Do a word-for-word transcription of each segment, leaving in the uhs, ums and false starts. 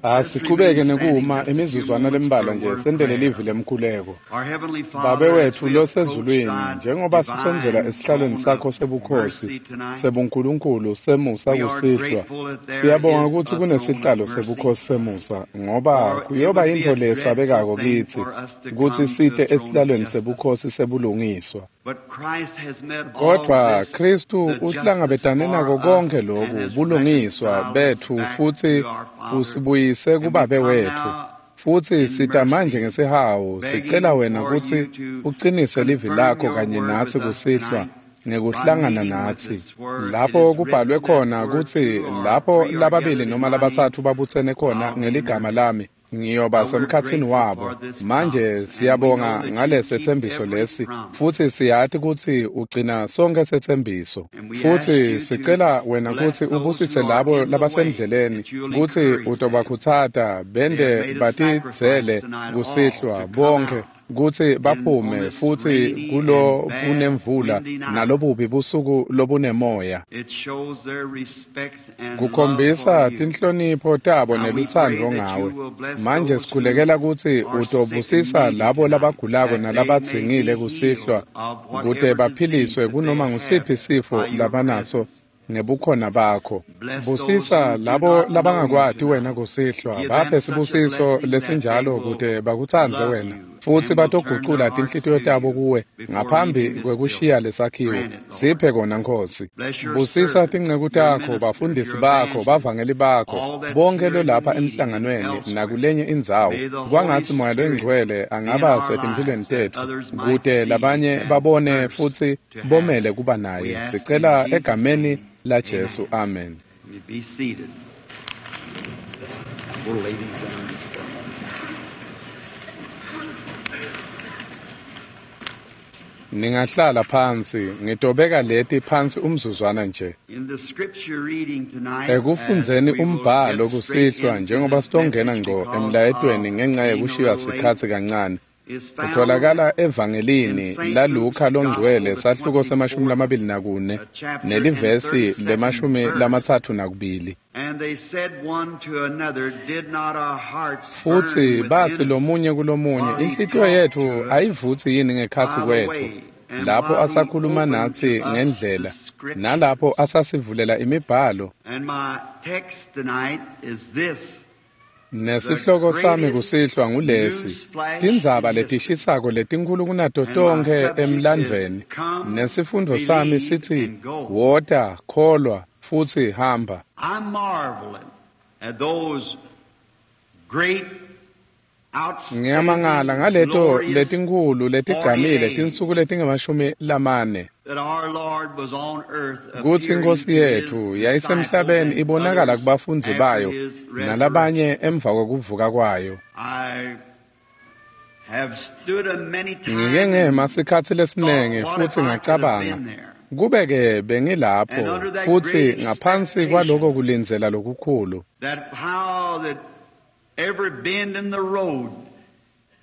Asiqhubeke nekuma imizuzwana lembalwa nje sentele livi lemkhuleko. Our Heavenly Father, Babe as wethu we losezulwini, approach thy njengoba sisondzela divine esihlalweni throne sakho of sebukhosi mercy tonight, sebuNkulunkulu semusa we are kusihlwa, grateful that there siyabonga is kutsi a throne of kunesihlalo mercy, sebukhosi semusa, ngoba for it kuyoba would be yintfo a dreadful lesabekako thing kitsi for us to kutsi come to site the throne of esihlalweni justice. sebukhosi sebulungiswa. But Christ has met all Kodwa this, Kristu the justice uhlangabetane for nako us, konke and loku has bulungiswa reconciled us bethu back futhi to our Father. usibuyise And we kuBabe come wethu. now Futhi in sita manje mercy, ngesihawu sicela begging wena for kutsi you to uqinise livi confirm lakho your kanye word natsi with us kusihlwa tonight by ngekuhlangana meeting with natsi. us where it Lapho is kubhalwe written that khona where kutsi two or lapho three are lababili gathered in noma my name, labatsatfu babutsene khona I'll be in their ngeligama midst. lami ngiyoba Now we're semkhatsini grateful wabo. for this Manje promise, and we know siyabonga that you keep ngalesethembiso every lesi promise. futhi siyati kutsi ugcina sonke setsembiso. And we ask Futhi you to sicela wena bless kutsi those ubusise who are labo in the way, labasendleleni that you'll kutsi encourage them. utobakhutsata They have bente made a sacrifice batidzele tonight all kusihlwa to come bonke out kutsi in on baphume this futhi rainy kulo and bad kunemvula windy night. nalobubi busuku lobunemoya. It shows their respects and love for Kukhombisa you. tinhlonipho tabo Now we pray nelutsandvo that you ngawe. will bless Manje those who sikhulekela kutsi are sick and utobusisa needy labo tonight, labagulako that they may nalabadzingile be healed kusihlwa of kute whatever disease baphiliswe that they kunoma have ngusiphi sifo by your labanaso presence. ngebukhona bakho. Bless those Busisa who do labo not know you labangakwati tonight. wena kusihlwa, Give baphe them such a sibusiso blessing that they lesinjalo will kute bakutsandze love wena you futsi and will turn their batogucula hearts tinhlitiyo to tabo you kuwe before ngaphambi leaving this kwekushiya building. lesakhiwo. Grant it, Lord. Siphe kona Nkhosi. Bless your Busisa servants, tinceku your takho, ministers, bafundisi your bakho, evangelists, bavangeli bakho, all that's bonke here in the lolapha meeting and emhlanganweni elsewhere. nakulenye indzawo. May the Holy Kwangatsi Moya Spirit loyiNgcwele be in angaba our setimphilweni lives that tetfu others might kute see labanye and babone thirst futhi to have bomele him. kuba We naye. ask in Sicela Jesus' egameni name. la Jesu. Amen. Amen. You may be seated. We'll lay these down just for a moment. Ningahlala phansi, ngitobeka leti phansi umzuzwana nje. In the scripture reading tonight, as Ekufundzeni we will umbhalo get straight kusihlwa into njengoba this sitongena message ngqo because emlayetweni of ngenxa being a yekushiywa little late, sikhatsi kancane. is found Utholakala in evangelini Saint laLuka Luke's longcwele Gospel, the sahluko semashumi twenty-fourth lamabili nakune uh, chapter and nelivesi thirty-second lemashumi verse. lamatsatfu nakubili. And they said one to another, Did not our hearts burn Futhi bathi within us lomunye kulomunye, while he inhlitiyo talked yethu to us ayivutsi yini ngekhatsi by the kwetfu way, and lapho while he asakhuluma opened natsi to us the ngendlela scriptures? nalapho asasivulela imibhalo. And my text tonight is this: the Nesihloko sami greatest kusihlwa ngulesi, news flash tindzaba in history. letishisako letinkhulu kunato And my tonkhe subject is emlandvweni. Come, Nesifundo sami Believe, sithi, and Go. wota, kholwa, futsi hamba. I'm marveling at those great, Ngiyamangala outstanding, ngaleto glorious letinkhulu forty letigcamile days tinsuku letingemashumi lamane that our Lord was on earth kutsi appearing iNkhosi to his yethu disciples yayisemhlabeni and ibonakala others kubafundzi after bayo his resurrection. nalabanye emva kwekuvuka kwayo. I have stood a many Ngike times ngema and sikhatsi thought, lesiningi what if futhi I could have ngacabanga been there? kube-ke And bengilapho under that futhi great ngaphansi kwaloko expectation kulindzela lokukhulu that how that every bend in the road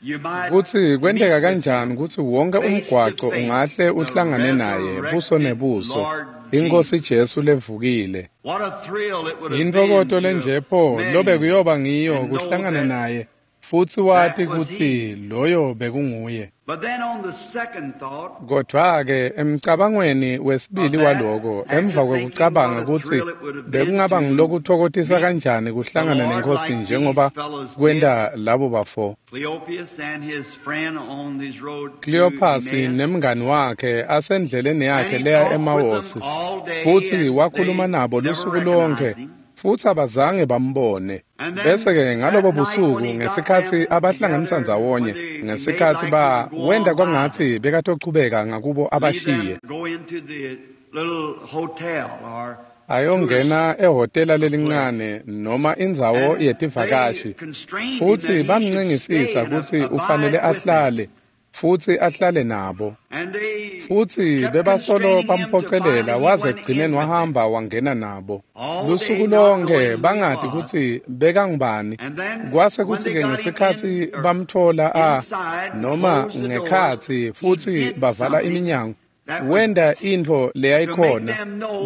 you might kutsi kwenteka meet with kanjani him kutsi wonke face to umgwaco face, ungahle the uhlangane naye buso resurrected nebuso Lord iNkhosi Jesus. Jesu levukile. What a thrill it would have been Intfokoto to have lenje pho met lobe him kuyoba ngiyo and know kuhlangana that naye futsi wati that was kutsi he. loyo bekunguye. But then on the second thought Kodwa-ke emcabangweni of wesibili that, waloko after emva thinking kwekucabanga what a kutsi thrill it would have been bekungaba to ngulokutfokotisa meet kanjani the kuhlangana Lord neNkhosi like these njengoba fellows did, kwenta labo bafo. Cleopas and his friend on his road to Kleophasi Emmaus. nemngani wakhe asendleleni And yakhe he leya talked with them eMawosi all day, futhi and wakhuluma they nabo never lusuku lonke recognized him. futhi abazange bambone. And Bese then ke that ngalobo night when busuku he got ngesikhatsi them abahlanganisa together, when ndzawonye they made ngesikhatsi like he ba would go wenta on by them, kwangatsi bekatochubeka ngakubo leave abashiye them, go into the little hotel or tourist ayongena ehhotela place. lelincane noma indzawo And they yetivakashi constrained him futhi that he should bamncengisisa stay and kutsi abide ufanele with them. ahlale futhi ahlale nabo. And they Futhi kept bebasolo constraining him to bamphocelela finally he waze went ekugcineni in with them. wahamba wangena nabo. All Lusuku day not lonke knowing who he bangati was. kutsi bekangubani. And then Kwase when kutsi they ke got him ngesikhatsi in or bamtfola a inside, noma closed the doors, ngekhatsi he futhi did bavala something iminyango Wenta intfo leyayikhona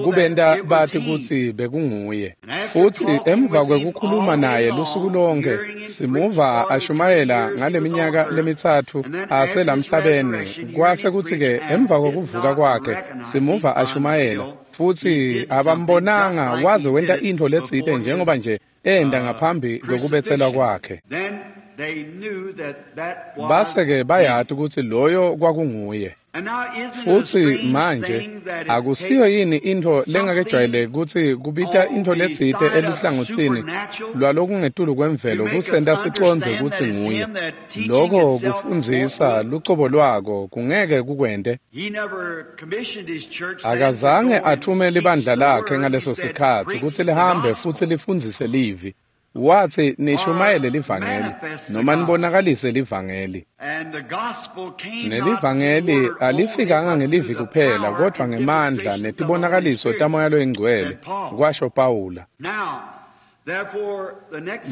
kubenta bati kutsi bekunguye. Futsi emva kwekukhuluma naye lusuku lonke, simuva ashumayela ngaleminyaka lemitsatfu aselamhlabeni, kwase kutsi-ke emva kwekuvuka kwakhe simuva ashumayela, futsi abambonanga waze wenta intfo letsite njengoba nje enda ngaphambi kwekubetselwa kwakhe. Base-ke bayati kutsi loyo kwakunguye. Futsi manje akusiyo yini intfo lengakejwayeleki kutsi kubita intfo letsite eluhlangotsini lwalokungetulu kwemvelo kusenta sicondze kutsi nguye. Loko kufundzisa lucobo lwako kungeke kukwente. Akazange atfume libandla lakhe ngaleso sikhatsi kutsi lihambe futsi lifundzise livi. Watsi nishumayele livangeli noma nibonakalise livangeli. Nelivangeli alifikanga ngelivi kuphela kodvwa ngemandla netibonakaliso taMoya loyiNgcwele, kwasho Pawula.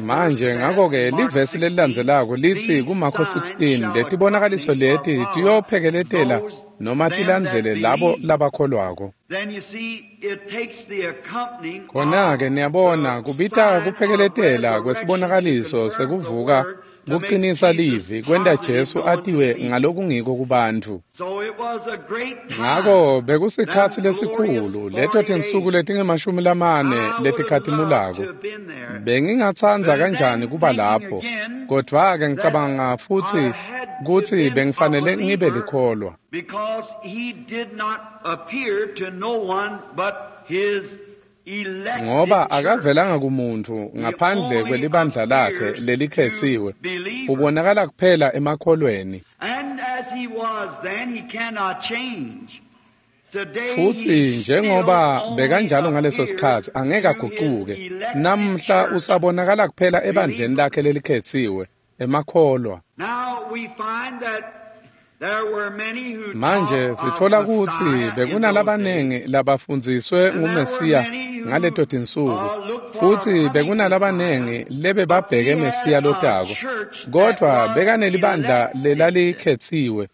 Manje ngako-ke livesi lelilandzelako litsi kuMakho sixteen, letibonakaliso leti tiyophekeletela noma tilandzele labo labakholwako. Khona-ke niyabona kubita kuphekeletela kwesibonakaliso sekuvuka kuqinisa livi kwenta Jesu atiwe ngalokungiko kubantfu. Ngako bekusikhatsi lesikhulu, leto tinsuku letingemashumi lamane letikhatimulako. Bengingatsandza kanjani kuba lapho, kodvwa-ke ngicabanga futsi kutsi bengifanele ngibe likholwa. Because he did not appear to no one but his Ngoba akavelanga kumuntfu ngaphandle kwelibandla lakhe lelikhetsiwe, ubonakala kuphela emakholweni. And as he was then, he cannot change. Futsi njengoba bekanjalo ngaleso sikhatsi angeke agucuke. Namhla usabonakala kuphela ebandleni lakhe lelikhetsiwe, emakholwa. Now we find that there were many who Manje sithola kutsi bekunalabanengi labafundziswe nguMesiya ngaleto tinsuku, futsi bekunalabanengi lebebabheke Mesiya lotako, kodvwa bekanelibandla lelalikhetsiwe,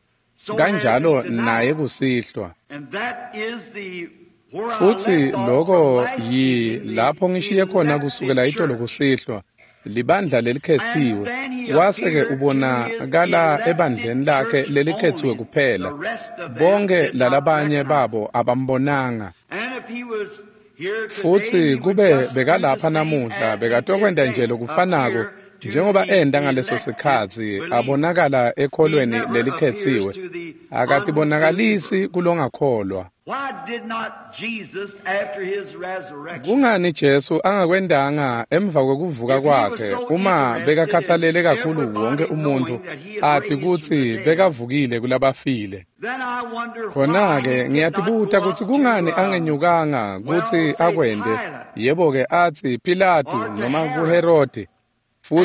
kanjalo naye kusihlwa. And that is the where I Futsi left off loko from last yi evening, lapho ngishiye khona the kusukela elected itolo church. kusihlwa, libandla lelikhetsiwe, wase-ke ubonakala ebandleni lakhe lelikhetsiwe kuphela. Bonke lalabanye babo abambonanga. And if he was here today, Futsi he would kube just do the bekalapha same namuhla as he bekatokwenta did nje then, lokufanako appear to njengoba the enda ngaleso elected sikhatsi believer. abonakala He ekholweni never appears lelikhetsiwe. to the Akatibonakalissi unbeliever. kulongakholwa. Why did not Jesus, after his resurrection, Kungani Jesu angakwendanga emva kwekuvuka if he was kwakhe so uma interested in bekakhathalele kakhulu wonke everybody umuntu knowing that he had ati raised from the kutsi dead, bekavukile kulabafile? then I wonder why Khona-ke he did not ngiyatibuta go kutsi up to, kungani uh, angenyukanga well, kutsi say akwente, Pilate yebo-ke atsi Pilatu or to noma Herod kuHerodi, and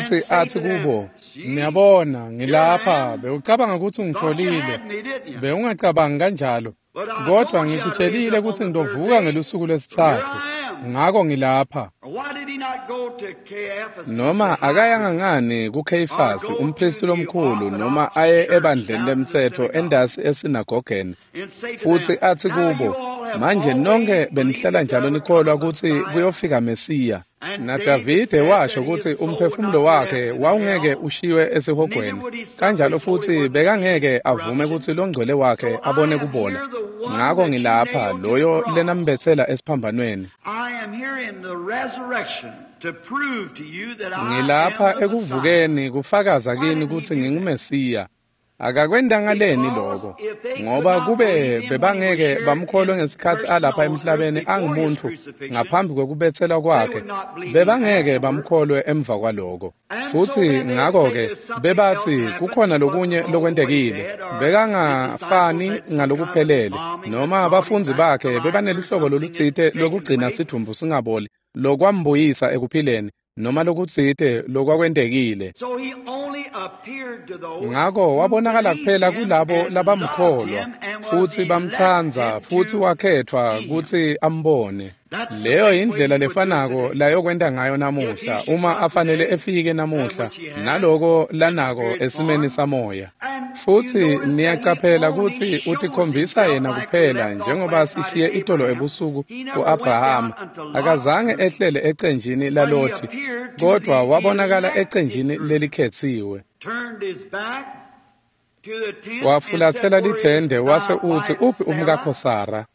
futsi say atsi to them, kubo, See, niyabona here I ngilapha, am. bewucabanga kutsi Thought you ungitfolile, had me, didn't you? bewungacabangi kanjalo, But I kodvwa told you I'd raise ngikutshelile up on kutsi the third ngitovuka day. ngelusuku So here lwesitsatfu, I am. ngako ngilapha. Or why did he not go to Caiaphas, the Noma high akayanga priest, ngani or kuKheyifasi go to umphristi the lomkhulu noma Orthodox aye church ebandleni down to the lemtsetfo synagogue endasi esinagogeni and say to futsi them, atsi Now you kubo, all have manje always nonke believed benihlala that njalo there would nikholwa come a kutsi Messiah. kuyofika Mesiya. And David NaDavide said washo that his kutsi soul would umphefumulo not be wakhe left in wawungeke hell, ushiywe neither esihogweni, would he suffer kanjalo his Holy futsi One to see bekangeke avume corruption. kutsi longcwele wakhe So I abone am kubola. here the one Ngako that you ngilapha nailed to the loyo cross. lenambetsela esiphambanweni. I am here in the resurrection to prove to you that I am Ngilapha the Messiah. ekuvukeni kufakaza Why kini didn't he kutsi do that? nginguMesiya. Akakwentanga leni Because loko, if they could ngoba not kube believe him when he was bebangeke here bamkholwe in ngesikhatsi person alapha on earth emhlabeni before his angumuntu crucifixion, ngaphambi kwekubetselwa they kwakhe, would not believe him bebangeke afterward. bamkholwe emva kwaloko. And so Futsi then they would say ngako-ke there's something else bebatsi happened. kukhona He wasn't lokunye all the way lokwentekile, dead, or his disciples bekangafani had some kind of ngalokuphelele, embalming that noma brought him abafundzi back to bakhe life or bebaneluhlobo something that lolutsite had taken lwekugcina place. sidvumbu singaboli, lokwambuyisa ekuphileni, noma lokutsite lokwakwentekile. So he only appeared to those Ngako who wabonakala believed kuphela him kulabo and loved labamkholwa him and was futsi bamtsandza elected futsi to wakhetfwa see him. kutsi ambone. Leyo indlela lefanako layokwenta ngayo namuhla uma afanele efike namuhla naloko lanako esimeni samoya. Futsi niyacaphela kutsi utikhombisa yena kuphela njengoba sishiye itolo ebusuku ku-Abrahama. Akazange ehlele ecenjini laLothi, kodvwa wabonakala ecenjini lelikhetsiwe. Wafulatsela lithende wase utsi, uphi umkakho Sara?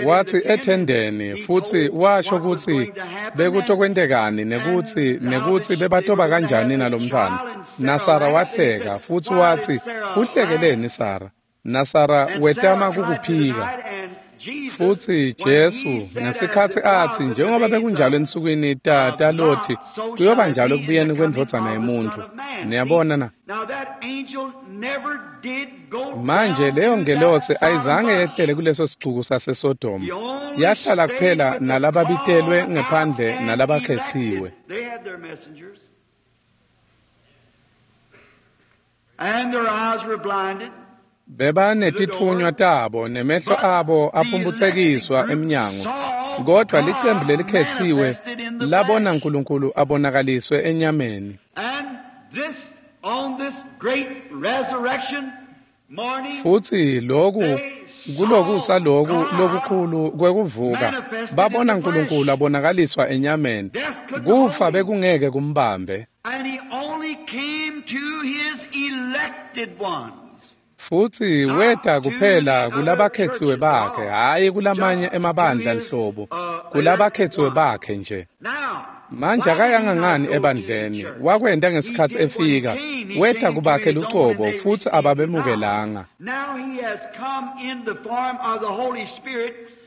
Watsi ethendeni, futsi washo kutsi bekutokwentekani nekutsi nekutsi bebatoba kanjani nalomntfwana. NaSara wahleka futsi watsi, uhlekeleni Sara? NaSara wetama kukuphika. Futsi Jesu ngesikhatsi atsi njengoba bekunjalo ensukwini ta taLothi, kuyoba njalo ekubuyeni kwendvodzana yemuntfu. Niyabona na? Manje leyo ngelosi ayizange yehlele kuleso sicuku saseSodoma. Yahlala kuphela nalababitelwe ngephandle nalabakhetsiwe. And their eyes were blinded. Bebanetitfunywa tabo nemehlo abo aphumputsekiswa emnyango, kodvwa licembu lelikhetsiwe labona Nkulunkulu abonakaliswe enyameni. Futsi loku kulokusa loku lokukhulu kwekuvuka babona Nkulunkulu abonakaliswa enyameni. Kufa bekungeke kumbambe. Futsi weta kuphela kulabakhetsiwe bakhe, hhayi kulamanye emabandla nhlobo, kulabakhetsiwe bakhe nje. Manje akayanga ngani ebandleni, wakwenta ngesikhatsi efika, weta kubakhe lucobo futsi ababemukelanga.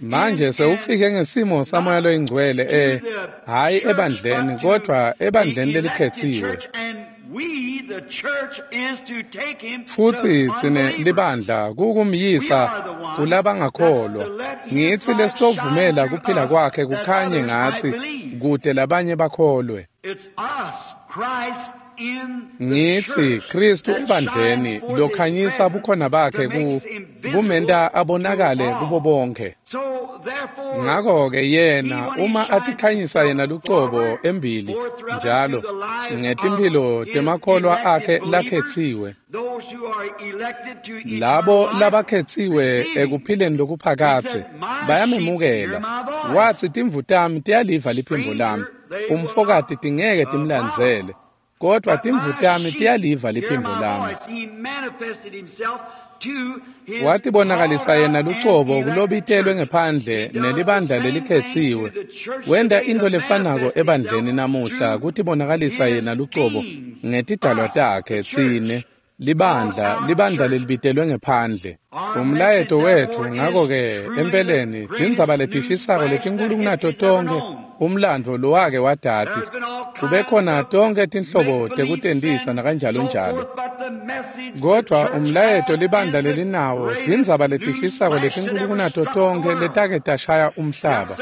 Manje sewufike ngesimo saMoya loyiNgcwele eh hhayi ebandleni kodvwa ebandleni lelikhetsiwe. Futsi tsine libandla kukumyisa kulabangakholwa. Ngitsi lesitovumela kuphila kwakhe kukhanye ngatsi kute labanye bakholwe. Ngitsi Kristu ebandleni lokhanyisa bukhona bakhe ku kumenta abonakale kubo bonke. Ngako-ke yena uma atikhanyisa yena lucobo embili njalo ngetimphilo temakholwa akhe lakhetsiwe, labo labakhetsiwe ekuphileni lokuphakadze bayamemukela. Watsi timvu tami tiyaliva liphimbo lami, umfokati tingeke timlandzele, kodvwa timvu tami tiyaliva liphimbo lami. Watibonakalisa yena lucobo kulobitelwe ngephandle nelibandla lelikhetsiwe. Wenta intfo lefanako ebandleni namuhla kutibonakalisa yena lucobo ngetidalwa takhe tsine libandla, libandla lelibitelwe ngephandle. Umlayeto wetfu ngako-ke empeleni tindzaba letishisako letinkulu kunato tonkhe umlandvo lowake wadati. Kube khona tonkhe tinhlobo tekutentisa nakanjalonjalo, kodvwa umlayeto libandla lelinawo tindzaba letishisako letinkulu kunato tonkhe letake tashaya umhlaba.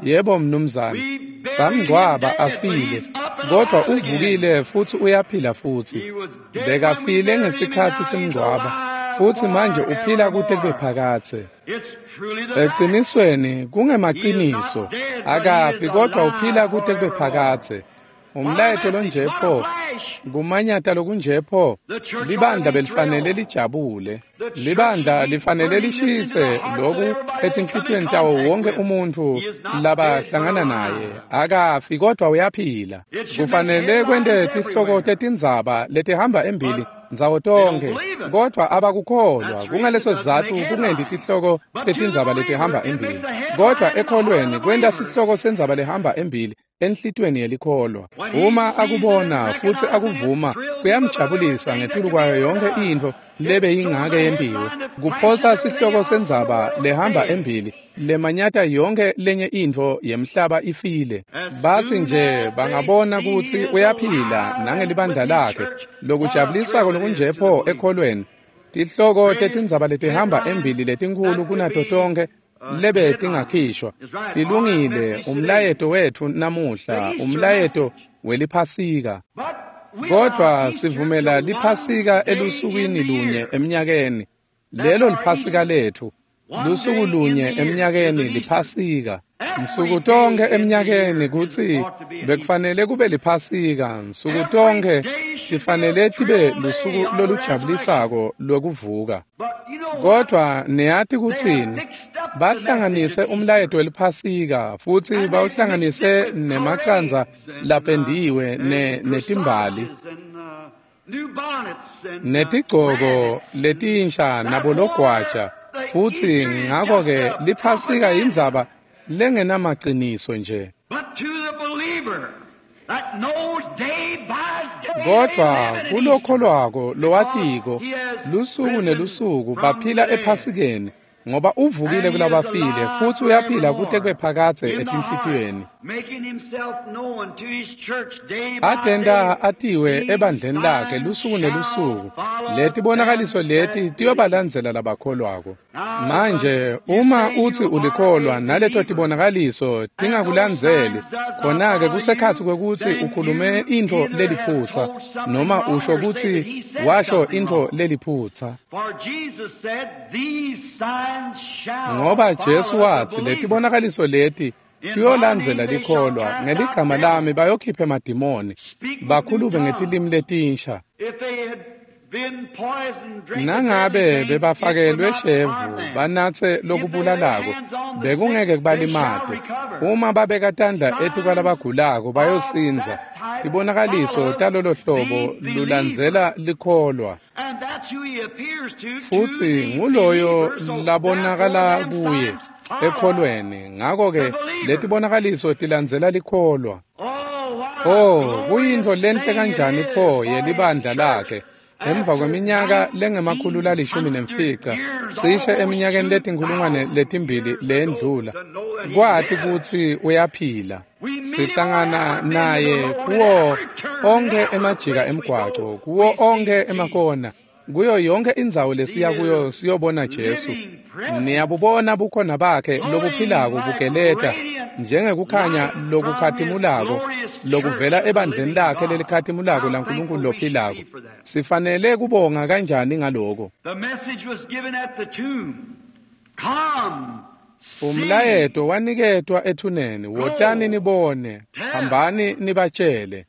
Yebo mnumzane, samngcwaba afile, kodvwa uvukile futsi uyaphila futsi. Bekafile ngesikhatsi simngcwaba, futsi manje uphila kute kube phakadze. Eqinisweni kungemaciniso, akafi kodvwa uphila kute kube phakadze. Umlayeto lonje pho, kumanyata lokunje pho, libandla belifanele lijabule. Libandla lifanele lishise loku etinhlitiyweni tawo wonke umuntfu labahlangana naye. Akafi kodvwa uyaphila. Kufanele kwente tihloko tetindzaba letihamba embili ndzawo tonkhe, kodvwa abakukholwa. Kungaleso sizatfu kungenti tihloko tetindzaba letihamba embili, kodvwa ekholweni kwenta sihloko sendzaba lehamba embili enhlitiyweni yelikholwa. Uma akubona futsi akuvuma, kuyamjabulisa ngetulu kwayo yonke intfo lebeyingake yentiwe. Kuphosa sihloko sendzaba lehamba embili lemanyata yonke lenye intfo yemhlaba ifile. Batsi nje bangabona kutsi uyaphila nangelibandla lakhe, lokujabulisako lokunje pho ekholweni. Tihloko tetindzaba letihamba embili letinkhulu kunato tonkhe lebe tingakhishwa tilungile. Umlayeto wetfu namuhla, umlayeto weliphasika. Kodvwa sivumela liphasika elusukwini lunye eminyakeni. Lelo liphasika letfu. Lusuku lunye eminyakeni liPhasika. Nsuku tonkhe eminyakeni kutsi bekufanele kube liPhasika. Nsuku tonkhe tifanele tibe lusuku lolujabulisako lwekuvuka. Kodvwa niyati kutsini? Bahlanganise umlayeto weliPhasika futsi bawuhlanganise nemacandza lapendiwe ne netimbali netigcoko letinsha nabologwaja, futsi ngako-ke liPhasika yindzaba lengenamaciniso nje. Kodvwa kulokholwako lowatiko lusuku nelusuku baphila ePhasikeni, ngoba uvukile kulabafile futsi uyaphila kute kube phakadze etinhlitiyweni. Atenta atiwe ebandleni lakhe lusuku nelusuku. Letibonakaliso leti tiyobalandzela labakholwako. Manje uma utsi ulikholwa naleto tibonakaliso tingakulandzeli, khona-ke kusekhatsi kwekutsi ukhulume intfo leliphutsa noma usho kutsi washo intfo leliphutsa. Ngoba Jesu watsi letibonakaliso leti tiyolandzela likholwa, ngeligama lami bayokhipha emadimoni, bakhulume ngetilimi letinsha. Nangabe bebafakelwe shevu banatse lokubulalako, bekungeke kubalimate. Uma babeka tandla etikwalabagulako bayosindza. Tibonakaliso talolo hlobo lulandzela likholwa. Futsi nguloyo labonakala kuye ekholweni. Ngako-ke letibonakaliso tilandzela likholwa. Oh, kuyintfo lenhle kanjani pho yelibandla lakhe emva kweminyaka lengemakhulu lalishumi nemfica, cishe eminyakeni letinkhulungwane letimbili leyendlula, kwati kutsi uyaphila. Sihlangana naye kuwo onkhe emajika emgwaco, kuwo onkhe emakona, kuyo yonke indzawo lesiya kuyo siyobona Jesu. Niyabubona bukhona bakhe lobuphilako bugeleta njengekukhanya lokukhatimulako lokuvela ebandleni lakhe lelikhatimulako laNkulunkulu lophilako. Sifanele kubonga kanjani ngaloko? Umlayeto waniketwa ethuneni, wotani nibone, hambani nibatshele.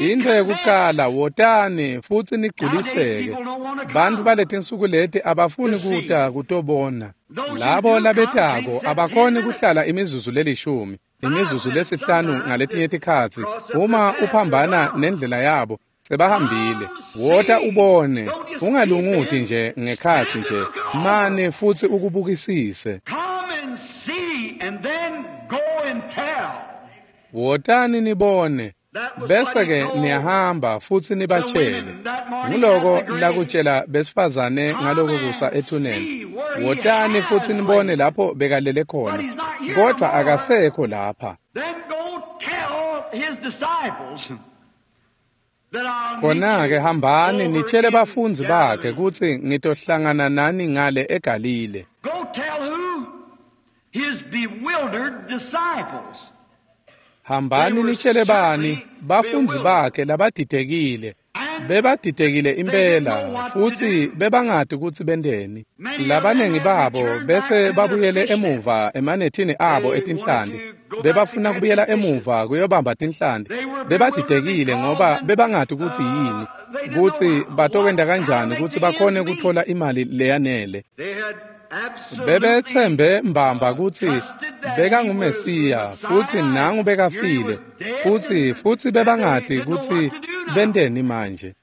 Intfo yekucala, wotani futsi nigculiseke. Bantfu baletinsuku leti abafuni kuta kutobona. Labo labetako abakhoni kuhlala imizuzu lelishumi, imizuzu lesihlanu ngaletinye tikhatsi. Uma uphambana nendlela yabo, sebahambile. Wota ubone, ungalunguti nje ngekhatsi nje, mane futsi ukubukisise. Wotani nibone, bese-ke niyahamba futsi nibatshele. Nguloko lakutshela besifazane ngaloko kusa ethuneni. Wotani futsi nibone lapho bekalele khona, kodvwa akasekho lapha. Khona-ke hambani nitshele bafundzi bakhe kutsi ngitohlangana nani ngale eGalile. Hambani nitshele bani bafundzi bakhe labadidekile. Bebadidekile impela futsi bebangati kutsi benteni. Labanengi babo bese babuyele emuva emanethini abo etinhlanti. Bebafuna kubuyela emuva kuyobamba tinhlanti. Bebadidekile ngoba bebangati kutsi yini, kutsi batokwenta kanjani kutsi bakhone kutfola imali leyanele. Bebetsembe mbamba kutsi bekanguMesiya futsi nangu bekafile, futsi futsi bebangati kutsi benteni manje.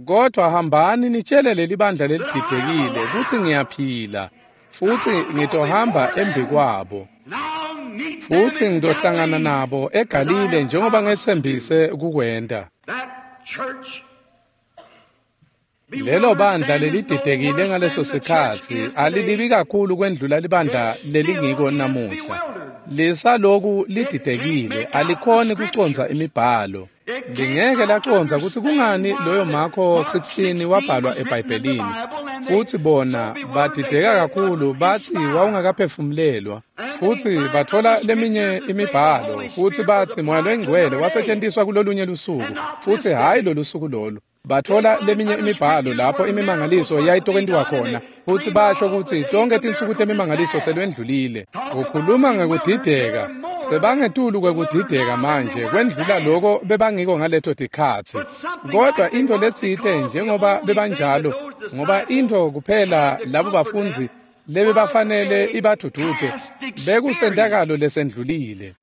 Kodvwa hambani nitshele lelibandla lelididekile kutsi ngiyaphila futsi ngitohamba embikwabo, futsi ngitohlangana nabo eGalile njengoba ngetsembise kukwenta. Lelo bandla lelididekile ngaleso sikhatsi alilibi kakhulu kwendlula libandla lelingiko namuhla. Lisaloku lididekile, alikhoni kucondza imibhalo. Lingeke lacondza kutsi kungani loyo Marko sixteen wabhalwa eBhayibhelini. Futsi bona badideka kakhulu batsi wawungakaphefumulelwa. Futsi batfola leminye imibhalo futsi batsi Moya Longcwele wasetjentiswa kulolunye lusuku futsi hhayi lolusuku lolu. Batfola leminye imibhalo lapho imimangaliso yayitokwentiwa khona, futsi basho kutsi tonkhe tinsuku temimangaliso selwendlulile. Ukhuluma ngekudideka, sebangetulu kwekudideka manje kwendlula loko bebangiko ngaleto tikhatsi. Kodwa intfo letsite njengoba bebanjalo, ngoba intfo kuphela labo bafundzi lebebafanele ibadvudvute bekusentakalo lesendlulile.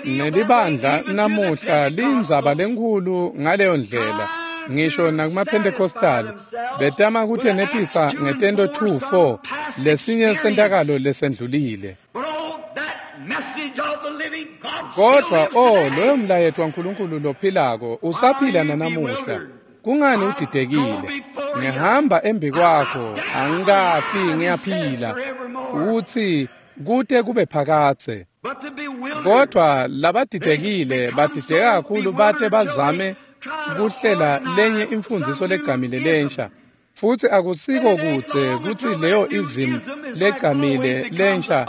Nelibandla namuhla liyindzaba lenkhulu ngaleyo ndlela, ngisho nakumaPentecostal betama kutenetisa ngetento two four lesinye sentakalo lesendlulile. Kodwa oh, loyo mlayeto waNkulunkulu lophilako usaphila nanamuhla. Kungani udidekile? Ngihamba embi kwakho, angikafi, ngiyaphila. Uthi kute kube phakadze. Kodwa labadidekile badideka kakhulu bate bazame kuhlela lenye imfundiso legcamile lensha. Futsi akusiko kudze kutsi leyo ism legcamile lensha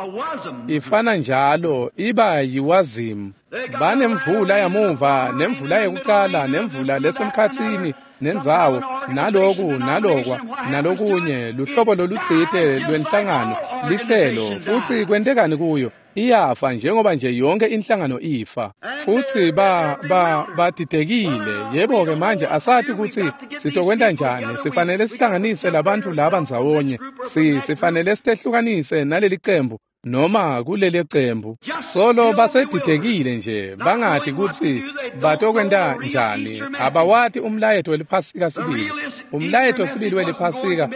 ifana njalo iba yiwazimu. Banemvula yamuva, nemvula yekucala, nemvula lesemkhatsini, nendzawo, naloku, nalokwa, nalokunye, luhlobo lolutsite lwenhlangano, lihlelo, futsi kwentekani kuyo? Iyafa njengoba nje yonke inhlangano ifa. Futsi ba ba badidekile. Yebo-ke manje asati kutsi sitokwenta njani. Sifanele sihlanganise labantfu laba ndzawonye. Si sifanele sitehlukanise naleli cembu noma kuleli cembu. Solo basedidekile nje, bangati kutsi batokwenta njani. Abawati umlayeto weliphasika sibili. Umlayeto sibili weliphasika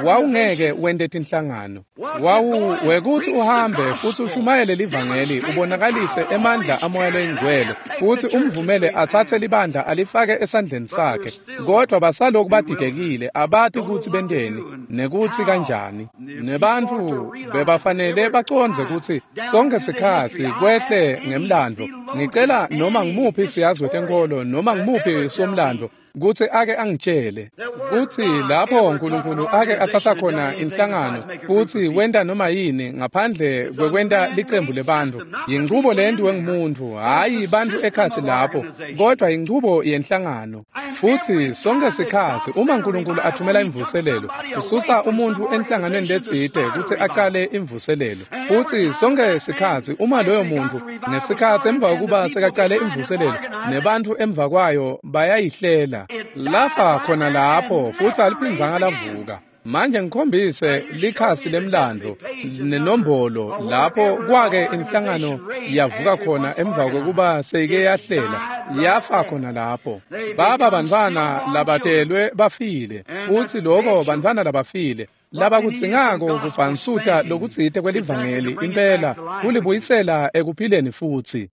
wawungeke wente tinhlangano. Wawu wekuthi uhambe futsi ushumayele livangeli, ubonakalise emandla amoya loyingcwele, futsi umvumele atsatse libandla alifake esandleni sakhe. Kodwa basaloku badidekile, abati kutsi benteni nekutsi kanjani. Nebantfu bebafanele bacondze kutsi sonke sikhatsi kwehle ngemlandvo. Ngicela noma ngimuphi siyazi wetenkholo noma ngimuphi somlandvo kutsi ake angitshele kutsi lapho uNkulunkulu ake atsatsa khona inhlangano futsi wenta noma yini ngaphandle kwekwenta licembu lebantfu. Yinchubo lentiwe ngumuntu, hhayi bantfu ekhatsi lapho, kodwa yinchubo yenhlangano. Futsi sonke sikhatsi uma uNkulunkulu athumela imvuselelo, ususa umuntfu enhlanganweni letsite kutsi acale imvuselelo. Futsi sonke sikhatsi uma loyo muntfu ngesikhatsi emva kokuba sekacale imvuselelo, nebantfu emva kwayo bayayihlela. Lafa khona lapho futsi aliphindzanga lavuka. Manje ngikhombise likhasi lemlandvo nenombolo lapho kwake inhlangano yavuka khona emva kokuba seyike yahlela, yafa khona lapho. Baba bantfwana labatelwe bafile, futsi loko bantfwana labafile labakudzingako kubhansuta lokutsite kwelivangeli impela kulibuyisela ekuphileni futsi.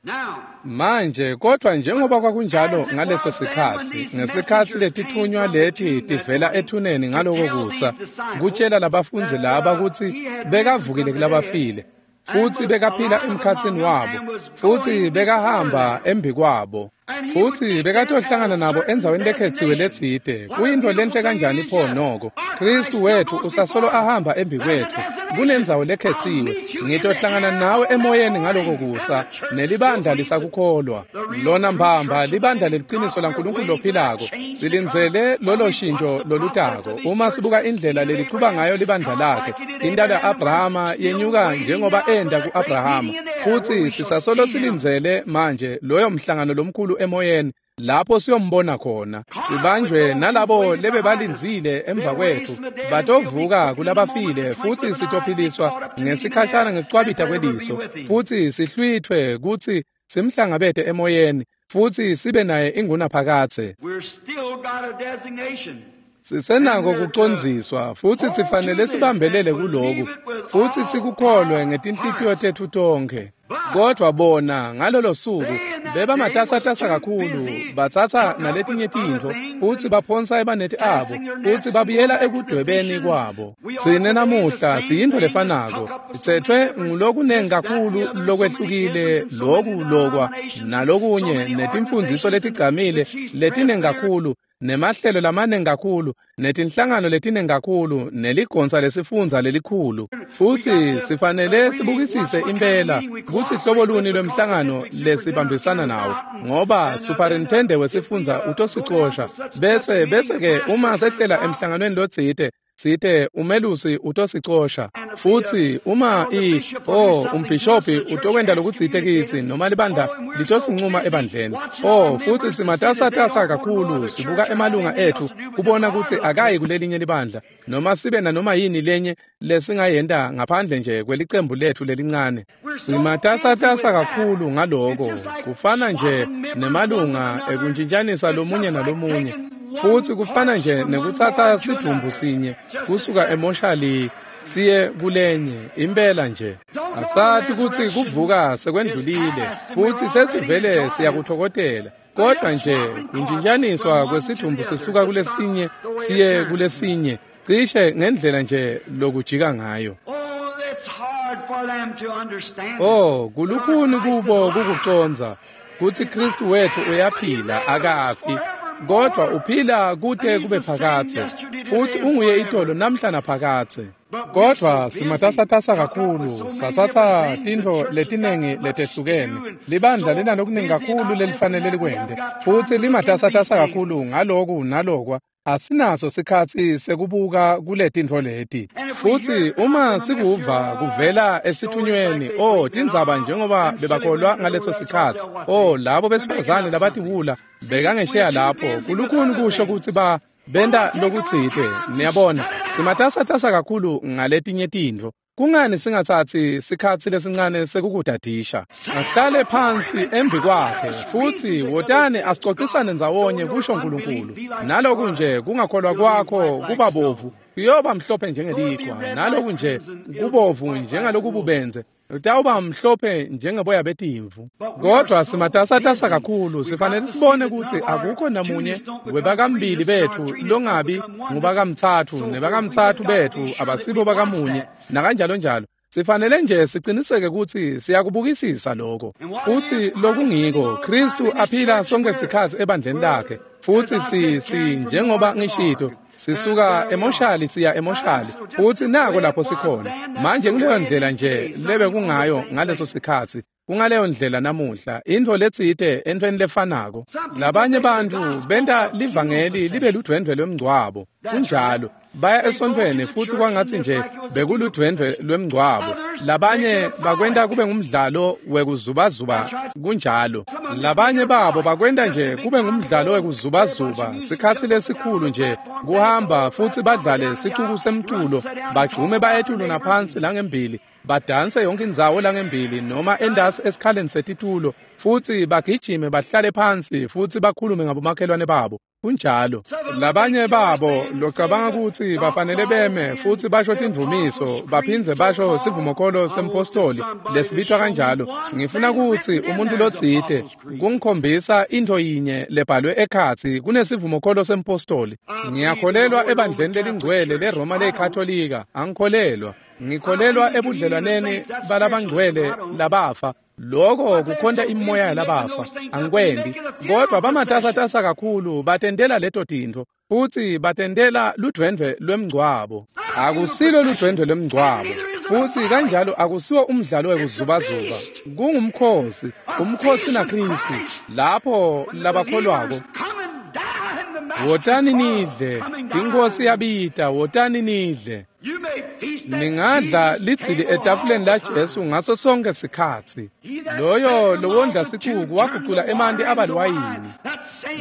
Manje kodwa njengoba kwakunjalo ngaleso sikhatsi, ngesikhatsi letithunywa leti tivela ethuneni ngaloko kusa, kutshela labafundzi laba kutsi bekavukile kulabafile, futsi bekaphila emkhatsini wabo, futsi bekahamba embi kwabo, futsi bekatohlangana nabo endzaweni lekhetsiwe letsite. Kuyintfo lenhle kanjani pho noko? Khristu wetfu usasolo ahamba embi kwetfu kunendzawo lekhetsiwe. Ngitohlangana nawe emoyeni ngaloko kusa, nelibandla lisakukholwa. Lona mbamba libandla leliciniso laNkulunkulu lophilako. Silindzele lolo shintsho lolutako. Uma sibuka indlela lelichuba ngayo libandla lakhe, intalo ya-Abrahama yenyuka njengoba enda ku-Abrahama, futsi sisasolo silindzele manje loyo mhlangano lomkhulu emoyeni lapho siyombona khona. Ibanjwe nalabo lebebalindzile emva kwetfu batovuka kulabafile, futsi sitophiliswa ngesikhashana ngekucwabita kweliso, futsi sihlwithwe kutsi simhlangabete emoyeni, futsi sibe naye ingunaphakadze. Sisenako kucondziswa, futsi sifanele sibambelele kuloku, futsi sikukholwe ngetinhlitiyo tetfu tonkhe. Kodwa bona ngalolo suku bebamatasatasa kakhulu, batsatsa naletinye tintfo futsi baphonsa emaneti abo, futsi babuyela ekudwebeni kwabo. Tsine namuhla siyintfo lefanako, sitsetfwe ngulokunengi kakhulu lokwehlukile, loku lokwa nalokunye, netimfundziso letigcamile letinengi kakhulu nemahlelo lamaningi kakhulu, netinhlangano letiningi kakhulu, neligonsa lesifundza lelikhulu. Futsi sifanele sibukisise impela kutsi hlobo luni lwemhlangano lesibambisana nawo, ngoba superintendent wesifundza utosicosha. Bese bese-ke uma sehlela emhlanganweni lotsite, site umelusi utosicosha. Futsi uma i oh umbhishobhi utokwenta lokutsite kitsi, noma libandla litosincuma ebandleni. Oh, futsi simatasatasa kakhulu sibuka emalunga etfu kubona kutsi akayi kulelinye libandla, noma sibe nanoma yini lenye lesingayenta ngaphandle nje kwelicembu letfu lelincane. Simatasatasa kakhulu ngaloko, kufana nje nemalunga ekuntshintshanisa lomunye nalomunye. Futsi kufana nje nekutsatsa sidvumbu sinye kusuka emoshali siye kulenye, impela nje. Asati kutsi kuvuka sekwendlulile, futsi sesivele siyakuthokotela. Kodwa nje kuntshintshaniswa kwesidvumbu sisuka kulesinye siye kulesinye, cishe ngendlela nje lokujika ngayo. Oh, kulukhuni kubo kukucondza kutsi Kristu wethu uyaphila, akafi, kodwa uphila kute kube phakadze, futsi unguye itolo namhla naphakadze. Kodwa simatasatasa kakhulu, satsatsa tintfo letinengi letehlukene. Libandla linalokuningi kakhulu lelifanele likwente, futsi limatasatasa kakhulu ngaloku nalokwa. Asinaso sikhatsi sekubuka kuletintfo leti. Futsi uma sikuva kuvela esithunyweni, oh, tindzaba njengoba bebakholwa ngaleso sikhatsi, oh, labo besifazane labatiwula bekangesheya lapho, kulukhuni kusho kutsi ba benta lokutsite. Niyabona, simatasatasa kakhulu ngaletinye tintfo. Kungani singatsatsi sikhatsi lesincane sekukudadisha? Ahlale phansi embi kwakhe, futsi wotani asicocisane ndzawonye, kusho Nkulunkulu. Naloku nje kungakholwa kwakho kuba bovu, kuyoba mhlophe njengelikhwa, naloku nje kubovu njengalokububenze, utawuba mhlophe njengeboya betimvu. Kodwa simatasatasa kakhulu, sifanele sibone kutsi akukho namunye webakambili betfu longabi ngubakamtsatfu, nebakamtsatfu betfu abasibo bakamunye, nakanjalo njalo. Sifanele nje siciniseke kutsi siyakubukisisa lokho. Futsi lokungiko, Kristu aphila sonke sikhatsi ebandleni lakhe. Futsi si si njengoba ngishito, sisuka emoshali siya emoshali, futsi nako lapho sikhona. Manje kuleyo ndlela nje lebe kungayo ngaleso sikhatsi, kungaleyo ndlela namuhla, intfo letsite entfweni lefanako. Labanye bantfu benta livangeli libe ludvwendvwe lwemngcwabo. Kunjalo, baya esontfweni futsi kwangatsi nje bekuludvwendvwe lwemngcwabo. Labanye bakwenta kube ngumdlalo wekuzubazuba. Kunjalo, labanye babo bakwenta nje kube ngumdlalo wekuzubazuba, sikhatsi lesikhulu nje kuhamba futsi badlale sicuku semculo, bagcume bayetulu naphansi langembili, badanse yonke indzawo langembili noma endasi esikhaleni setitulo, futsi bagijime bahlale phansi futsi bakhulume ngabomakhelwane babo. Kunjalo, labanye babo locabanga kutsi bafanele beme futsi basho tindvumiso, baphindze basho sivumokholo sempostoli lesibitwa kanjalo. Ngifuna kutsi umuntu lotsite kungikhombisa intfo yinye lebhalwe ekhatsi kunesivumokholo sempostoli. Ngiyakholelwa ebandleni lelingcwele leRoma leyiKatolika, angikholelwa. Ngikholelwa ebudlelwaneni balabangcwele labafa. Loko kukhonta imoya yalabafa, angikwendi. Kodwa bamatasatasa kakhulu batentela leto tintfo, futsi batentela ludvwendvwe lwemngcwabo. Akusilo ludvwendvwe lwemngcwabo, futsi kanjalo akusiwo umdlalo wekuzubazuba. Kungumkhosi, umkhosi naKristu, lapho labakholwako. Wotani nidle, iNkhosi yabita, wotani nidle. Ningadla lidzili etafuleni laJesu ngaso sonke sikhatsi. Loyo lowondla sicuku wagucula emanti aba liwayini.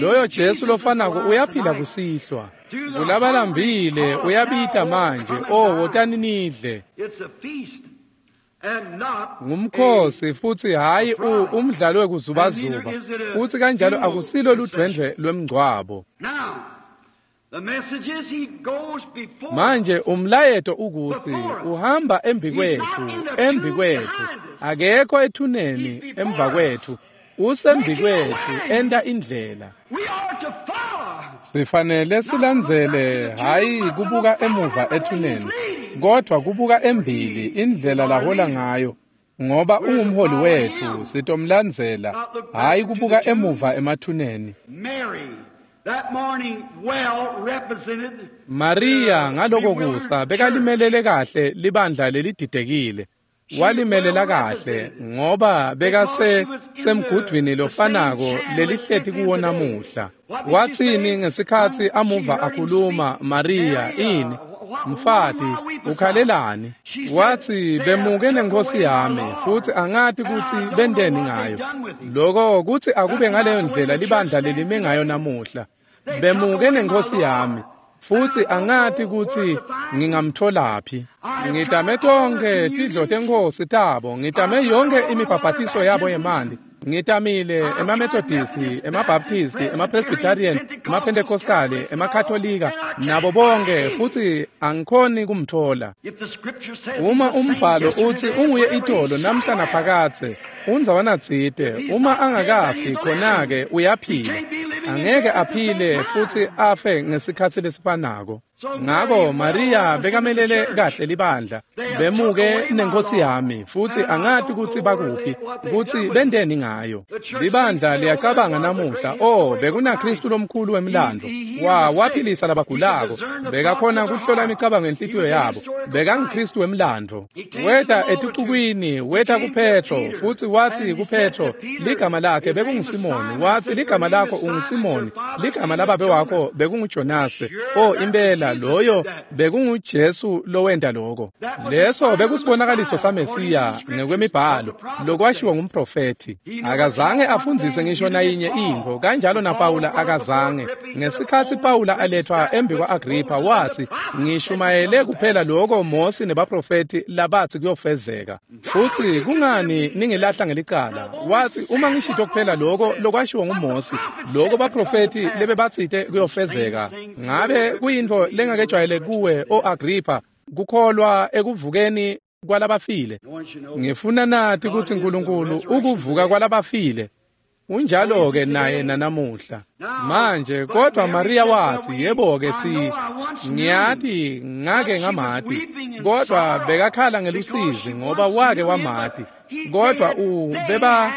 Loyo Jesu lofanako uyaphila kusihlwa. Kulabalambile uyabita manje, oh, wotani nidle. Ngumkhosi futsi hhayi umdlalo wekuzubazuba, futsi kanjalo akusilo ludvwendvwe lwemngcwabo. Manje umlayeto ukuthi uhamba embi kwetfu, embi kwetfu, akekho ethuneni emva kwetfu, usembi kwetfu enta indlela. Sifanele silandzele, hhayi kubuka emuva ethuneni, kodwa kubuka embili indlela lahola ngayo, ngoba ungumholi wetfu, sitomlandzela, hhayi kubuka emuva emathuneni. That morning well represented Maria ngaloko kusa bekalimelele kahle libandla lelididekile. Walimelela kahle ngoba bekase semgudvwini lofanako lelihleti kuwo namuhla. Watsini ngesikhatsi amuva akhuluma Maria ini? Mfati ukhalelani? Watsi bemuke nenkosi yami futsi angati kutsi benteni ngayo. Loko kutsi akube ngaleyo ndlela libandla lelime ngayo namuhla. Bemuke nenkosi yami futsi angati kutsi ngingamtholaphi. Ngitame tonkhe tidlo tenkosi tabo, ngitame yonke imibhabhatiso yabo yemanti. Ngitamile emaMethodisti, emaBaptisti, emaPresbyterian, emaPentecostali, emaKatolika nabo bonke futsi angikhoni kumthola. If the scripture says Uma he's the same umbhalo yesterday, uthi today, unguye forever, itolo he's namhla somewhere. naphakadze, undzawana tsite uma angakafi khona-ke uyaphila. Angeke aphile futsi afe ngesikhatsi lesifanako. Ngako Maria bekamelele kahle libandla. Bemuke nenkosi yami futsi angati kutsi bakuphi, kutsi benteni ngayo. Libandla liyacabanga namuhla, oh bekunaKristu lomkhulu wemlando. Wa waphilisa labagulako, bekakhona kuhlola imicabango yenhlitiyo yabo. BekanguKristu wemlando. Weta eticukwini, weta kuPetro futsi watsi kuPetro, ligama lakhe bekunguSimoni. Watsi ligama lakho unguSimoni, ligama lababe wakho bekunguJonase. Oh impela loyo bekunguJesu lowenta loko. Leso bekusibonakaliso saMesiya ngekwemibhalo lokwashiwo ngumprofethi. Akazange afundzise ngisho nayinye intfo, kanjalo naPawula akazange. Ngesikhatsi Pawula aletfwa embi kwa-Agripha watsi, ngishumayele kuphela loko Mosi nebaprofethi labatsi kuyofezeka. Futsi kungani ningilahla ngelicala? Watsi uma ngishito kuphela loko lokwashiwo nguMosi, loko baprofethi lebebatsite kuyofezeka. Ngabe kuyintfo lengakejwayele kuwe, o Agripha, kukholwa ekuvukeni kwalabafile? Ngifuna nati kutsi Nkulunkulu ukuvuka kwalabafile. Unjalo-ke naye nanamuhla. Manje kodwa Maria watsi, yebo-ke si ngiyati ngake ngamati, kodwa bekakhala ngelusizi ngoba wake wamati. Kodwa u beba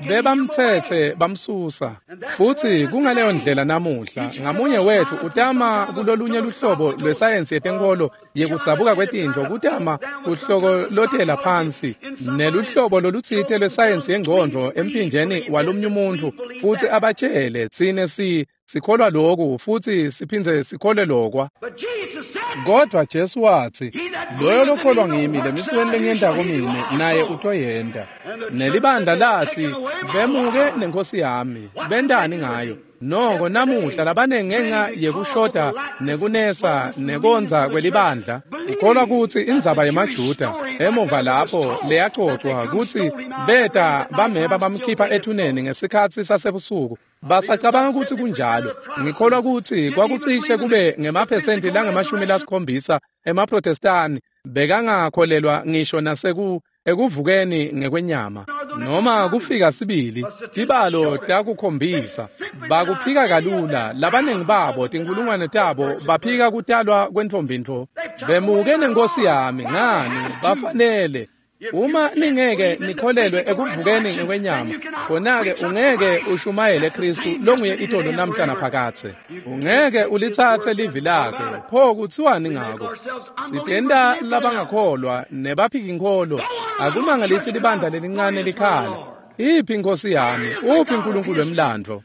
bebamtsetse bamsusa. Futsi kungaleyo ndlela namuhla, ngamunye wethu utama kulolunye luhlobo lwesayensi yetenkholo yekudzabuka kwetintfo, kutama kuhlokolotela phansi neluhlobo lolutsite lwesayensi yengcondvo emphinjeni walomnye umuntfu futsi abatshele tsine si sikholwa loku futsi siphindze sikholwe lokwa. But Jesus said, Kodwa Jesu watsi, loyo lokholwa ngimi lemisebenti lengiyentako mine naye utoyenta. Nelibandla latsi, bemuke nenkosi yami, bentani ngayo? Noko namuhla labanengi ngenca yekushoda nekunesa nekondza kwelibandla, ukholwa kutsi indzaba yemaJuda emuva lapho leyacocwa kutsi beta bameba bamkhipha ethuneni ngesikhatsi sasebusuku. Basacabanga kutsi kunjalo. Ngikholwa kutsi kwakucishe kube ngemaphesenti langemashumi lasikhombisa emaProtestani bekangakholelwa ngisho naseku ekuvukeni ngekwenyama noma kufika sibili. Tibalo takukhombisa bakuphika kalula. Labaningi babo tinkulungwane tabo baphika kutalwa kwentfombi-ntfo. Bemuke nenkosi yami ngani bafanele. Uma ningeke nikholelwe ekuvukeni ngekwenyama, khona-ke ungeke ushumayele Kristu longuye itolo namhla naphakadze. Ungeke ulitsatse livi lakhe. Pho kutsiwani ngako? Sitenta labangakholwa nebaphikinkholo. Akumangalisi libandla lelincane likhala. Iphi inkosi yami? Uphi uNkulunkulu wemlandvo?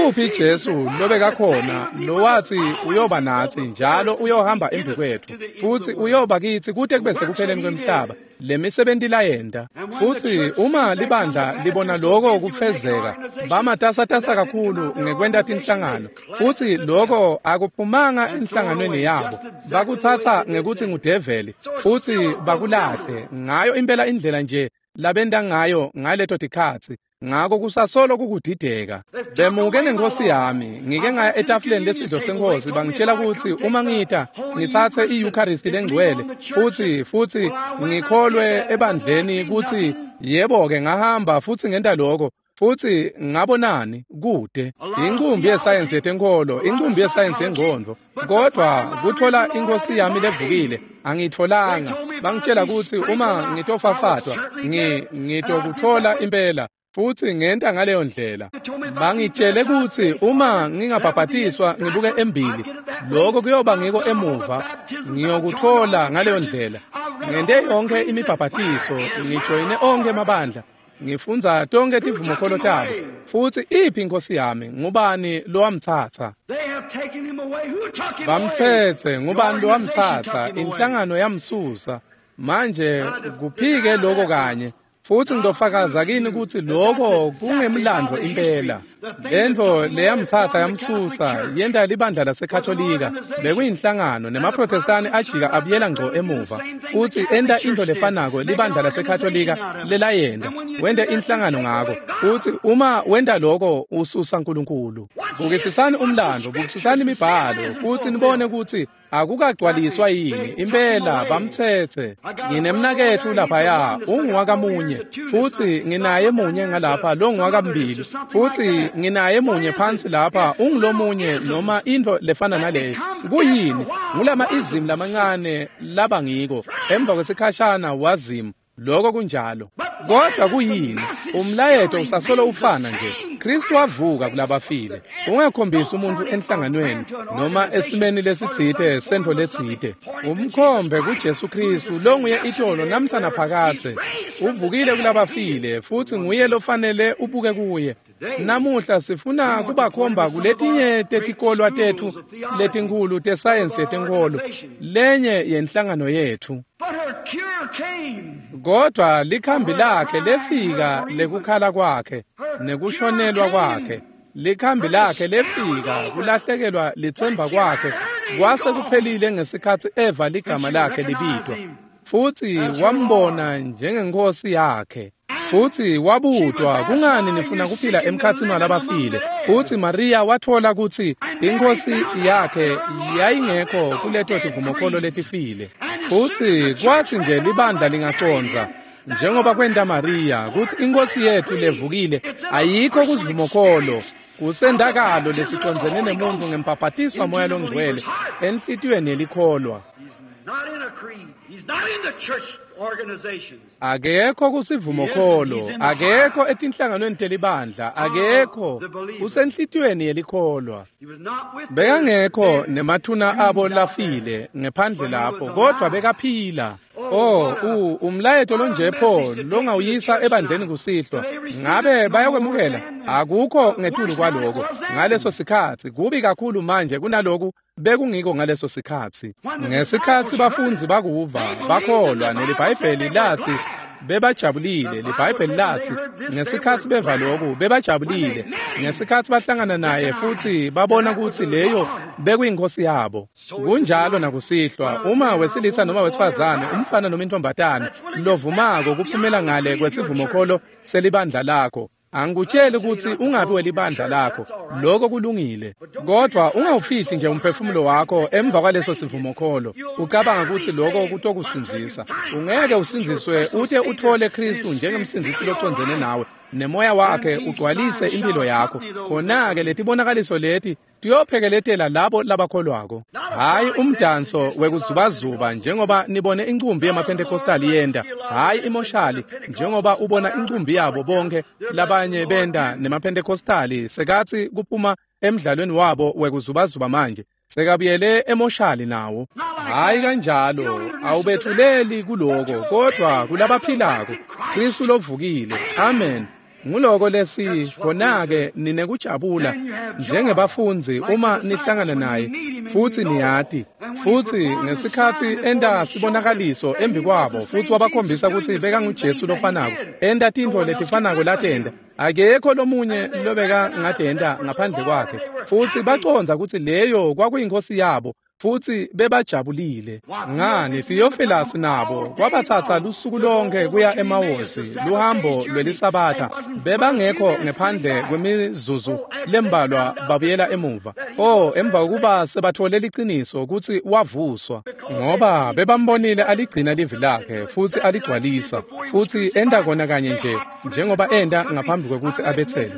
Uphi Jesu lobekakhona lowatsi uyoba natsi njalo uyohamba embi kwetfu futsi uyoba kitsi kute kube sekupheleni kwemhlaba? Lemisebenti layenta. Futsi uma libandla libona loko kufezeka, bamatasatasa kakhulu ngekwenta tinhlangano, futsi loko akuphumanga enhlanganweni yabo. Bakutsatsa ngekutsi ngudeveli futsi bakulahle ngayo impela indlela nje labenta ngayo ngaleto tikhatsi. Ngako kusasolo kukudideka. Bemuke nenkosi yami, ngike ngaya etafuleni lesidlo senkosi, bangitshela kutsi uma ngita ngitsatse i-Eucharist lengcwele futsi futsi ngikholwe ebandleni kutsi yebo-ke ngahamba futsi ngenta loko. Futsi ngabonani kude inkumbi yesayensi yetenkholo, inkumbi yesayensi yengcondvo, kodwa kuthola inkosi yami levukile angitholanga. Bangitshela kutsi uma ngitofafatwa ngi ngitokuthola impela. Futsi ngenta ngaleyo ndlela. Bangitshele kutsi uma ngingabhabhatiswa ngibuke embili, lokho kuyoba ngiko emuva, ngiyokutfola ngaleyo ndlela. Ngente yonke imibhabhatiso, ngijoyine onkhe emabandla, ngifundza tonke tivumokholo tabo. Futsi iphi inkosi yami? Ngubani lowamtsatsa? Bamtsetse, ngubani lowamtsatsa? Inhlangano yamsusa. Manje kuphike lokho kanye. Futsi ngitofakaza kini kutsi lokho kungemlandvo impela. Lentfo leyamtsatsa yamsusa yenta libandla laseKatolika bekuyinhlangano, nemaProtestani ajika abuyela ngco emuva futsi enta intfo lefanako libandla laseKatolika lelayenta, wente inhlangano ngako. Futsi uma wenta lokho ususa Nkulunkulu. Bukisisani umlandvo, bukisisani imibhalo futsi nibone kutsi akukagcwaliswa yini. Impela bamtsetse. Nginemnaketfu laphaya unguwakamunye, futsi nginaye munye ngalapha longuwakambili, futsi nginaye munye phansi lapha ungulomunye noma intfo lefana naleyo. Kuyini? Ngulama izimu lamancane laba ngiko. Emva kwesikhashana wazimu. Lokho kunjalo. Kodwa kuyini? Umlayeto usasolo ufana nje. Kristu wavuka kulabafile. Ungakhombisi umuntu enhlanganweni noma esimeni lesitsite sentfo letsite. Umkhombe kuJesu Kristu longuye itolo namhla naphakadze. Uvukile kulabafile futsi nguye lofanele ubuke kuye. Namuhla sifuna kubakhomba kuletinye tetikolwa tetfu letinkhulu tesayensi yetenkholo, lenye yenhlangano yetfu. Kodwa likhambi lakhe lefika lekukhala kwakhe nekushonelwa kwakhe. Likhambi lakhe lefika kulahlekelwa litsemba kwakhe kwase kuphelile ngesikhatsi eva ligama lakhe libitwa. Futsi wambona njengenkosi yakhe. Futsi wabutwa, kungani nifuna kuphila emkhatsini walabafile? Futsi Maria watfola kutsi inkosi yakhe yayingekho kuleto tivumokholo letifile. Futsi kwatsi nje libandla lingacondza njengoba kwenta Maria kutsi inkosi yetfu levukile ayikho kusivumokholo, kusendakalo lesicondzene nemuntu ngempaphatiswa moya longcwele enhlitiyweni yelikholwa. Akekho kusivumokholo, akekho etinhlanganweni telibandla, akekho usenhlitiyweni yelikholwa. Bekangekho nemathuna abo lafile ngephandle lapho, kodwa bekaphila. Oh, u umlayeto lonje pho longawuyisa ebandleni kusihlwa, ngabe bayakwemukela? Akukho ngetulu kwaloko ngaleso sikhatsi. Kubi kakhulu manje kunaloku bekungiko ngaleso sikhatsi. Ngesikhatsi bafundzi bakuva bakholwa, neliBhayibheli latsi bebajabulile. LiBhayibheli latsi ngesikhatsi beva loku bebajabulile. Ngesikhatsi bahlangana naye futsi babona kutsi leyo bekuyinkosi yabo. Kunjalo nakusihlwa, uma wesilisa noma wesifazane, umfana noma intombatane lovumako kuphumela ngale kwesivumokholo selibandla lakho, angikutsheli kutsi ungabi welibandla lakho, lokho kulungile. Kodwa ungawufihli nje umphefumulo wakho emva kwaleso sivumokholo ucabanga kutsi lokho kutokusindzisa. Ungeke usindziswe ute utfole Kristu njengemsindzisi locondzene nawe nemoya wakhe ugcwalise impilo yakho. Khona-ke letibonakaliso leti tiyophekeletela labo labakholwako. Hhayi umdanso wekuzubazuba njengoba nibone incumbi yemaPentecostal yenta, hhayi imoshali njengoba ubona incumbi yabo bonke labanye benta nemaPentecostal sekatsi kuphuma emdlalweni wabo wekuzubazuba manje sekabuyele emoshali nawo. Hhayi kanjalo, awubethuleli kuloko, kodwa kulabaphilako Kristu lovukile. Amen. Nguloko lesi khona-ke ninekujabula njengebafundzi uma nihlangana naye futsi niyati. Futsi ngesikhatsi enta sibonakaliso embi kwabo futsi wabakhombisa kutsi bekanguJesu lofanako, enta tintfo letifanako latenta, akekho lomunye lobeka ngatenta ngaphandle kwakhe. Futsi bacondza kutsi leyo kwakuyinkosi yabo futsi bebajabulile. Ngani, Theophilus nabo kwabatsatsa lusuku lonke kuya eMawosi, luhambo lwelisabatha. Bebangekho ngephandle kwemizuzu lembalwa babuyela emuva. Oh, emva kokuba sebathole liciniso kutsi wavuswa, ngoba bebambonile aligcina livi lakhe futsi aligcwalisa, futsi enta kona kanye nje njengoba enta ngaphambi kwekutsi abetsele.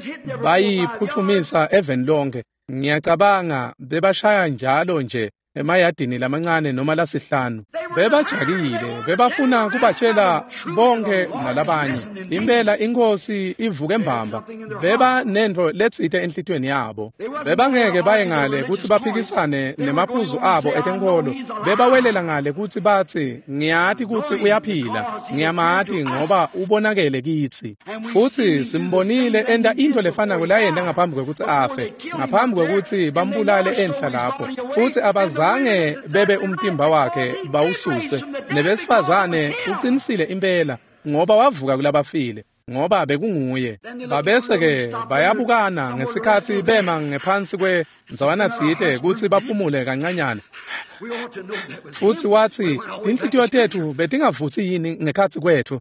Bayiphuthumisa eveni lonke. Ngiyacabanga bebashaya njalo nje emayadini lamancane noma lasihlanu. Bebajakile, bebafuna kubatshela bonke nalabanye. Impela inkosi ivuke mbamba. Beba nento letsite enhlitiyweni yabo. Bebangeke baye ngale kutsi baphikisane nemaphuzu abo etenkolo. Bebawelela ngale kutsi batsi, ngiyati kutsi uyaphila, ngiyamati ngoba ubonakele kitsi. Futsi simbonile enta into lefanako layenta ngaphambi kwekutsi afe, ngaphambi kwekutsi bambulale enhla lapho. Futsi abazange bebe umtimba wakhe bawususe. Nebesifazane uqinisile impela ngoba wavuka kulabafile, ngoba bekunguye. Babese-ke bayabukana ngesikhatsi bema ngephansi kwendzawana tsite kutsi baphumule kancanyana. Futsi watsi, tinhlitiyo tetfu betingavutsi yini ngekhatsi kwetfu?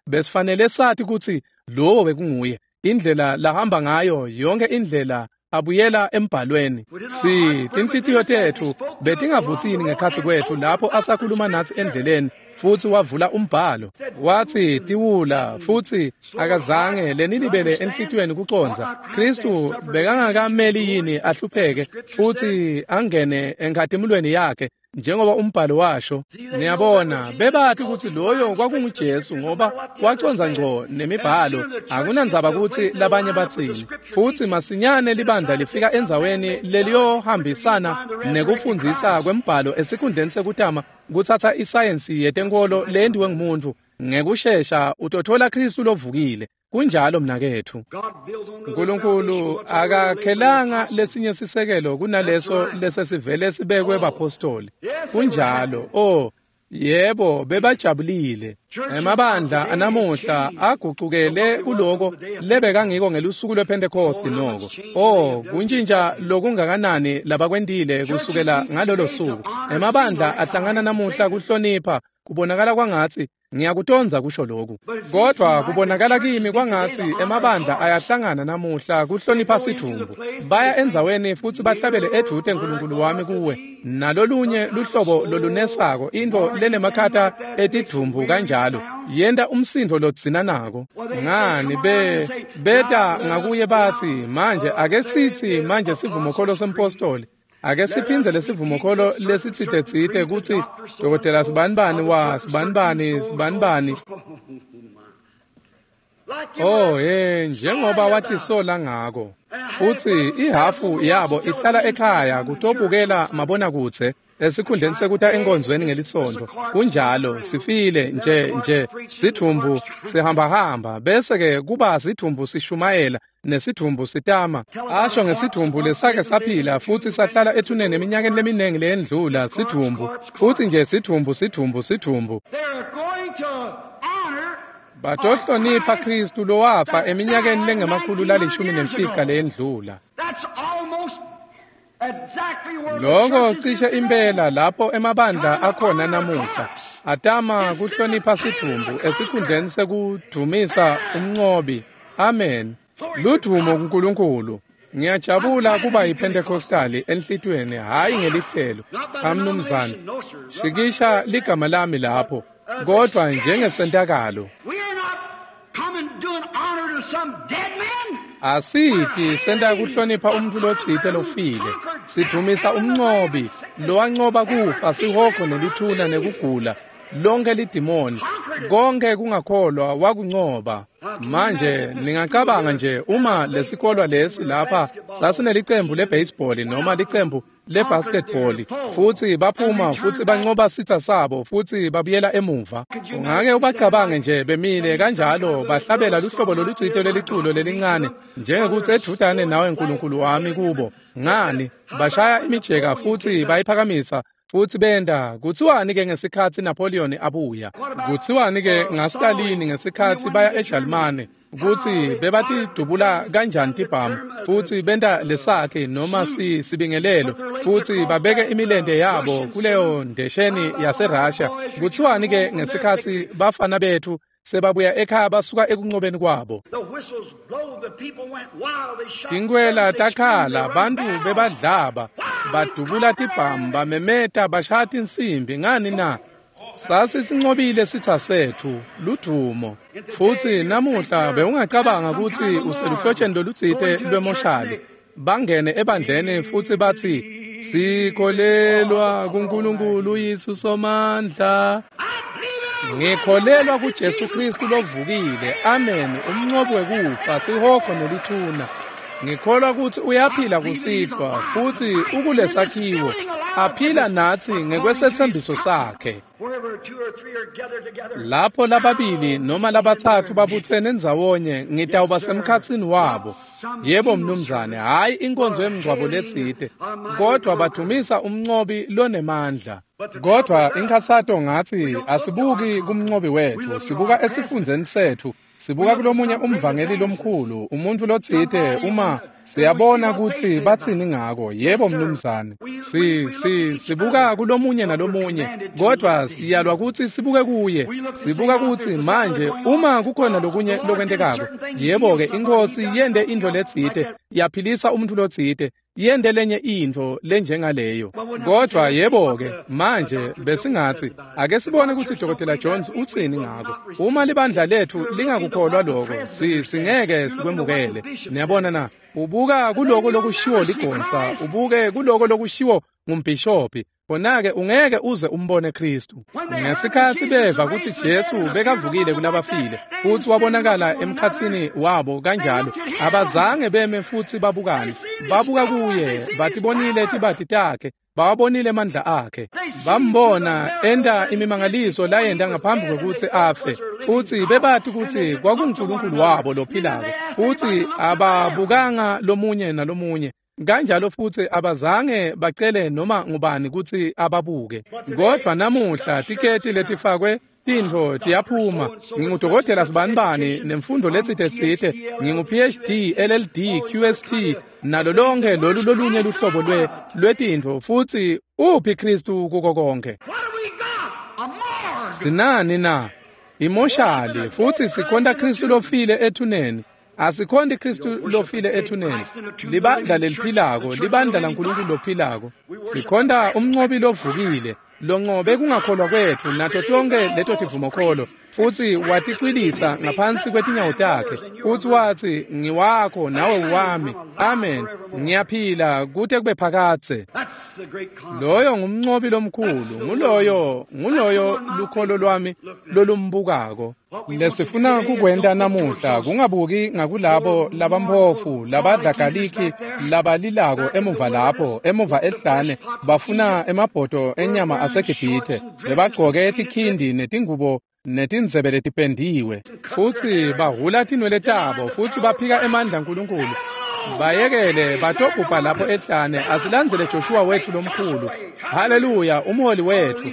Besifanele sati kutsi lowo bekunguye. Indlela lahamba ngayo yonke indlela abuyela embhalweni. Si tinhlitiyo tetfu betingavutsi yini ngekhatsi kwetfu lapho asakhuluma natsi endleleni, futsi wavula umbhalo. Watsi tiwula, futsi akazange lenilibele enhlitiyweni kucondza. Kristu bekangakameli yini ahlupheke futsi angene enkhatimulweni yakhe njengoba umbhalo washo? Niyabona, bebati kutsi loyo kwakunguJesu ngoba wacondza ngco nemibhalo. Akunandzaba kutsi labanye batsini. Futsi masinyane libandla lifika endzaweni leliyohambisana nekufundzisa kwembhalo esikhundleni sekutama kutsatsa isayensi yetenkolo leyentiwe ngumuntu. Ngekushesha utothola Kristu lovukile. Kunjalo mnaketfu. Nkulunkulu akakhelanga lesinye sisekelo kunaleso lesesivele sibekwe bapostoli. Kunjalo. Oh, yebo, bebajabulile. Emabandla anamuhla agucukele kuloko lebekangiko ngelusuku lwePhentekosti noko. Oh, kuntshintsha lokungakanani labakwentile kusukela ngalolo suku. Emabandla ahlangana namuhla kuhlonipha, kubonakala kwangatsi ngiyakutondza kusho lokhu, kodwa kubonakala kimi kwangatsi emabandla ayahlangana namuhla kuhlonipha sidvumbu. Baya endzaweni futsi bahlabele edvute Nkulunkulu wami kuwe, nalolunye luhlobo lolunesako, intfo lenemakhata etidvumbu kanjalo, yenta umsindvo lodzinanako. Ngani be beta ngakuye batsi, manje ake sitsi manje sivumokholo sempostoli, ake siphindze lesivumokholo lesitsite-tsite kutsi dokotela sibanibani wa sibanibani sibanibani. Oh, hey, njengoba watisola ngako. Futsi ihafu yabo ihlala ekhaya kutobukela mabonakudze esikhundleni sekuta enkonzweni ngelisonto. Kunjalo, sifile nje nje sidvumbu sihambahamba, bese-ke kuba sidvumbu sishumayela nesidvumbu sitama. Asho ngesidvumbu lesake saphila futsi sahlala ethuneni eminyakeni leminingi leyendlula, sidvumbu futsi nje sidvumbu sidvumbu sidvumbu. Batohlonipha Kristu lowafa eminyakeni lengemakhulu lalishumi nemfica leyendlula. Loko cishe impela lapho emabandla akhona namuhla atama kuhlonipha sidvumbu esikhundleni sekudvumisa umncobi. Amen. Ludvumo kuNkulunkulu. Ngiyajabula kuba yiPentecostali enhlitiyweni, hhayi ngelihlelo. Cha mnumzane, shikisha ligama lami lapho, kodwa njengesentakalo. Asiti senta kuhlonipha umuntu lotsite lofile. Sidvumisa umncobi lowancoba kufa, sihogo nelithuna nekugula, lonke lidimoni, konke kungakholwa wakuncoba. Manje ningacabanga nje uma lesikolwa lesi lapha sasinelicembu lebaseball noma licembu lebasketball, futsi baphuma futsi bancoba sitsa sabo futsi babuyela emuva. Ungake ubacabange nje bemile kanjalo bahlabela luhlobo lolutsite leliculo lelincane njengekutsi edvutane nawe Nkulunkulu wami kubo. Ngani bashaya imijeka futsi bayiphakamisa futsi benda. Kutsiwani ke ngesikhatsi Napoleon abuya? Kutsiwani ke ngaStalin ngesikhatsi baya eJalimane? Kutsi bebatidubula kanjani tibhamu futsi benta lesakhe noma si sibingelelo futsi babeke imilente yabo kuleyo ndesheni yaseRussia. Kutsiwani ke ngesikhatsi bafana bethu sebabuya ekhaya basuka ekunqobeni kwabo? Tinkwela takhala, bantu bebadlaba, badubula tibhamu, bamemeta, bashaya tinsimbi. Ngani na? Sasisinqobile sitha sethu, ludvumo. Futsi namuhla bewungacabanga kutsi useluhlotsheni lolutsite lwemoshali. Bangene ebandleni futsi batsi, Sikholelwa kuNkulunkulu Yesu Somandla. Ngikholelwa kuJesu Kristu lovukile. Amen. Umnqobi wekufa, sihogo nelithuna. Ngikholwa ukuthi uyaphila kusihlwa futhi ukulesakhiwo aphila nathi ngekwesethembiso sakhe. Lapho lababili noma labathathu babuthene ndzawonye ngitawuba semkhatsini wabo. Yebo mnumzane, hayi inkonzo yemngcwabo letsite, kodwa badumisa umnqobi lonemandla. Kodwa inkhathato ngathi asibuki kumnqobi wethu, sibuka esifundzeni sethu. Sibuka kulomunye umvangeli lomkhulu, umuntu lotsite uma siyabona kutsi batsini ngako. Yebo mnumzane. Si si sibuka kulomunye nalomunye, kodwa siyalwa kutsi sibuke kuye. Sibuka kutsi manje uma kukhona lokunye lokwentekako, yebo ke inkosi yente intfo letsite, yaphilisa umuntu lotsite, yente lenye intfo lenjengaleyo. Kodwa yebo ke manje besingathi ake sibone kutsi Dokotela Jones utsini ngako. Uma libandla lethu lingakukholwa lokho, si singeke sikwemukele. Niyabona na? Ubuka kuloko lokushiwo ligonsa, ubuke kuloko lokushiwo ngumbhishobhi, khona-ke ungeke uze umbone Kristu. Ngesikhatsi beva kutsi Jesu bekavukile kulabafile futsi wabonakala emkhatsini wabo kanjalo, abazange beme futsi babukane. Babuka kuye, batibonile tibati takhe, bawabonile amandla akhe, bambona enta imimangaliso layenta ngaphambi kwekutsi afe, futsi bebati kutsi kwakunguNkulunkulu wabo lophilako, futsi ababukanga lomunye nalomunye. Kanjalo futsi abazange bacele noma ngubani kutsi ababuke. Kodwa namuhla tiketi letifakwe tintfo tiyaphuma. Ngingudokotela sibanibani nemfundo letsite tsite, ngingu P H D, L L D, Q S T, nalo lonke lolu lolunye luhlobo lwe lwetintfo, futsi uphi Kristu kuko konke? Sinani na? Imoshali, futhi sikhonta Kristu lofile ethuneni. Asikhonti Kristu lofile ethuneni. Libandla leliphilako, libandla laNkulunkulu lophilako. Sikhonta umnqobi lovukile, lonqobe kungakholwa kwetfu nato tonke leto tivumokholo, futsi waticwilisa ngaphansi kwetinyawo takhe, futsi watsi ngiwakho nawe wami. Amen. Ngiyaphila kute kube phakadze. Loyo ngumnqobi lomkhulu, nguloyo nguloyo lukholo lwami lolumbukako. Lesifuna kukwenta namuhla kungabuki ngakulabo labamphofu labadla galiki labalilako emuva lapho emuva ehlane bafuna emabhodo enyama aseGibhithe, bebagcoke tikhindi netingubo netindzebe letipendiwe, futsi bahula tinwele tabo futsi baphika emandla aNkulunkulu. Bayekele batobhubha lapho ehlane. Asilandzele Joshua wethu lomkhulu. Haleluya, umholi wethu.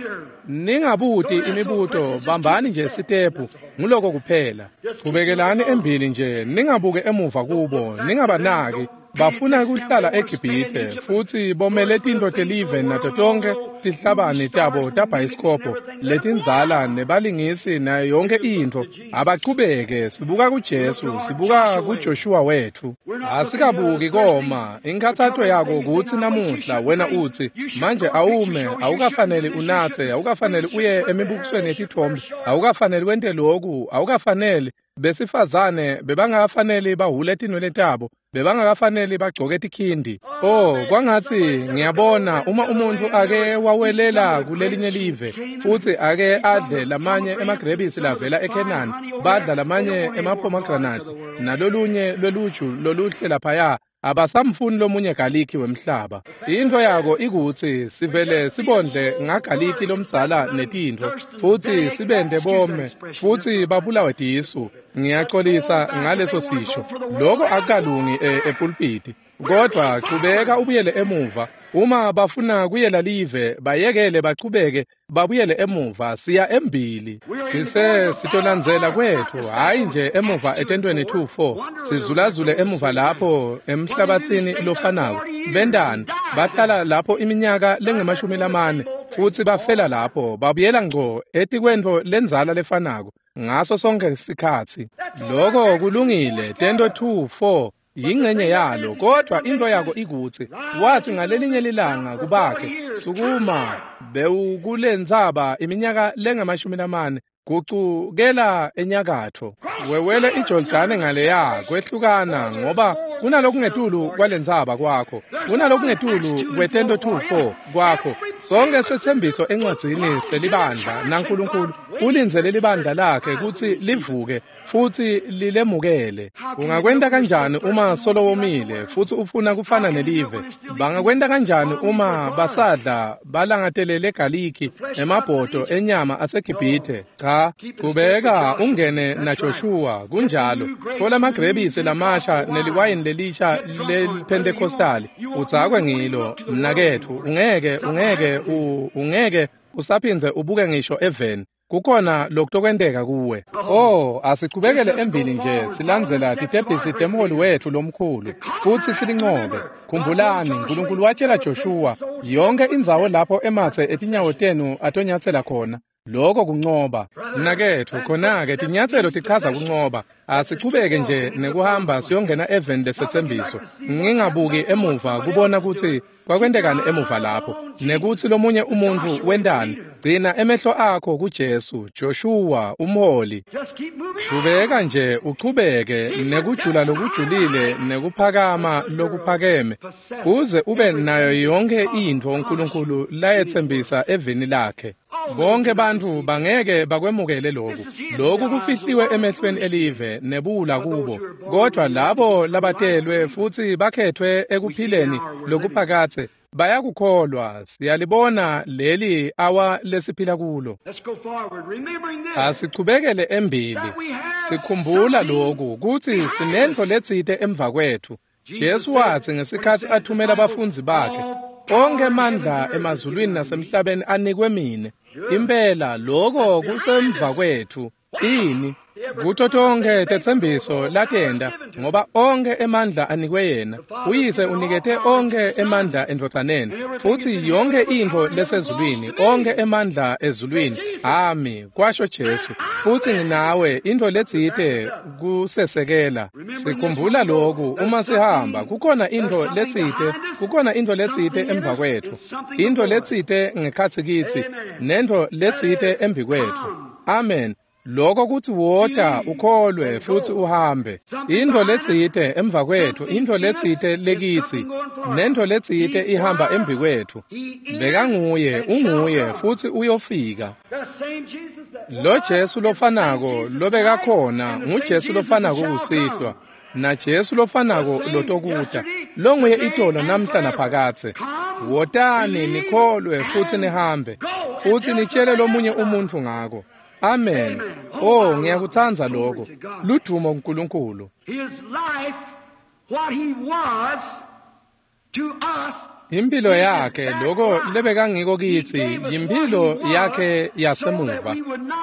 Ningabuti imibuto, bambani nje sitephu, nguloko kuphela. Kubekelani embili nje, ningabuke emuva kubo, ningabanaki. Bafuna kuhlala eGibhithe futsi bomele tintfo telive nato tonke tihlabani tabo tabhayisikobho letindzala nebalingisi nayo yonke intfo. Abachubeke, sibuka kuJesu, sibuka kuJoshua wethu. Asikabuki koma. Inkhathato yako kutsi namuhla wena utsi manje awume, awukafaneli unatse, awukafaneli uye emibukisweni yetitfombe, awukafaneli wente loku, awukafaneli. Besifazane bebangakafaneli bahule tinwele tabo, bebangakafaneli bagcoke tikhindi. Oh, kwangatsi ngiyabona uma umuntu ake wawelela kulelinye live futsi ake adle lamanye emagrebisi lavela eKhenani, badla lamanye emapomegranate nalolunye lweluju loluhle laphaya, abasamfuni lomunye galiki wemhlaba. Intfo yako ikutsi sivele sibondle ngagaliki lomdzala netintfo futsi sibente bome futsi babulawe tisu. Ngiyaxolisa ngaleso sisho, loko akukalungi epulpiti. Kodwa chubeka ubuyele emuva. Uma bafuna kuyela live, bayekele bachubeke babuyele emuva. Siya embili, sise sitolandzela kwethu, hayi nje emuva etentweni two four, sizulazule emuva lapho emhlabatsini lofanako. Bendani bahlala lapho iminyaka lengemashumi lamane futsi bafela lapho, babuyela ngco etikwentfo lendzala lefanako ngaso sonke sikhatsi. Loko kulungile. Tento two four yingcenye yalo, kodwa into yako ikutsi wathi ngalelinye lilanga kubakhe, sukuma bewukulendzaba iminyaka lengamashumi lamane, gucukela enyakatfo, wewele iJordani ngaleya kwehlukana, ngoba Kunalokungetulu kwalendzaba kwakho. Kunalokungetulu kwetento two four kwakho. Sonke setsembiso encwadzini selibandla naNkulunkulu ulindzele libandla lakhe kutsi livuke futsi lilemukele. Ungakwenta kanjani uma solo womile futsi ufuna kufana nelive? Bangakwenta kanjani uma basadla balangatelele galiki emabhodo enyama aseGibhithe? Cha, kubeka ungene naJoshua kunjalo. Thola amagrebisi lamasha neliwayini lelisha leliPentecostali udzakwe ngilo mnaketfu. Ungeke ungeke ungeke usaphindze ubuke ngisho eveni. Kukhona lokutokwenteka kuwe. Oh, asichubekele embili nje silandzela titebhisi temholi wetfu lomkhulu futsi silinqobe. Khumbulani, uNkulunkulu watshela Joshua yonke indzawo lapho ematse etinyawo tenu atonyatsela khona. Lokho kuncoba. Mnaketfu, khona-ke tinyatselo tichaza kuncoba. Asichubeke nje nekuhamba siyongena eveni lesetsembiso. Ngingabuki emuva kubona kutsi kwakwentekani emuva lapho nekutsi lomunye umuntfu wentani. Gcina emehlo akho kuJesu, Joshua umholi. Chubeka nje uchubeke nekujula lokujulile nekuphakama lokuphakeme uze ube nayo yonke intfo uNkulunkulu layetsembisa eveni lakhe. Bonke bantfu bangeke bakwemukele loku. Loku kufihliwe emehlweni elive nebula kubo, kodwa labo labatelwe futsi bakhethwe ekuphileni lokuphakatse bayakukholwa. Siyalibona leli awa lesiphila kulo. Asichubekele embili sikhumbula loku kutsi sinentfo letsite emva kwetfu. Jesu watsi ngesikhatsi athumela abafundzi bakhe, onke emandla emazulwini nasemhlabeni anikwe mine. Impela lokho kusemva kwetfu. Ini kuto tonke tetsembiso latenda, ngoba onke emandla anikwe yena. Uyise unikete onke emandla endvodzaneni, futsi yonke intfo lesezulwini, onke emandla ezulwini ami, kwasho Jesu. Futsi nginawe, intfo letsite kusesekela. Sikhumbula loku uma sihamba, kukhona intfo letsite, kukhona intfo letsite emva kwetfu, intfo letsite ngekhatsi kitsi, nentfo letsite embi kwetfu. Amen. Lokho kuthi wota ukholwe futsi uhambe. Intfo letsite emva kwetfu, intfo letsite lekitsi, nentfo letsite ihamba embi kwetfu. Bekanguye, unguye futsi uyofika. Lo Jesu lofanako lobekakhona nguJesu lofanako kusihlwa, na Jesu lofanako lotokuta, longuye itolo namhla naphakatse. Wotani nikholwe futsi nihambe, futsi nitshele lomunye umuntfu ngako. Amen. Oh, ngiyakutsandza lokho. Ludumo kuNkulunkulu. Impilo yakhe lokho lebekangiko kitsi yimpilo yakhe yasemuva.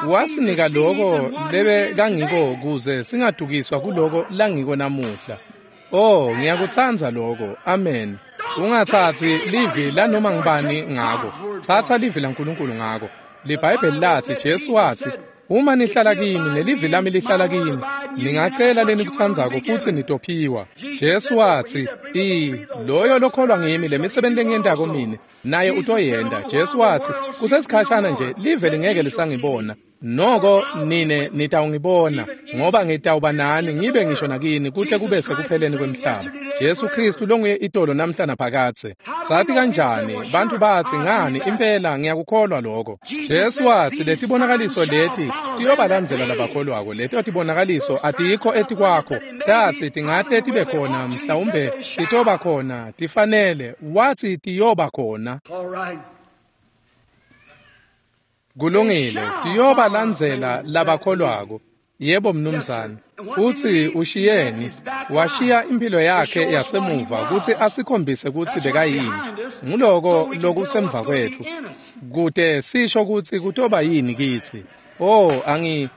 Wasinika lokho lebekangiko kuze singadukiswa kuloko langiko namuhla. Oh, ngiyakutsandza lokho. Amen. Ungatsatsi livi lanoma ngibani ngako. Tsatsa livi laNkulunkulu ngako. LiBhayibheli lathi, Jesu wathi, uma nihlala kimi nelivi lami lihlala kimi, ningacela lenikutsandzako futsi nitophiwa. Jesu wathi, i loyo lokholwa ngimi lemisebenti lengiyentako mine naye utoyenta. Jesu wathi, kusesikhashana nje live lingeke lisangibona, noko nine nitawungibona, ngoba ngitawuba nani ngibe ngisho nakini kute kube sekupheleni kwemhlaba. Jesu Kristu longuye itolo namhla naphakatse. Sathi kanjani bantfu batsi ngani impela ngiyakukholwa lokho. Jesu wathi letibonakaliso leti tiyobalandzela labakholwako. Leto tibonakaliso atikho etikwakho, tatsi tingahle tibe khona, mhlawumbe titoba khona, tifanele. Wathi tiyoba khona. Kulungile, tiyobalandzela labakholwako. Yebo mnumzane. Uthi ushiyeni, washiya impilo yakhe yasemuva kutsi asikhombise kutsi bekayini. Nguloko lokusemva kwetfu, kute sisho kutsi kutoba yini kitsi. Oh, angi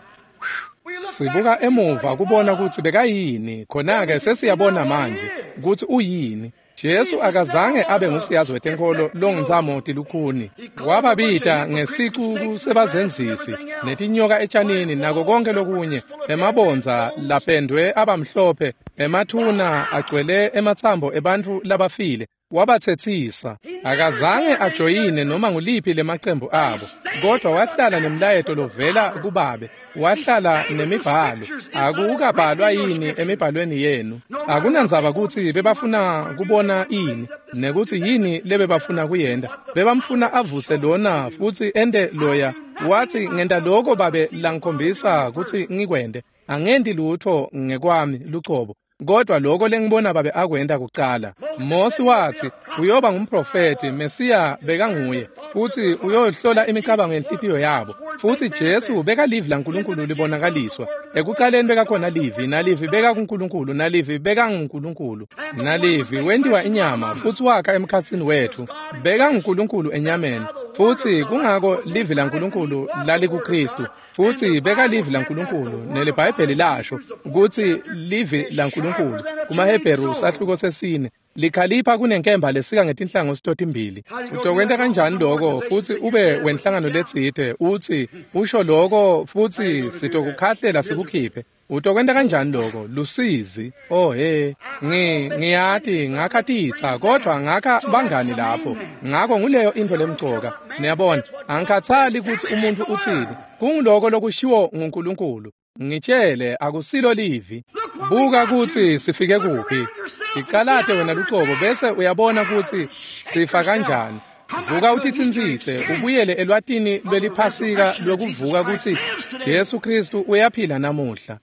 sibuka emuva kubona kutsi bekayini, khona-ke sesiyabona manje kutsi uyini. Jesu akazange abe ngusiyazi wetenkholo longintsamo tilukhuni. Wababita ngesicuku sebazenzisi netinyoka etshanini nako konke lokunye, emabondza lapendwe abamhlophe, emathuna agcwele ematsambo ebantfu labafile. Wabatsetsisa. Akazange ajoyine noma nguliphi lemacembu abo, kodwa wahlala nemlayeto lovela kubabe, wahlala nemibhalo. Akukabhalwa yini emibhalweni yenu? Akunandzaba kutsi bebafuna kubona ini nekutsi yini lebebafuna kuyenta. Bebamfuna avuse lona futsi ente loya. Wathi ngenta lokho babe langikhombisa kutsi ngikwente. Angenti lutho ngekwami lucobo, kodwa lokho lengibona babe akwenta kucala. Mosi wathi uyoba ngumprofeti, Mesiya bekanguye, futhi uyohlola imicabango yenhlitiyo yabo. Futhi Jesu bekalivi laNkulunkulu libonakaliswa. Ekuqaleni bekakhona livi, nalivi bekakuNkulunkulu, nalivi bekanguNkulunkulu, nalivi wentiwa inyama futhi wakha emkhatsini wethu. BekanguNkulunkulu enyameni, futhi kungako livi laNkulunkulu lalikuKristu. Futhi bekalivi laNkulunkulu, neliBhayibheli lasho ukuthi livi laNkulunkulu kumaHebheru sahluko sesine likhalipha kunenkemba lesika ngetinhlangothi totimbili. Utokwenta kanjani lokho futhi ube wenhlangano letsite uthi usho lokho futhi sitokukhahlela sikukhiphe? Utokwenta kanjani lokho? Lusizi. Oh he, ngi ngiyati ngakha titsa, kodwa ngakha bangani lapho. Ngakho nguleyo intfo lemcoka. Niyabona, angikhathali ukuthi umuntu uthini. Kunguloko lokushiwo nguNkulunkulu. Ngitshele akusilo livi. Buka kutsi sifike kuphi. Ticalate wena lucobo bese uyabona kutsi sifa kanjani. Vuka utitsintsitse ubuyele elwatini lweliphasika lwekuvuka kutsi Jesu Kristu uyaphila namuhla.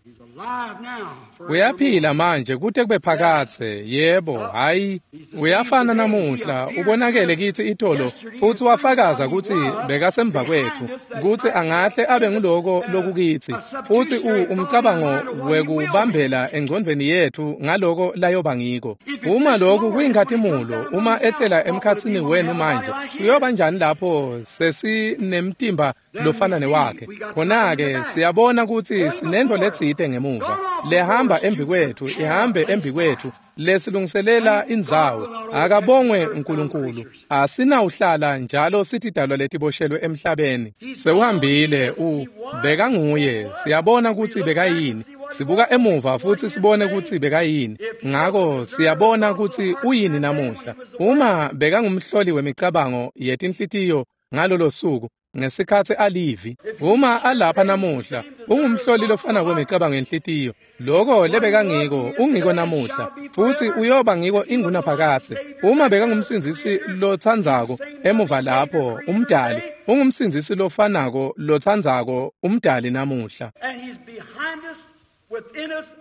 Uyaphila manje kute kube phakadze. Yebo, hayi, uyafana namuhla. Ubonakele kitsi itolo futhi wafakaza kutsi bekasemva kwetfu, kutsi angahle abe nguloko lokukitsi, futhi umcabango wekubambela engcondvweni yetfu ngaloko layoba ngiko. Uma lokhu kuyinkhatimulo, uma ehlela emkhatsini wenu manje, kuyoba njani lapho sesinemtimba lofana newakhe? Khona-ke siyabona kutsi sinentfo letsite ngemuva lehamba embi kwetfu, ihambe embi kwetfu, lesilungiselela indzawo. Akabongwe uNkulunkulu. Asinawuhlala njalo sitidalwa letiboshelwe emhlabeni. Sewuhambile, u bekanguye. Siyabona kutsi bekayini. Sibuka emuva futhi sibone kutsi bekayini. Ngako siyabona kutsi uyini namuhla. Uma bekangumhloli wemicabango yetinhlitiyo ngalolo suku ngesikhatsi alivi, uma alapha namuhla ungumhloli lofana kwemicabango yenhlitiyo. Lokho lebekangiko ungiko namuhla, futhi uyoba ngiko ingunaphakadze. Uma bekangumsindzisi lotsandzako emuva lapho umdali, ungumsindzisi lofanako lotsandzako umdali namuhla.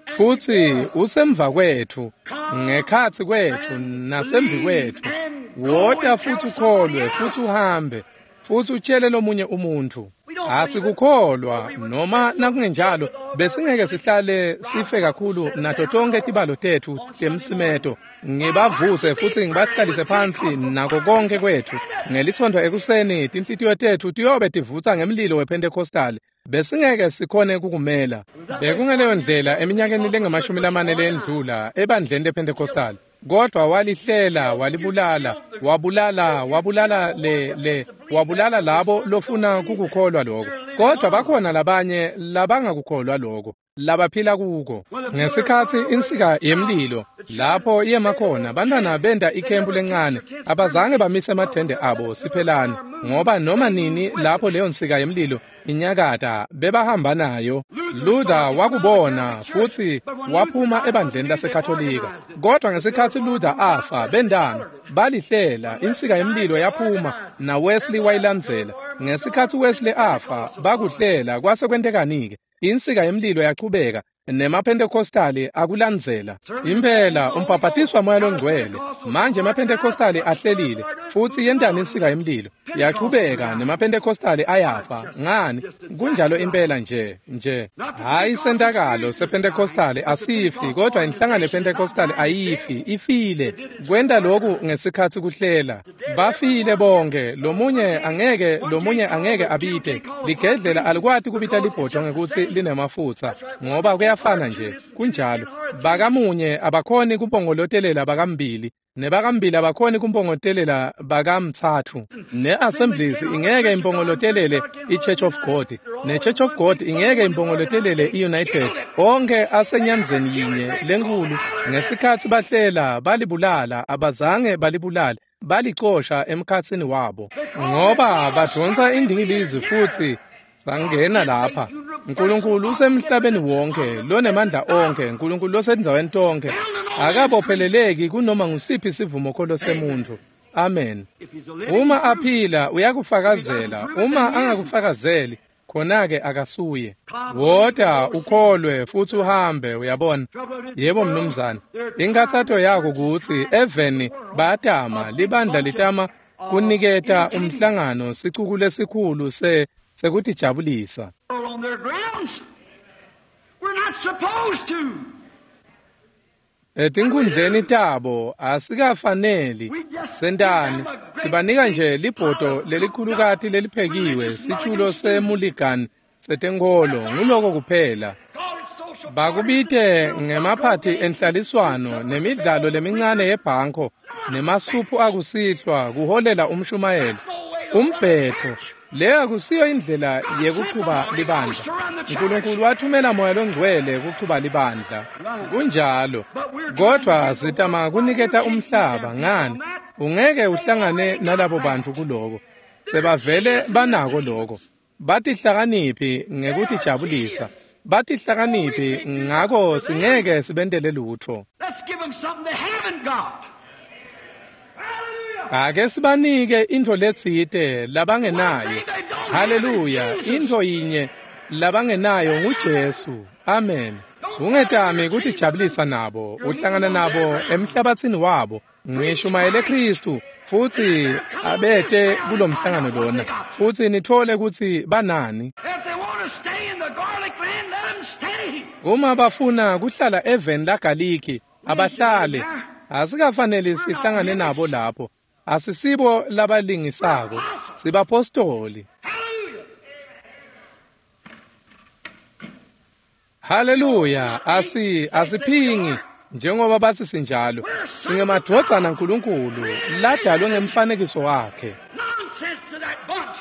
Futhi usemva kwetfu, ngekhatsi kwetfu nasembi kwetfu. Wota futhi ukholwe futhi uhambe futhi utshele lomunye umuntu. Asikukholwa noma nakungenjalo besingeke sihlale sife kakhulu nato tonke tibalo tetfu temsimeto. Ngibavuse futhi ngibahlalise phansi nako konke kwetfu. Ngelisonto ekuseni tinhlitiyo tetfu tiyobe tivutsa ngemlilo wePentecostal. Besingeke sikhone kukumela. Bekungaleyo ndlela eminyakeni lengamashumi lamane lendlula ebandleni lePentecostal. Kodwa walihlela, walibulala, wabulala, wabulala le le wabulala labo lofuna kukukholwa lokho. Kodwa bakhona labanye labangakukholwa lokho, labaphila kuko. Ngesikhatsi insika yemlilo lapho yema khona, bantwana benda ikhempu lencane, abazange bamise emathende abo siphelane, ngoba noma nini lapho leyo nsika yemlilo inyakata bebahamba nayo. Luther wakubona futhi waphuma ebandleni laseKatolika. Kodwa ngesikhatsi Luther afa, bendana balihlela, insika yemlilo yaphuma na Wesley wayilandzela. Ngesikhatsi Wesley afa, bakuhlela. Kwase kwentekani-ke? Insika yemlilo yachubeka nemaPentecostali akulandzela. Impela umbhabhatiswa moya longcwele. Manje emaPentecostali ahlelile futhi yentani insika yemlilo? Yachubeka nemaPentecostali ayafa. Ngani? Kunjalo impela nje nje. Hayi sentakalo sePentecostali asifi, kodwa inhlangano yePentecostali ayifi, ifile. Kwenta lokhu ngesikhatsi kuhlela. Bafile bonke, lomunye angeke lomunye angeke abite. Ligedlela alikwati kubita libhodo ngekutsi linemafutsa, ngoba kuyafana nje, kunjalo. Bakamunye abakhoni kumpongolotelela bakambili, nebakambili abakhoni kumpongolotelela bakamtsatfu. Ne-Assemblies ingeke impongolotelele i-Church of God, ne-Church of God ingeke impongolotelele i-United. Onke asenyamzeni yinye lenkulu. Ngesikhatsi bahlela balibulala, abazange balibulale, balicosha emkhatsini wabo, ngoba badvonsa indingilizi futsi sangena lapha. Nkulunkulu usemhlabeni wonke, lonemandla onke, Nkulunkulu losendzaweni tonke, akabopheleleki kunoma ngusiphi sivumokholo semuntfu. Amen. Uma aphila uyakufakazela, uma angakufakazeli khona-ke akasuye. Wota ukholwe futsi uhambe, uyabona. Yebo mnumzane. Inkhatsato yako kutsi eveni bayatama, libandla litama kuniketa umhlangano sicuku lesikhulu se sekutijabulisa. On their grounds. We're not supposed to. Etinkhundleni tabo asikafaneli sentani, sibanika nje libhodo lelikhulukati leliphekiwe, situlo semuligan setenkholo, nguloko kuphela. Call it social Bakubite ngemaphathi enhlaliswano nemidlalo lemincane yebhanko nemasuphu akusihlwa kuholela umshumayelo umbhetho. Leyo akusiyo indlela yekuchuba libandla. Nkulunkulu wathumela Moya Longcwele kuchuba libandla. Kunjalo. Kodwa sitama kuniketa umhlaba ngani? Ungeke uhlangane nalabo bantfu kuloko. Sebavele banako lokho. Batihlakaniphi ngekutijabulisa. Batihlakaniphi ngako singeke sibentele lutfo. Let's give them something they haven't got. Hallelujah. Ake sibanike intfo letsite labangenayo. Haleluya, intfo yinye labangenayo nguJesu. Amen. Ungetami kutijabulisa nabo, uhlangana nabo emhlabatsini wabo. Ngishumayele Kristu futsi abete kulomhlangano lona, futsi nitfole kutsi banani. If they want to stay in the garlic land, let them stay. Uma bafuna kuhlala eveni laGaliki, abahlale. Asikafaneli sihlangane nabo lapho. Asisibo labalingisako, sibapostoli. Hallelujah. Haleluya, asi asiphingi njengoba bathi sinjalo. Singemadvodzana aNkulunkulu ladalwe ngemfanekiso wakhe. Nonsense to that bunch.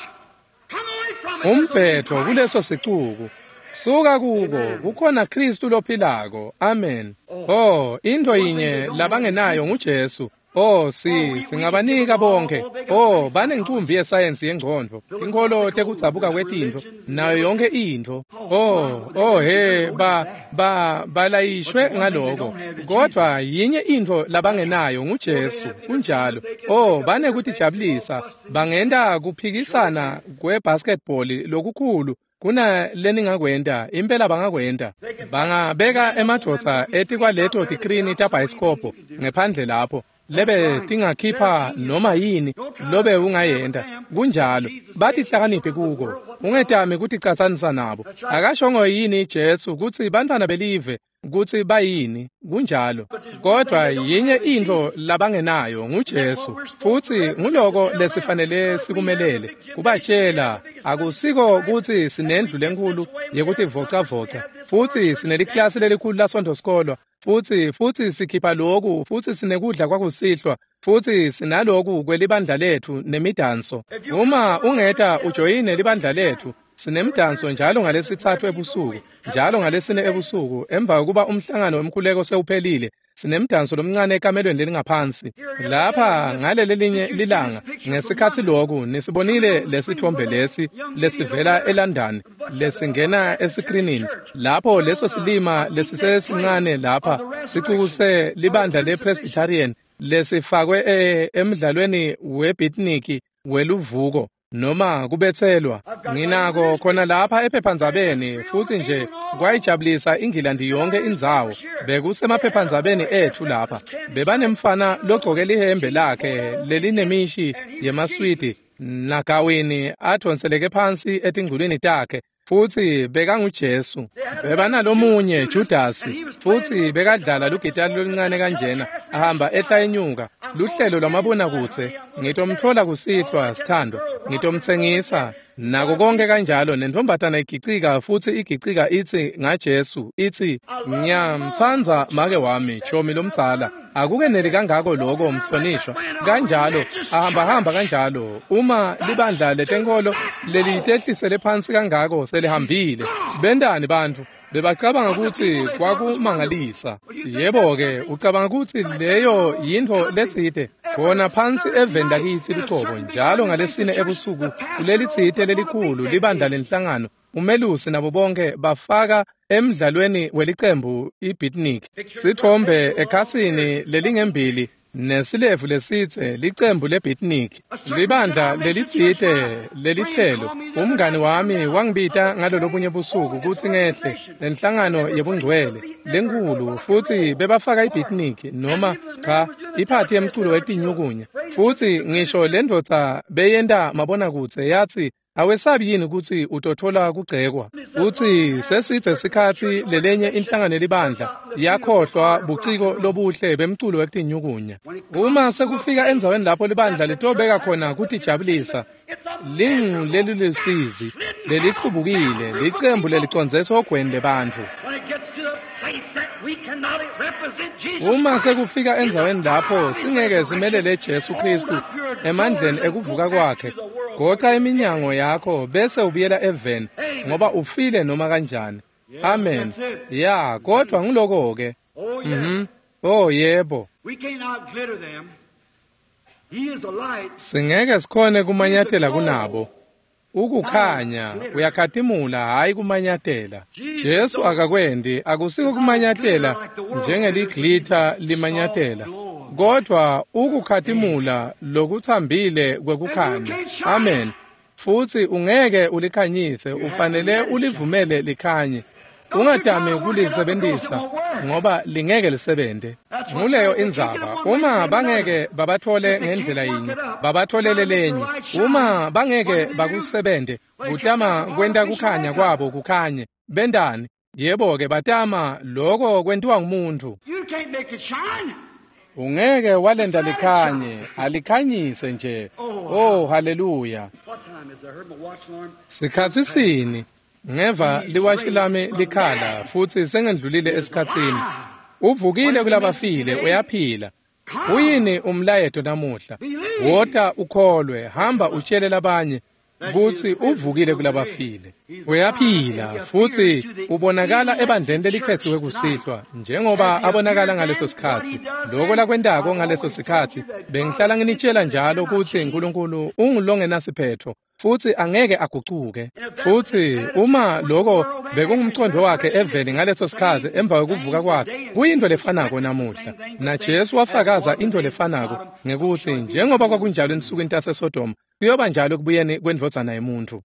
Come away from it. Umbhetho kuleso sicuku. Suka kuko, kukhona Kristu lophilako. Amen. Oh, into yinye labangenayo nguJesu. Oh, si singabanika bonke. Oh, banencumbi yesayensi yengcondvo, inkholo tekudzabuka kwetintfo, nayo yonke intfo. Oh, oh he, ba ba balayishwe ngaloko. Kodwa yinye intfo labangenayo nguJesu. Kunjalo. Oh, banekutijabulisa, bangenta kuphikisana kwebasketball lokukhulu kuna leningakwenta, impela bangakwenta. Bangabeka emadvodza etikwaleto tikrini tabhayisikobho ngephandle lapho lebe tingakhipha noma yini lobe ungayenta. Kunjalo, batihlakaniphi kuko. Ungetami kuticatsanisa nabo. Akashongo yini Jesu kutsi bantfwana belive kutsi bayini? Kunjalo. Kodwa yinye intfo labangenayo nguJesu, futsi nguloko lesifanele sikumelele kubatshela. Akusiko kutsi sinendlu lenkhulu yekutivocavoca, futsi sineliklasi lelikhulu laSontfo sikolwa, futsi futsi sikhipha loku, futsi sinekudla kwakusihlwa, futsi sinaloku kwelibandla letfu nemidanso. Uma ungeta ujoyine libandla letfu, sinemdanso njalo ngalesitsatfu ebusuku, njalo ngalesine ebusuku, emva kokuba umhlangano wemkhuleko sewuphelile. Sinemdanso lomncane ekamelweni lelingaphansi. Lapha ngalelelinye lilanga ngesikhatsi loku nisibonile lesithombe lesi lesivela eLondon lesingena esikrinini lapho leso silima lesisesincane lapha sicukuse libandla lePresbyterian lesifakwe e, emidlalweni webitniki weluvuko noma kubetselwa. Nginako khona lapha ephephandzabeni, futsi nje kwayijabulisa iNgilandi yonke indzawo. Bekusemaphephandzabeni etfu lapha. Bebanemfana logcoke lihembe lakhe lelinemishi yemaswidi nagawini adonseleke phansi etingculwini takhe, futsi bekanguJesu. Bebanalomunye Judasi, futsi bekadlala lugitali loluncane kanjena, ahamba ehla enyuka luhlelo lwamabonakudze. Ngitomtfola kusihlwa sithandwa, ngitomtsengisa. Nako konke kanjalo nentfombatana igicika futsi igicika itsi ngaJesu itsi ngiyamtsandza make wami chomi lomdzala. Akukeneli kangako lokho mhlonishwa kanjalo ahamba hamba kanjalo uma libandla letenkolo lelitehlisele phansi kangako selihambile. Bentani bantfu bebacabanga ukuthi kwakumangalisa. Yebo-ke ucabanga ukuthi leyo yintfo letsite khona phansi eveni lakitsi lucobo njalo ngalesine ebusuku kulelitsite lelikhulu libandla lenhlangano umelusi nabo bonke bafaka emdlalweni welicembu ibeatnik sithombe ekhasini lelingembili nesilevu lesitse licembu lebeatnik libandla lelitsite lelihlelo. Umngani wami wangibita ngalolobunye busuku kutsi ngehle lenhlangano yebungcwele lenkulu futsi bebafaka ibeatnik noma cha iphathi yemculo wetinyukunya futsi ngisho lendvodza beyenta mabonakudze yatsi awesabi yini kutsi utothola kugcekwa. Utsi sesitse sikhatsi lelenye inhlangano libandla yakhohlwa buciko lobuhle bemculo wetinyukunya. Uma sekufika endzaweni lapho libandla litobeka khona kutijabulisa lingu lelilusizi lelihlubukile licembu lelicondziswe ogweni lebantfu. Uma sekufika endzaweni lapho singeke simelele Jesu Kristu emandleni ekuvuka kwakhe, goca iminyango yakho bese ubuyela eveni ngoba ufile noma kanjani. Amen. Ya, kodwa ngiloko ke. Mhm. Oh yebo. Singeke sikhone kumanyatela kunabo. Ukukhanya uyakhatimula hayi kumanyatela. Jesu akakwendi akusiko kumanyatela njengeliglitha limanyatela, kodwa ukukhatimula lokuthambile kwekukhanya. Amen. Futsi ungeke ulikhanyise, ufanele ulivumele likhanye. Ungatami kulisebenzisa ngoba lingeke lisebente. Nguleyo indzaba. Uma bangeke babathole ngendlela yinye, babatholele lenye. Uma bangeke bakusebente, kutama kwenta kukhanya kwabo kukhanye. Bentani? Yebo-ke batama loko kwentiwa ngumuntu. Ungeke walenda likhanye, alikhanyise nje. Oh, haleluya. Sikhatsi sini? Ngeva liwashi lami likhala futsi sengendlulile esikhatsini. Uvukile kulabafile, uyaphila. Uyini umlayeto namuhla? Wota ukholwe, hamba utshele labanye kutsi uvukile kulabafile. Uyaphila futsi ubonakala ebandleni lelikhetsiwe kusihlwa njengoba abonakala ngaleso sikhatsi. Lokho lakwentako ngaleso sikhatsi bengihlala nginitshela njalo kutsi uNkulunkulu ungulongenasiphetho futsi angeke agucuke. Futsi uma lokho bekungumqondo wakhe eveni ngaleso sikhatsi emva kwekuvuka kwakhe, kuyinto lefanako namuhla. Na Jesu wafakaza into lefanako ngekuthi njengoba kwakunjalo ensukwini taseSodoma kuyoba njalo ekubuyeni kwendvodzana yemuntfu.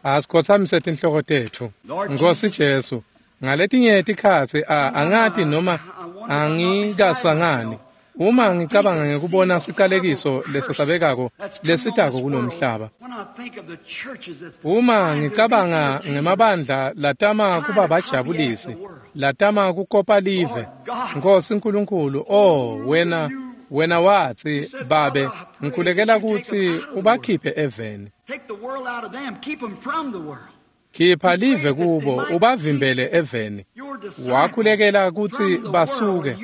Asikhothamise tinhloko tetfu. Nkosi Jesu, ngaletinye tikhatsi angati noma angikasangani uma ngicabanga ngekubona siqalekiso lesesabekako lesitako kulomhlaba. Uma ngicabanga ngemabandla latama kuba bajabulisi, latama kukopa live. Nkosi Nkulunkulu, oh wena wena watsi babe ngikhulekela kutsi ubakhiphe eveni. Khipha live kubo ubavimbele eveni. Wakhulekela kutsi basuke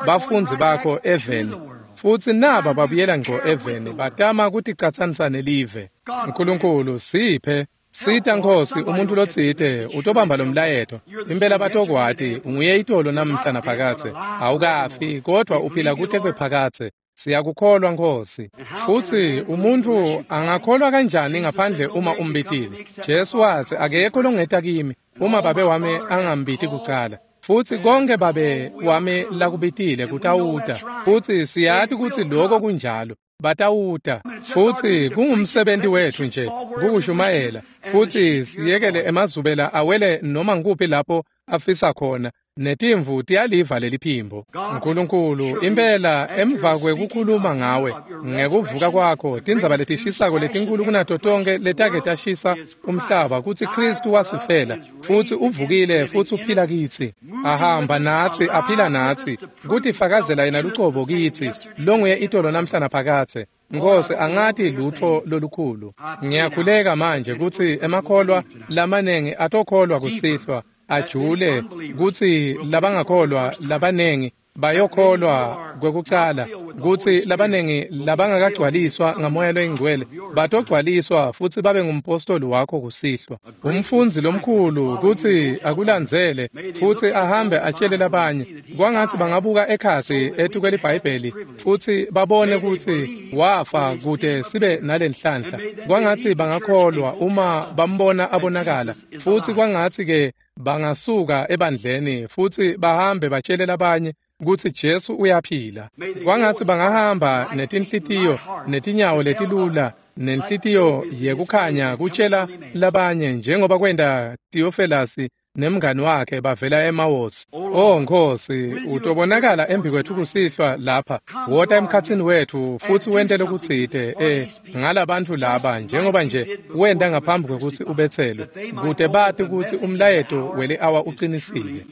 bafundzi bakho eveni, futsi naba babuyela ngco eveni batama kuticatsanisa nelive. Nkulunkulu siphe sita Nkosi umuntu lotsite utobamba lomlayeto. Impela batokwati unguye itolo namhla naphakadze. Awukafi kodwa uphila kute kwephakadze. Siyakukholwa Nkosi. Futsi umuntu angakholwa kanjani ngaphandle uma umbitile? Jesu watsi akekho longeta kimi uma babe wami angambiti kucala. Futsi konke babe wami lakubitile kutawuta. Futsi siyati kutsi lokho kunjalo. Batawuta. Futsi kungumsebenzi wethu nje kukushumayela. Futsi siyekele emazubela awele noma ngikuphi lapho afisa khona. Netimvu tiyaliva leliphimbo. Nkulunkulu impela emva kwekukhuluma ngawe ngekuvuka kwakho tindzaba letishisako letinkulu kunato tonke letake tashisa umhlaba kutsi Kristu wasifela futsi uvukile futsi uphila kitsi, ahamba natsi, aphila natsi, kutifakazela yena lucobo kitsi longuye itolo namhla naphakadze. Nkosi, angati lutfo lolukhulu. Ngiyakhuleka manje kutsi emakholwa lamanengi atokholwa kusihlwa, ajule kutsi labangakholwa labanengi bayokholwa kwekucala, kutsi labanengi labangakagcwaliswa ngaMoya loyiNgcwele batogcwaliswa futsi babe ngumpostoli wakho kusihlwa, umfundzi lomkhulu kutsi akulandzele futsi ahambe atshele labanye. Kwangatsi bangabuka ekhatsi etukweliBhayibheli futsi babone kutsi wafa kute sibe nalenhlanhla. Kwangatsi bangakholwa uma bambona abonakala, futsi kwangatsi ke bangasuka ebandleni futsi bahambe batshele labanye kutsi Jesu uyaphila. Kwangatsi bangahamba netinhlitiyo netinyawo letilula nenhlitiyo yekukhanya kutshela labanye njengoba kwenta Theophilus nemngani wakhe bavela eMawosi. Oh Nkosi, utobonakala embi kwethu kusihlwa lapha. Wota emkhatsini wetfu futsi wente lokutsite eh ngalabantfu laba njengoba nje wenta ngaphambi kwekutsi ubetselwe, kute bati kutsi umlayeto weli-awa ucinisile.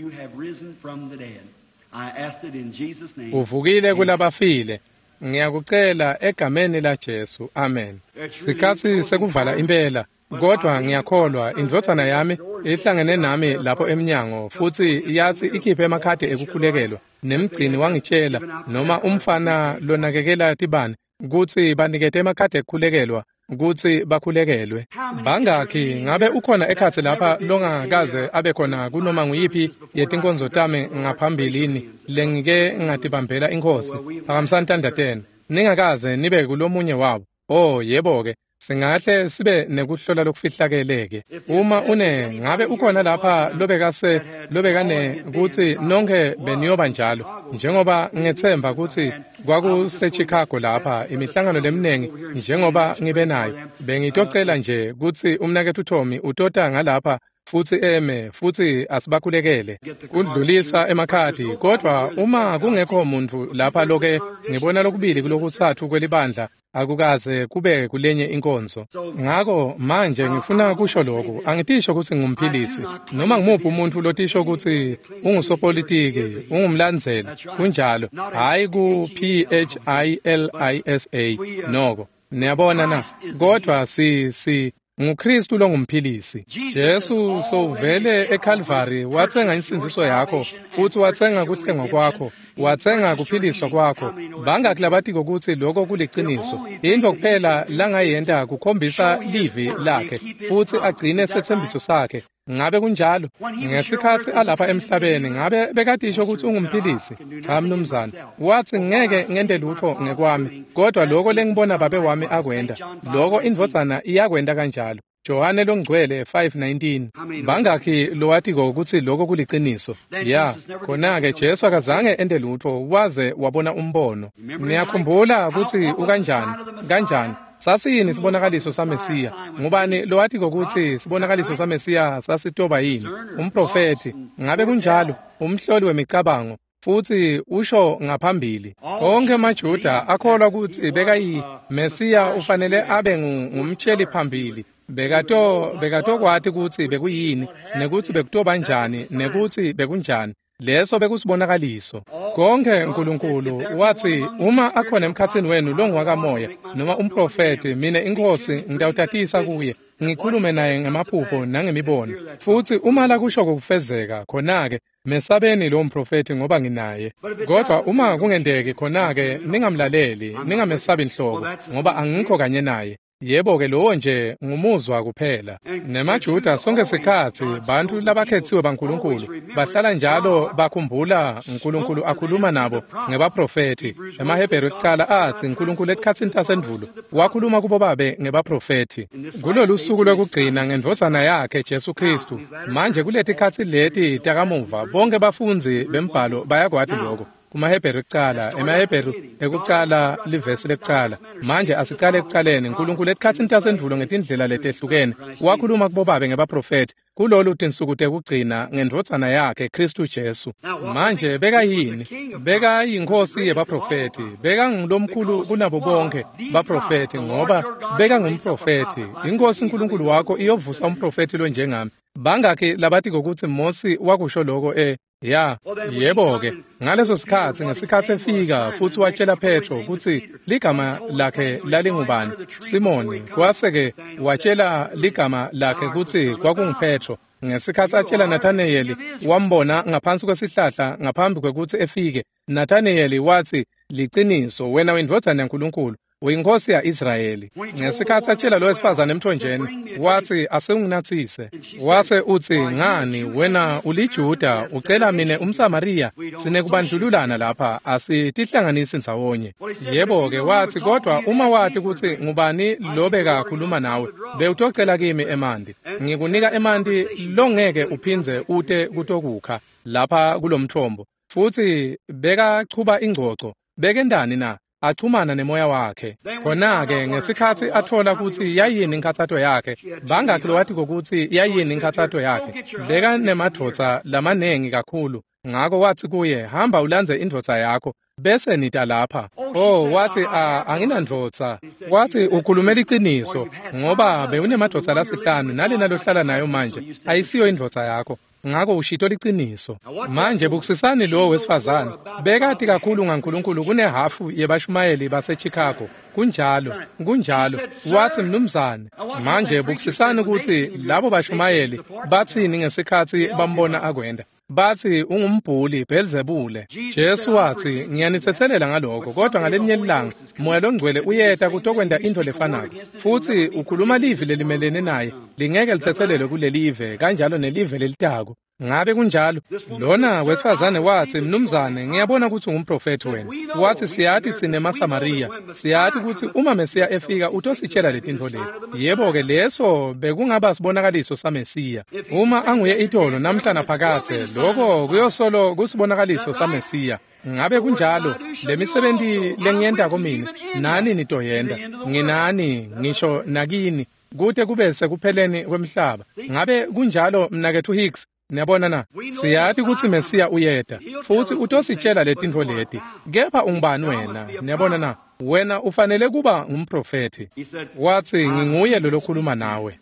Uvukile kulabafile. Ngiyakucela egameni la Jesu. Amen. Sikhatsi sekuvala impela, kodwa ngiyakholwa indvodzana yami ihlangene nami lapho emnyango futsi yatsi ikhiphe emakhadi ekukhulekelwa, nemgcini wangitshela noma umfana lonakekela tibane kutsi banikete emakhadi ekukhulekelwa kutsi bakhulekelwe. Bangakhi ngabe ukhona ekhatsi lapha longakaze abe khona kunoma nguyiphi yetinkonzo tami ngaphambilini lengike ngatibambela iNkhosi? Phakamisani tandla tenu. Ningakaze nibe kulomunye wabo. Oh yebo-ke, singahle sibe nekuhlola lokufihlakeleke. Uma une ngabe ukhona lapha lobekase lobekane kutsi nonke beniyoba njalo, njengoba ngethemba kutsi kwakuse Chicago lapha imihlangano leminingi njengoba ngibe nayo, bengitocela nje kutsi umnaketfu Tommy utota ngalapha futsi eme futsi asibakhulekele kudlulisa emakhadi. Kodwa uma kungekho muntfu lapha loke ngibona lokubili kulokutsatfu kwelibandla akukaze kube kulenye inkonzo. Ngako manje ngifuna kusho lokhu, angitisho kutsi ngumphilisi noma ngimuphi umuntu lotisho kutsi ungusopolitiki, ungumlandzeli, kunjalo, hhayi ku P H I L I S A noko. Niyabona na? Kodwa si si nguKristu longumphilisi. Jesu sowuvele eCalvary watsenga insindziso yakho futsi watsenga kuhlengwa kwakho, watsenga kuphiliswa kwakho. Bangaki labatiko kutsi lokho kuliciniso? Intfo kuphela langayenta kukhombisa livi lakhe futsi agcine setsembiso sakhe. Ngabe kunjalo? Ngesikhatsi alapha emhlabeni ngabe bekatisho kutsi ungumphilisi? Cha mnumzane. Watsi ngeke ngente lutfo ngekwami, kodwa lokho lengibona babe wami akwenta, lokho indvodzana iyakwenta kanjalo. Johane longcwele five nineteen. Bangakhi lowatiko kutsi lokho kuliciniso? Ya, khona-ke Jesu akazange ente lutfo waze wabona umbono. Niyakhumbula kutsi ukanjani? Kanjani? Sasiyini sibonakaliso saMesiya? Ngubani lowatiko kutsi sibonakaliso saMesiya sasitoba yini? Umprofethi. Ngabe kunjalo? Umhloli wemicabango futsi usho ngaphambili. Onke emaJuda akholwa kutsi bekayi Mesiya ufanele abe ngumtsheli phambili. Bekato bekatokwati kutsi bekuyini, nekutsi bekutoba njani, nekutsi bekunjani. Leso bekusibonakaliso. Konke uNkulunkulu watsi uma akhona emkhatsini wenu longwakamoya noma umprofeti, mina iNkhosi ngitawutatisa kuye, ngikhulume naye ngemaphupho nangemibono. Futsi uma lakusho kufezeka, khona-ke mesabeni lo mprofeti ngoba nginaye. Kodwa uma kungenteki, khona-ke ningamlaleli, ningamesabi nhlobo, ngoba angikho kanye naye. Yebo-ke lowo nje ngumuzwa kuphela. NemaJuda sonke sikhatsi bantfu labakhetsiwe baNkulunkulu bahlala njalo bakhumbula uNkulunkulu akhuluma nabo ngebaprofethi. EmaHebheru ekucala atsi uNkulunkulu etikhatsini tasendvulo wakhuluma kubo babe ngebaprofethi. Kulolu suku lwekugcina ngendvodzana yakhe Jesu Khristu. Manje kuletikhatsi leti takamuva bonke bafundzi bembhalo bayakwati lokho. KumaHebheru ekucala, emaHebheru ekucala livesi lekucala. Manje asicale ekucaleni. uNkulunkulu etikhatsini tasendvulo ngetindlela letehlukene wakhuluma kubobabe ngebaprofethi kulolu tinsuku tekugcina ngendvodzana yakhe Khristu Jesu. Manje bekayini? Bekayinkosi yebaprofethi, bekangulomkhulu kunabo bonke baprofethi ngoba bekangumprofethi. Inkosi uNkulunkulu wakho iyovusa umprofethi lonjengami. Bangakhi labatiko kutsi Mosi wakusho lokho e Ya, yebo-ke, ngaleso sikhatsi ngesikhatsi efika futsi watshela Petro kutsi ligama lakhe lalingubani, Simoni, kwase-ke watshela ligama lakhe kutsi kwakunguPetro. Ngesikhatsi atshela Nathanayeli, wambona ngaphansi kwesihlahla ngaphambi kwekutsi efike. Nathanayeli watsi, "Liciniso, wena uyindvodzana yaNkulunkulu, uyinkosi ya-Israyeli." Ngesikhatsi atshela lo wesifazane emthonjeni, watsi, "Asewunginatsise." Wase utsi, "Ngani, wena uliJuda, ucela mine umSamariya? Sinekubandlululana lapha, asitihlanganisi ndzawonye." Yebo-ke, watsi, "Kodwa uma wati kutsi ngubani lobekakhuluma nawe, bewutocela kimi emanti. Ngikunika emanti longeke uphindze ute kutokukha lapha kulomtfombo." Futsi bekachuba ingcoco. Bekendani na? Achumana nemoya wakhe. Khona-ke ngesikhatsi atfola kutsi yayini inkhatsato yakhe, bangakhi lowatiko kutsi yayini inkhatsato yakhe? Bekanemadvodza lamanengi kakhulu. Ngako watsi kuye, "Hamba ulandze indvodza yakho, bese nita lapha." Oh, watsi, "A, anginandvodza." Watsi, "Ukhulume liciniso, ngoba bewunemadvodza lasihlanu, nalena lohlala nayo manje ayisiyo indvodza yakho. Ngako ushito liciniso." Manje bukusisani lo wesifazane. Bekati kakhulu ngaNkulunkulu kunehhafu yebashumayeli baseChicago. Kunjalo, kunjalo. Watsi, "Mnumzane." Manje bukusisani kutsi labo bashumayeli batsini ngesikhatsi bambona akwenda. Batsi, "Ungumbhuli, Belzebule." Jesu watsi, "Ngiyanitsetselela ngaloko, kodwa ngalelinye ilanga Moya loNgcwele uyeta kutokwenta intfo lefanako, futsi ukhuluma livi lelimelene naye, lingeke litsetselelwe kulelive, kanjalo nelive lelitako." Ngabe kunjalo? Lona wesifazane watsi, "Mnumzane, ngiyabona kutsi ungumprofethi wena." Watsi, "Siyati tsine emaSamariya, siyati kutsi uma Mesiya efika utositshela letintfo leti." Yebo-ke, leso bekungaba sibonakaliso saMesiya. Uma anguye itolo namhla naphakadze, loko kuyosolo kusibonakaliso saMesiya. Ngabe kunjalo? Lemisebenti lengiyentako mine, nani nitoyenta. Nginani, ngisho nakini, kute kube sekupheleni kwemhlaba. Ngabe kunjalo, mnaketfu Hicks? Niyabona na? Siyati kutsi Mesiya uyeta, futsi utositshela letintfo leti. Kepha ungubani wena? Niyabona na? Wena ufanele kuba ngumprofethi. Watsi, "Nginguye lo lokhuluma nawe."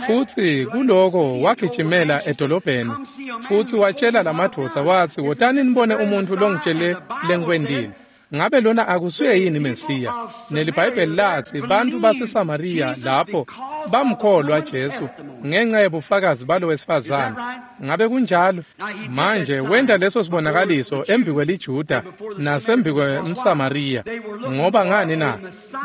Futsi kuloko wagijimela edolobheni, futsi watshela lamadvodza watsi, "Wotani nibone umuntfu longitshele lengikwentile. Ngabe lona akusuye yini Mesiya?" NeliBhayibheli latsi bantfu baseSamariya lapho bamkholwa Jesu ngenxa yebufakazi balo wesifazane. Ngabe kunjalo? Manje wenta leso sibonakaliso embikweliJuda nasembikwemSamariya. Ngoba ngani na?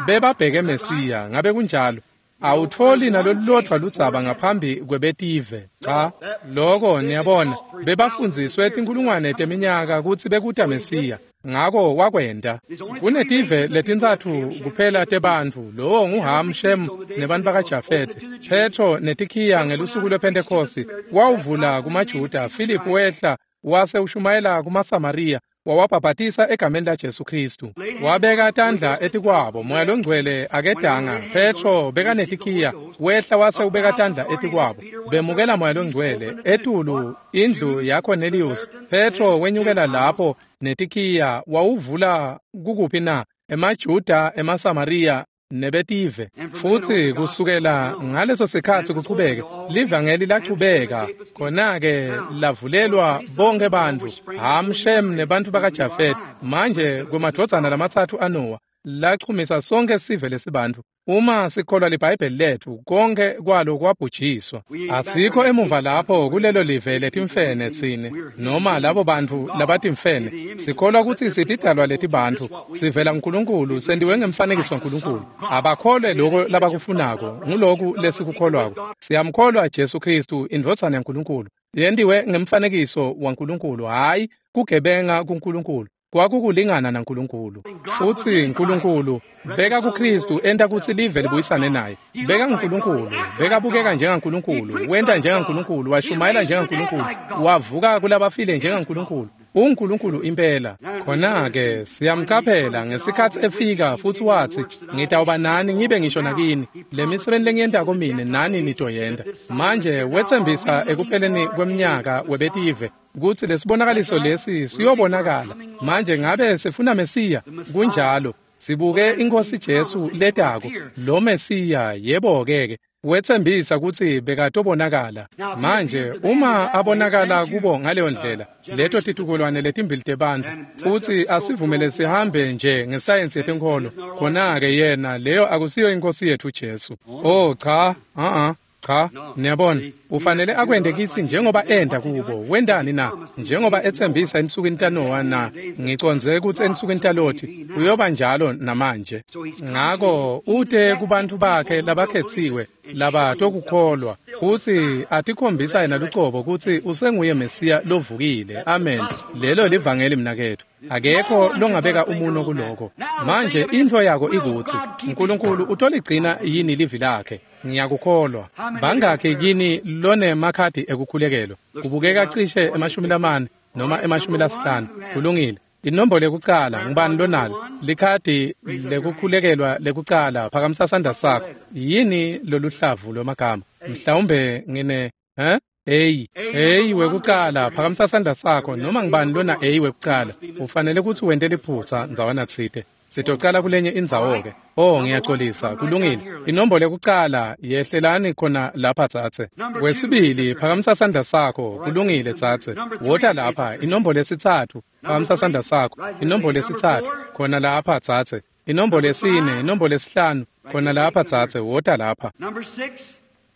Bebabheke Mesiya. Ngabe kunjalo? Awutfoli nalolulodvwa ludzaba ngaphambi kwebetive. Cha, loko niyabona, bebafundziswe tinkhulungwane teminyaka kutsi bekuta Mesiya. Ngako wakwenta. Kunetive letintsatfu kuphela tebantfu, lowo nguHam, Shem nebantu bakaJafethe. Petro netikhiya ngelusuku lwePhentekhosti wawuvula kumaJuda. Philip wehla wase ushumayela kumaSamariya, wawabhabhatisa egameni laJesu Khristu. Wabeka tandla etikwabo, Moya loNgcwele akedanga. Petro bekanetikhiya, wehla wase ubeka tandla etikwabo, bemukela Moya loNgcwele. Etulu indlu yaCornelius, Petro wenyukela lapho netikhiya, wawuvula kukuphi na? EmaJuda, emaSamariya nebetive. Futsi kusukela ngaleso sikhatsi kuchubeke, livangeli lachubeka. Khona-ke lavulelwa bonke bantfu, Ham, Shem nebantfu bakaJafethe. Manje kumadvodzana lamatsatfu aNowa, lachumisa sonke sive lesibantfu. Uma sikholwa liBhayibheli letfu, konke kwalo kwabhujiswa. Asikho emuva lapho kulelo live letimfene tsine, noma labo bantfu labatimfene. Sikholwa kutsi sitidalwa letibantfu, sivela kuNkulunkulu, sentiwe ngemfanekiso waNkulunkulu. Abakholwe loko labakufunako, nguloku lesikukholwako. Siyamkholwa Jesu Khristu, indvodzana yaNkulunkulu, yentiwe ngemfanekiso waNkulunkulu, hhayi kugebenga kuNkulunkulu. Kwakukulingana naNkulunkulu. Futsi Nkulunkulu beka kuKhristu enta kutsi live libuyisane naye. Beka nguNkulunkulu, bekabukeka njengaNkulunkulu, wenta njengaNkulunkulu, washumayela njengaNkulunkulu, wavuka kulabafile njengaNkulunkulu. UNkulunkulu impela. Khona-ke siyamcaphela ngesikhatsi efika futsi watsi, "Ngitawuba nani ngibe ngisho nakini. Lemisebenti lengiyentako mine nani nitoyenta." Manje wetsembisa ekupheleni kweminyaka webetive kutsi lesibonakaliso lesi siyobonakala. Manje ngabe sifuna Mesiya? Kunjalo. Sibuke iNkhosi Jesu letako, lo Mesiya. Yebo-ke ke, Wetsembisa kutsi bekatobonakala. Manje uma abonakala kubo ngaleyo ndlela, leto titukulwane letimbili tebantfu, futsi asivumele sihambe nje ngesayensi yetenkholo, khona-ke yena leyo akusiyo iNkosi yetfu Jesu. Oh cha, uh-uh. Cha, niyabona, ufanele akwente kitsi njengoba enta kubo. Wentani na? Njengoba etsembisa ensukwini taNowa na, ngicondze kutsi ensukwini taLothi uyoba njalo namanje. Ngako ute kubantfu bakhe labakhetsiwe labatokukholwa, kutsi atikhombisa yena lucobo kutsi usenguye Mesiya lovukile. Amen. Lelo livangeli mnaketfu. Akekho longabeka umuno kuloko. Manje intfo yako ikutsi Nkulunkulu utoligcina yini livi lakhe? Ngiyakukholwa. Bangakhi kini lonemakhadi ekukhulekelwa? Kubukeka cishe emashumi lamane noma emashumi lasihlanu. Kulungile. Inombolo yekucala ngubani lonalo? Likhadi lekukhulekelwa lekucala, phakamisa sandla sakho. Yini loluhlavu lwemagama? Mhlawumbe ngine, eh? A, A wekucala, phakamisa sandla sakho. Noma ngubani lona A wekucala, ufanele kutsi wente liphutsa ndzawana tsite. Sitocala kulenye indzawo-ke. Oh, ngiyaxolisa. Kulungile. Inombolo yekucala, yehlelani khona lapha tsatse. Kwesibili, phakamisa sandla sakho. Kulungile tsatse. Wota lapha. Inombolo yesitsatfu, phakamisa sandla sakho. Inombolo yesitsatfu, khona lapha tsatse. Inombolo yesine, inombolo yesihlanu, khona lapha tsatse. Wota lapha.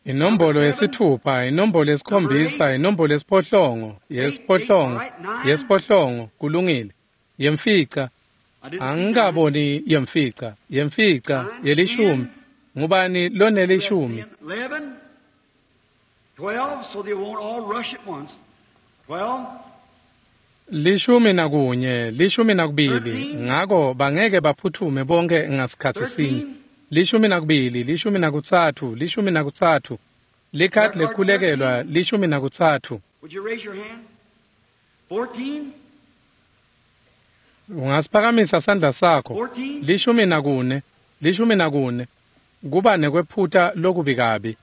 Inombolo yesithupha, inombolo yesikhombisa, inombolo yesiphohlongo, yesiphohlongo, yesiphohlongo, kulungile. Yemfica, angikaboni yemfica, yemfica, yelishumi. Ngubani lonelishumi? Lishumi nakunye, lishumi nakubili, ngako bangeke baphuthume bonke ngasikhatsi sinye. Lishumi nakubili, lishumi nakutsatfu, lishumi nakutsatfu. Likhadi lekukhulekelwa lishumi nakutsatfu. Ungasiphakamisa sandla sakho. Lishumi nakune, lishumi nakune. Kuba nekwephuta lokubi kabi.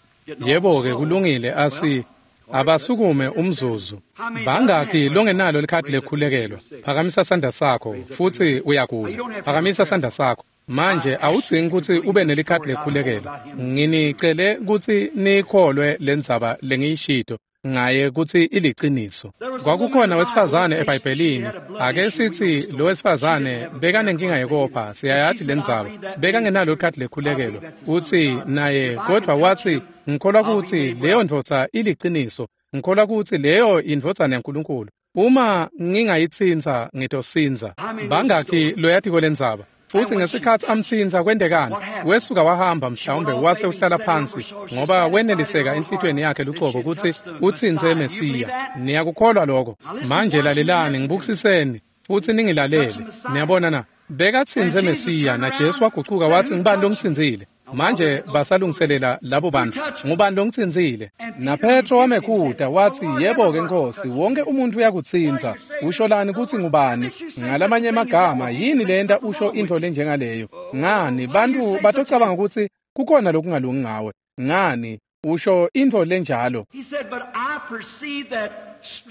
Yebo-ke kulungile, asi abasukume umzuzu. Bangakhi longenalo likhadi lekukhulekelwa? Phakamisa sandla sakho futsi uyagula. Phakamisa sandla sakho. Manje awudzingi kutsi ube nelikhadi lekukhulekelwa. Nginicele kutsi nikholwe lendzaba lengiyishito ngaye kutsi iliciniso. Kwakukhona wesifazane eBhayibhelini. Ake sitsi lo wesifazane bekanenkinga yekopha, siyayati lendzaba. Bekangenalo likhadi lekukhulekelwa. Utsi naye kodvwa watsi ngikholwa kutsi leyo ndvodza iliciniso. Ngikholwa kutsi leyo indvodzana yaNkulunkulu. Uma ngingayitsintsa ngitosindza. Bangakhi loyatiko lendzaba? Futsi ngesikhatsi amtsintsa kwentekani? Wesuka wahamba mhlawumbe wase uhlala phansi ngoba weneliseka enhlitiyweni yakhe lucobo kutsi utsintse Mesiya. Niyakukholwa lokho? Manje lalelani, ngibukisiseni futsi ningilalele. Niyabona na? Bekatsintse Mesiya na Jesu wagucuka watsi ngubani longitsintsile? Manje basalungiselela labo bantfu. Ngubani longitsintsile? Na Petro wamekhuta watsi yebo-ke Nkosi, wonke umuntu uyakutsintsa. Usho lani kutsi ngubani? Ngalamanye emagama, yini lenta usho intfo lenjengaleyo? Ngani bantfu batocabanga kutsi kukhona lokungalungi ngawe? Ngani usho intfo lenjalo?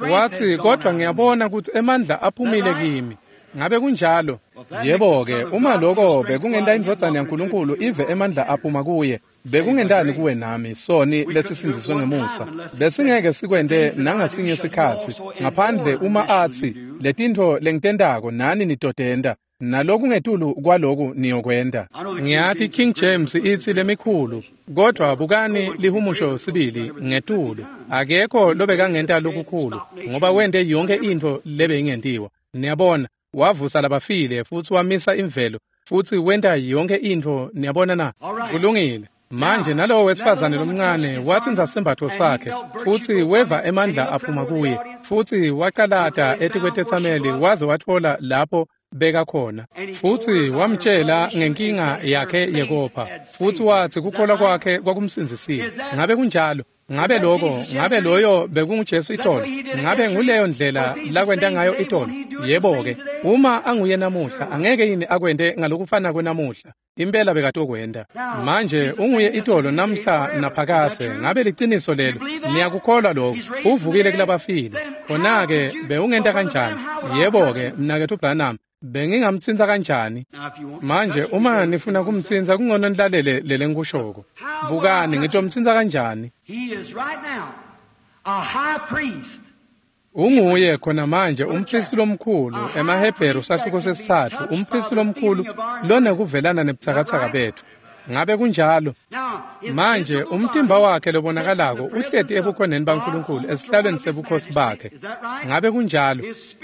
Watsi kodvwa ngiyabona kutsi emandla aphumile kimi. Ngabe kunjalo? Yebo-ke, uma loko bekungenta indvodzana yaNkulunkulu ive emandla aphuma kuye, bekungentani kuwe nami, soni lesisindziswe ngemusa? Besingeke sikwente nangasinye sikhatsi, ngaphandle uma atsi, letintfo lengitentako nani nitotenta, nalokungetulu kwaloku niyokwenta. Ngiyati King James itsi lemikhulu, kodvwa bukani lihumusho sibili ngetulu. Akekho lobekangenta lokukhulu, ngoba wente yonke intfo lebeyingentiwa. Niyabona? Wavusa labafile futsi wamisa imvelo futsi wenta yonke intfo. Niyabona na? Kulungile. Manje nalowo wesifazane lomncane watsintsa sembatfo sakhe futsi weva emandla aphuma kuye futsi wacalata etikwetetsameli waze watfola lapho bekakhona futsi wamtjela ngenkinga yakhe yekopha futsi watsi kukholwa kwakhe kwakumsindzisile. Ngabe kunjalo? Ngabe lokho, ngabe loyo bekunguJesu itolo? Ngabe nguleyo ndlela lakwenta ngayo itolo? Yebo-ke, uma anguye namuhla, angeke yini akwente ngalokufana kwenamuhla? Impela bekatokwenta. Manje unguye itolo namhla naphakadze. Ngabe liciniso lelo? Niyakukholwa lokho? Uvukile kulabafile. Khona-ke bewungenta kanjani? Yebo-ke, mnaketfu Branham, bengingamtsintsa kanjani? Manje uma nifuna kumtsintsa kungcono nilalele lele ngikushoko. Bukani, ngitomtsintsa kanjani? Unguye khona manje umphristi lomkhulu emaHebheru sahluko sesitsatfu, umphristi lomkhulu lonekuvelana nebutsakatsaka betfu. Ngabe kunjalo? Manje umtimba wakhe lobonakalako uhleti ebukhoneni baNkulunkulu esihlalweni sebukhosi bakhe. Ngabe kunjalo?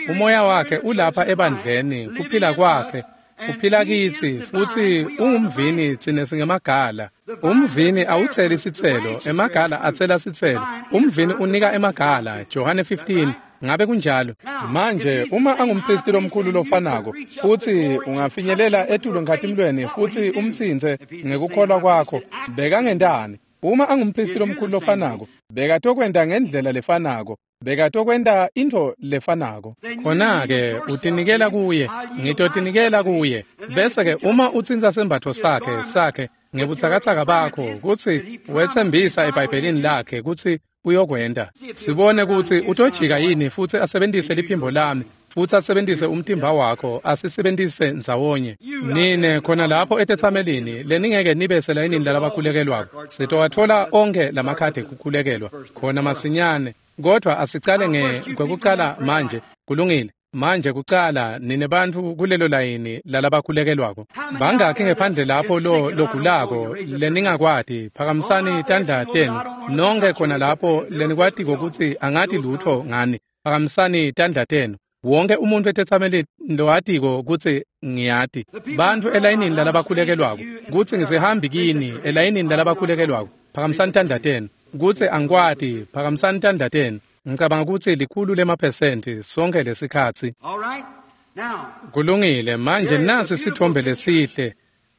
Umoya wakhe ulapha ebandleni, kuphila kwakhe uphila kitsi, futsi ungumvini, tsine singemagala. Umvini awutseli sitselo, emagala atsela sitselo. Umvini unika emagala, Johane fifteen. Ngabe kunjalo? Manje uma angumphristi lomkhulu lofanako, futsi ungafinyelela etulu nkhatimlweni futsi umtsintse ngekukholwa kwakho, bekangentani? Uma angumphristi lomkhulu lofanako, bekatokwenta ngendlela lefanako, bekatokwenta intfo lefanako. Khona-ke utinikela kuye, ngitotinikela kuye. Bese-ke uma utsintsa sembatfo sakhe sakhe ngebutsakatsaka bakho, kutsi wetsembisa eBhayibhelini lakhe kutsi uyokwenta. Sibone kutsi utojika yini futsi asebentise liphimbo lami, futsi asebentise umtimba wakho, asisebentise ndzawonye. Nine khona lapho etetsamelini leningeke nibe selayinini lalabakhulekelwako, sitowatfola onkhe lamakhadi ekukhulekelwa khona masinyane. Kodwa asicale ngekwekucala manje. Kulungile. Manje kucala nine bantfu kulelo layini lalabakhulekelwako. Bangakhi ngephandle lapho lo logulako leningakwati? Phakamisani tandla tenu. Nonke khona lapho lenikwatiko kutsi angati lutfo ngani, phakamisani tandla tenu. Wonke umuntu etetsamelini lowatiko kutsi ngiyati. Bantfu elayinini lalabakhulekelwako, kutsi ngisihambi kini elayinini lalabakhulekelwako, phakamisani tandla tenu. Kutsi angikwati, phakamisani tandla tenu. Ngicabanga kutsi likhulu lemaphesenti sonke lesikhatsi. Kulungile. Manje nasi sithombe lesihle.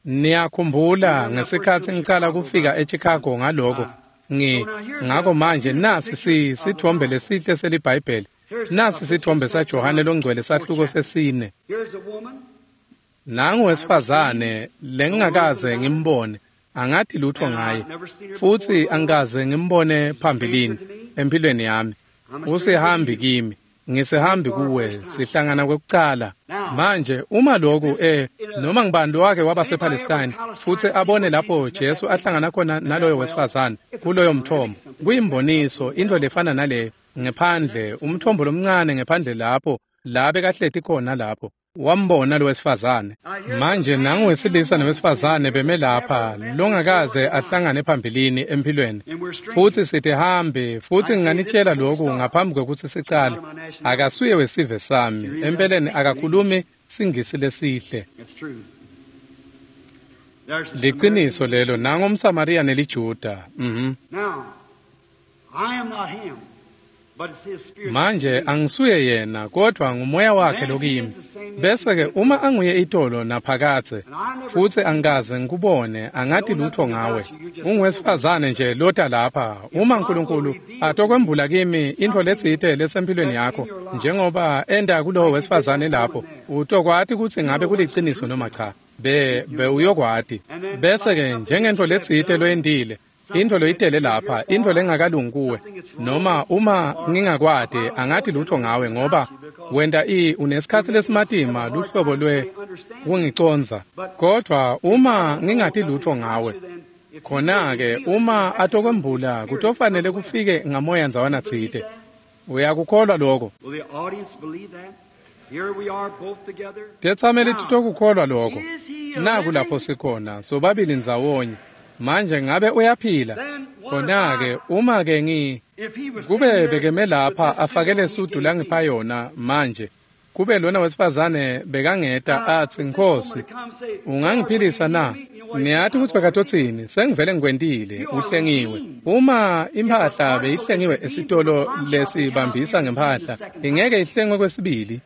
Niyakhumbula ngesikhatsi ngicala kufika eChicago ngaloko. Ngi ngako manje nasi si sithombe lesihle seliBhayibheli. Nasi sithombe saJohane longcwele sahluko sesine. Nangu wesifazane lengingakaze ngimbone, angati lutfo ngaye, futsi angikaze ngimbone phambilini empilweni yami. Usihambi kimi, ngisihambi kuwe, sihlangana kwekucala. Manje uma lokhu eh noma ngibani lowake waba sePalestine futsi abone lapho Jesu ahlangana khona naloyo wesifazane kuloyo mthombo, kuyimboniso into lefana naleyo ngephandle, umthombo lomncane ngephandle lapho la bekahleti khona lapho wambona lo wesifazane. Manje nangu wesilisa nowesifazane beme lapha longakaze ahlangane phambilini empilweni, futsi sithi hambe. Futsi nginganitshela lokhu ngaphambi kwekutsi sicale, akasuye wesive sami empeleni, akakhulumi siNgisi lesihle. Liciniso lelo. Nangu umSamariya neliJuda. Mhm. Manje angisuye yena, kodwa ngumoya wakhe lokimi. Bese-ke uma anguye itolo naphakadze, futsi angikaze ngikubone, angati lutfo ngawe, unguwesifazane nje lota lapha. Uma Nkulunkulu atokwembula kimi intfo letsite lesempilweni yakho, njengoba enta kulowo wesifazane lapho, utokwati kutsi ngabe kuliciniso noma cha. Be bewuyokwati. Bese-ke njengentfo letsite loyentile, intfo loyitele lapha, intfo lengakalungi kuwe, noma uma ngingakwati, angati lutfo ngawe, ngoba wenta i unesikhatsi lesimatima luhlobo lwe kungicondza. Kodwa uma ngingati lutfo ngawe, khona-ke uma atokwembula kutofanele kufike ngamoya ndzawana tsite. Uyakukholwa lokho? Tetsameli titokukholwa lokho. Naku lapho sikhona sobabili ndzawonye. Manje ngabe uyaphila? Khona-ke uma ke ngi kube bekeme lapha afake lesudu langipha yona manje, kube lona wesifazane bekangeta atsi, Nkhosi, ungangiphilisa na? Niyati kutsi bekatotsini? Sengivele ngikwentile, uhlengiwe. Uma imphahla beyihlengiwe esitolo lesibambisa ngemphahla, ingeke ihlengwe kwesibili.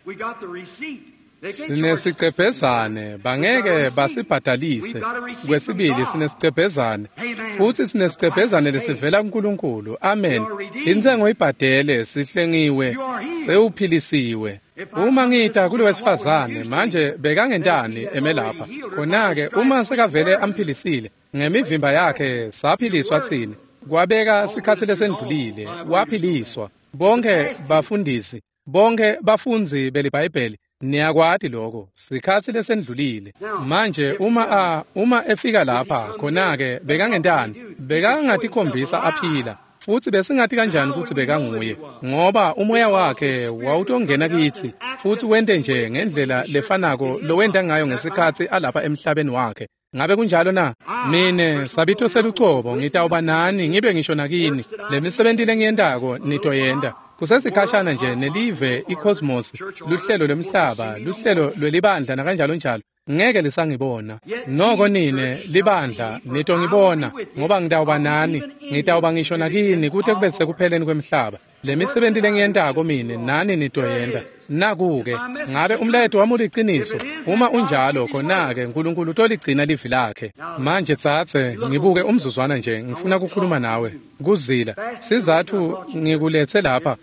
Sinesigcebhezane, bangeke basibhadalise. Kwesibili sinesigcebhezane, futsi sinesigcebhezane lesivela kuNkulunkulu. Amen. Intsengo ibhadele, sihlengiwe, sewuphilisiwe. Uma ngita kulo wesifazane manje bekangentani emelapha, khona-ke uma sekavele amphilisile ngemivimba yakhe saphiliswa tsine. Kwabeka sikhatsi lesendlulile, waphiliswa. Bonke bafundisi, bonke bafundzi beliBhayibheli niyakwati lokho, sikhatsi lesendlulile. Manje uma a uma efika lapha, khona-ke bekangentani? Bekangatikhombisa aphila. Futsi besingati kanjani kutsi bekanguye? Ngoba umoya wakhe wawutongena kitsi futsi wente nje ngendlela lefanako lowenta ngayo ngesikhatsi alapha emhlabeni wakhe. Ngabe kunjalo na? Mine sabito selucobo ngitawuba nani ngibe ngisho nakini. Lemisebenti lengiyentako nitoyenta. Kusesikhashana nje nelive icosmos, luhlelo lwemhlaba, luhlelo lwelibandla nakanjalo njalo, ngeke lisangibona. Noko nine libandla nitongibona, ngoba ngitawuba nani, ngitawuba ngisho nakini kute kube sekupheleni kwemhlaba. Lemisebenti lengiyentako mine nani nitoyenta. Naku-ke, ngabe umlayeto wami uliciniso? Uma unjalo, khona-ke Nkulunkulu utoligcina livi lakhe. Manje tsatse, ngibuke umzuzwana nje, ngifuna kukhuluma nawe. Kuzila, sizatfu ngikuletse lapha,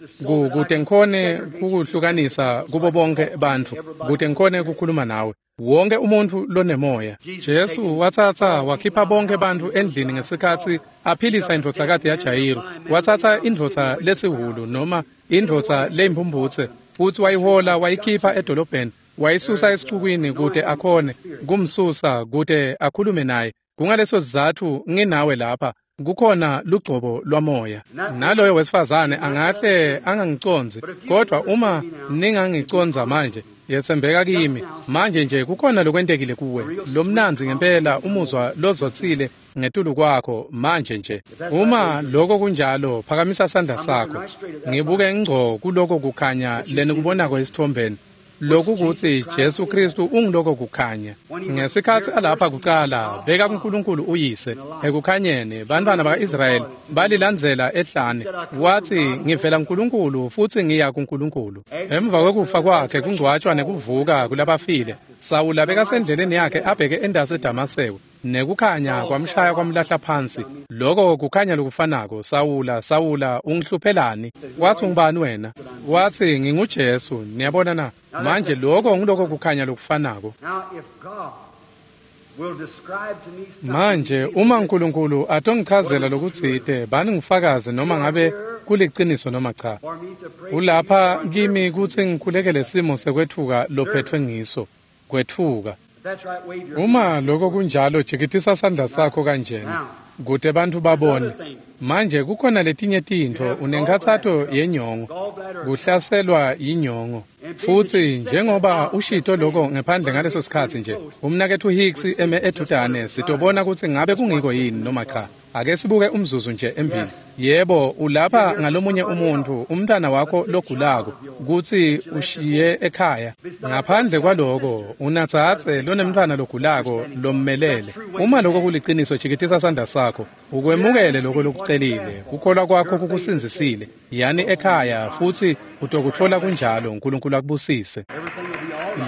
kute ngikhone kukuhlukanisa kubo bonke bantfu, kute ngikhone kukhuluma nawe. Wonke umuntfu lonemoya. Jesu watsatsa wakhipha bonke bantfu endlini ngesikhatsi aphilisa indvodzakati yaJayiru. Watsatsa indvodza lesihhulu noma indvodza leyimphumphutse futsi wayihola wayikhipha edolobheni, wayisusa esicukwini kute akhone kumsusa kute akhulume naye. Kungaleso sizatfu nginawe lapha, kukhona lugcobo lwamoya. Naloyo wesifazane angahle angangicondzi, kodwa uma ningangicondza manje, yetsembeka kimi. Manje nje kukhona lokwentekile kuwe, lomnandzi ngempela umuzwa lozotsile ngetulu kwakho manje nje. Uma lokho kunjalo, phakamisa sandla sakho. Ngibuke ngco kuloko kukhanya lenikubonako esitfombeni. Lokhu kutsi Jesu Kristu ungiloko kukhanya. Ngesikhatsi alapha kucala, beka kuNkulunkulu uyise ekukhanyeni, bantfwana baka-Israyeli balilandzela ehlane. Watsi, ngivela kuNkulunkulu futsi ngiya kuNkulunkulu. Emva kwekufa kwakhe kungcwatshwa nekuvuka kulabafile, Sawula bekasendleleni yakhe abheke endasi eDamaseko, nekukhanya kwamshaya kwamlahla phansi. Loko kukhanya lokufanako. Sawula, Sawula, ungihluphelani? Watsi, ungubani wena? Watsi, nginguJesu. Niyabona na? Manje lokho ngiloko kukhanya lokufanako. Manje uma uNkulunkulu atongichazela lokutsite, bani ngifakaze noma ngabe kuliciniso noma cha. Ulapha kimi kutsi ngikhulekele simo sekwetfuka lophethwe ngiso. Kwetfuka. Uma lokho kunjalo, jikitisa sandla sakho kanjena kute bantfu babone. Manje kukhona letinye tintfo, unenkhatsato yenyongo, kuhlaselwa yinyongo. Futsi njengoba ushito lokho ngephandle ngaleso sikhatsi nje, umnaketfu Hicks eme edudane, sitobona kutsi ngabe kungiko yini noma cha. Ake sibuke umzuzu nje embili. Yebo, ulapha ngalomunye umuntfu, umntwana wakho logulako, kutsi ushiye ekhaya. Ngaphandle kwaloko, unatsatse lonemntwana logulako lommelele. Uma lokho kuliciniso, jikitisa sandla sakho, ukwemukele lokho lokucelile. Kukholwa kwakho kukusindzisile. Yani ekhaya futsi utokutfola kunjalo. uNkulunkulu akubusise.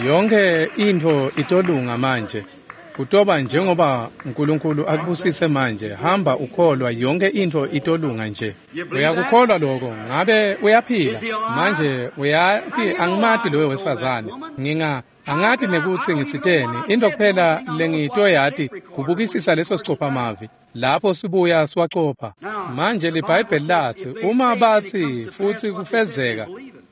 Yonke intfo itolunga manje. Kutoba njengoba uNkulunkulu akubusise manje. Hamba ukholwa, yonke intfo itolunga nje. Uyakukholwa lokho? Ngabe uyaphila manje? Uyati angimati loyo wesifazane, nginga angati nekutsi ngitsiteni. Into kuphela lengitoyati kubukisisa leso sicophamavi lapho sibuya siwacopha. Manje liBhayibheli latsi uma batsi futsi kufezeka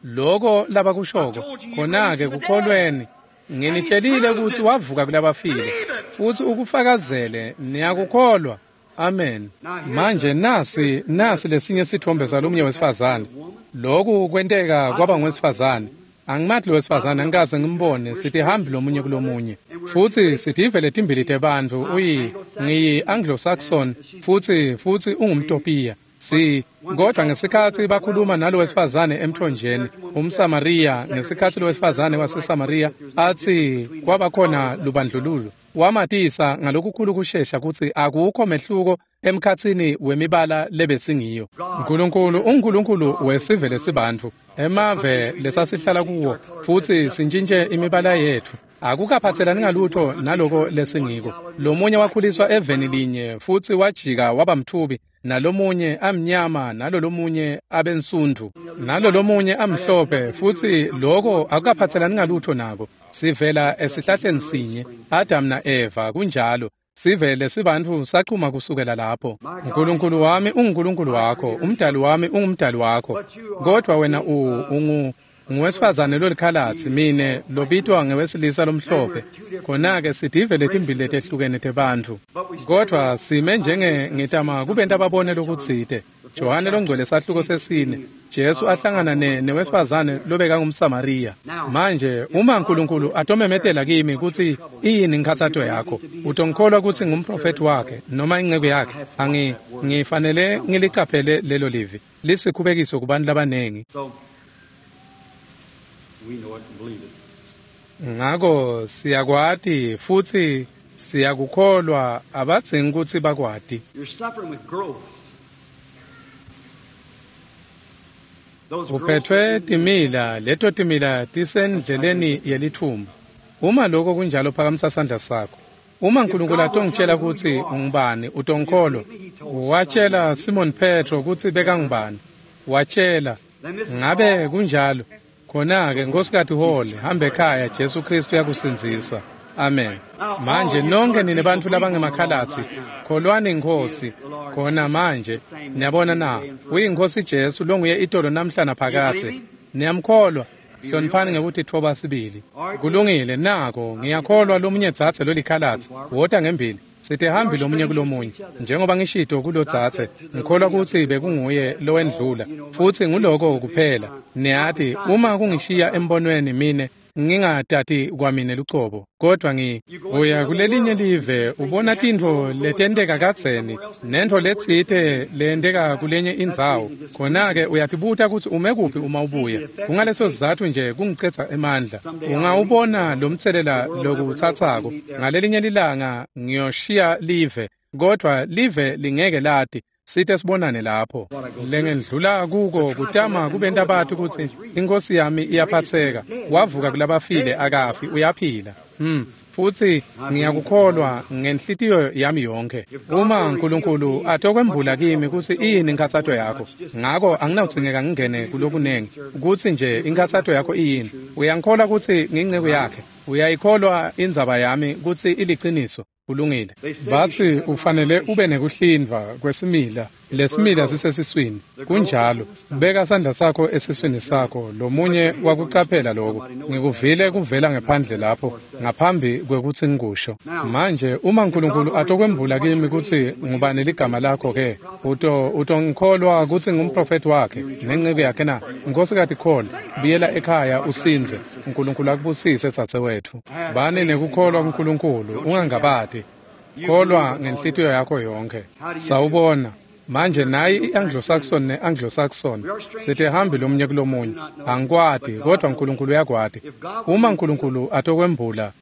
lokho labakushoko, khona-ke kukholweni. Nginitshelile kutsi wavuka kulabafile futsi ukufakazele. Niyakukholwa? Amen. Manje nasi nasi lesinye sithombe salomunye wesifazane. Lokhu kwenteka kwaba ngwesifazane. Angimati lo wesifazane, angikaze ngimbone. Sitihambi lomunye kulomunye, futsi sitive letimbili tebantfu. Uyi ngiyi Anglo-Saxon futsi futsi ungumTopiya. Si kodwa ngesikhatsi bakhuluma nalo wesifazane emthonjeni umSamariya, ngesikhatsi lo wesifazane waseSamariya athi kwabakhona lubandlululo, Wamatisa ngalokukhulu kushesha kutsi akukho mehluko emkhatsini wemibala lebesingiyo. Nkulunkulu unguNkulunkulu wesive lesibantfu, emave lesasihlala kuwo, futsi sintshintshe imibala yetfu. Akukaphatselani ngalutho naloko lesingiko. Lomunye wakhuliswa eveni linye futsi wajika waba mthubi, nalomunye amnyama, nalolomunye abensundu, nalolomunye amhlophe, futsi loko akukaphatselani ngalutho nako. Sivela esihlahleni sinye, Adam na-Eva, kunjalo. Sivele sibantfu sachuma kusukela lapho. Nkulunkulu wami unguNkulunkulu wakho, umdali wami ungumdali wakho. Kodwa wena u ungu nguwesifazane lolikhalatsi, mine lobitwa ngewesilisa lomhlophe. Khona-ke sitive letimbili letehlukene tebantfu. Kodwa sime njenge ngitama kubenta babone lokutsite. Johane longcwele sahluko sesine, Jesu ahlangana ne newesifazane lobekangumSamariya. Manje uma Nkulunkulu atomemetela kimi kutsi iyini inkhatsato yakho, utongikholwa kutsi ngumprofethi wakhe noma inceku yakhe? Angi ngifanele ngilicaphele lelo livi lisikhubekiso kubantu labanengi. Ngako siyakwati futsi siyakukholwa, abadzingi kutsi bakwati. Uphethwe timila, leto timila tisendleleni yelithumba. Uma lokho kunjalo, phakamisa sandla sakho. Uma Nkulunkulu atongitshela kutsi ungubani, utongikholwa? Watshela Simon Petro kutsi bekangubani. Watshela. Ngabe kunjalo? Khona-ke Nkhosikati Hall, hamba ekhaya, Jesu Kristu uyakusindzisa. Amen. Manje nonke nine bantfu labangemakhalatsi, kholwani iNkhosi khona manje. Niyabona na? UyiNkhosi Jesu longuye itolo namhla naphakadze. Niyamkholwa? Hloniphani ngekutitfoba sibili. Kulungile, nako ngiyakholwa lomunye dzadze lolikhalatsi. Wota ngembili. Sitihambi lomunye kulomunye. Njengoba ngishito kulodzadze, ngikholwa kutsi bekunguye lowendlula, futsi nguloko kuphela. Niyati, uma kungishiya embonweni mine ngingatati kwamine lucobo, kodwa ngi uya kulelinye live ubona tintfo letenteka kadzeni nentfo letsite leyenteka kulenye indzawo. Khona-ke uyatibuta kutsi ume kuphi uma ubuya. Kungaleso sizatfu nje kungicedza emandla. Ungawubona lomtselela lokutsatsako. Ngalelinye lilanga ngiyoshiya live, kodwa live lingeke lati. Site sibonane lapho. Lengendlula kuko kutama kubenta bati kutsi iNkhosi yami iyaphatseka. Wavuka kulabafile, akafi, uyaphila. Hmm. Futsi ngiyakukholwa ngenhlitiyo yami yonke. Uma Nkulunkulu atokwembula kimi kutsi iyini inkhatsato yakho, ngako anginawudzingeka ngingene kulokunengi, kutsi nje inkhatsato yakho iyini. Uyangikholwa kutsi ngiyinceku yakhe? Uyayikholwa indzaba yami kutsi iliciniso? Kulungile. Batsi ufanele ube nekuhlindvwa kwesimila. Lesimila sisesiswini. Kunjalo. Beka sandla sakho esiswini sakho. Lomunye wakucaphela lokho. Ngikuvile kuvela ngephandle lapho ngaphambi kwekutsi ngikusho. Manje uma Nkulunkulu atokwembula kimi kutsi ngubani ligama lakho ke, uto utongikholwa kutsi ngumprofethi wakhe nenceku yakhe na? Nkhosikati Cole, buyela ekhaya usindze. Nkulunkulu akubusise dzadzewetfu. Bani nekukholwa kuNkulunkulu, ungangabati. Kholwa ngenhlitiyo yakho yonke. Sawubona. Manje nayi i-Anglo-Saxon ne-Anglo-Saxon sitihambi lomunye kulomunye. Angikwati, kodwa Nkulunkulu uyakwati. Uma Nkulunkulu atokwembula.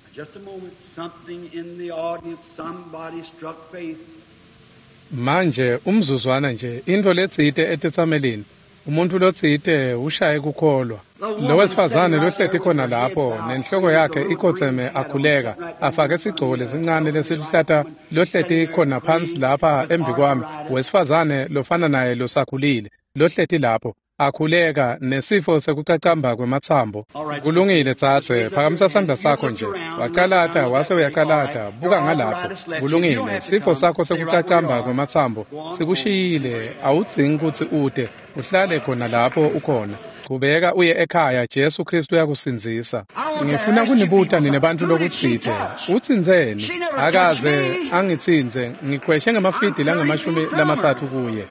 Manje umzuzwana nje, intfo letsite etetsamelini. Umuntu lotsite ushaye kukholwa. Lo wesifazane lohleti khona lapho nenhloko yakhe ikhotseme akhuleka, afake sigcoko lesincane lesiluhlata, lohleti khona phansi lapha embikwami, wesifazane lofana naye losakhulile, lohleti lapho akhuleka nesifo sekucacamba kwematsambo. Kulungile dzadze, phakamisa sandla sakho nje. Wacalata wase uyacalata, buka ngalapho. Kulungile, sifo sakho sekucacamba kwematsambo sikushiyile, awudzingi kutsi ute, uhlale khona lapho ukhona. Qhubeka uye ekhaya, Jesu Kristu uyakusindzisa. Ngifuna kunibuta nine bantfu lokutsite. Utsintseni? Akaze angitsintse, ngikhweshe ngemafidi langemashumi lamatsatfu kuye.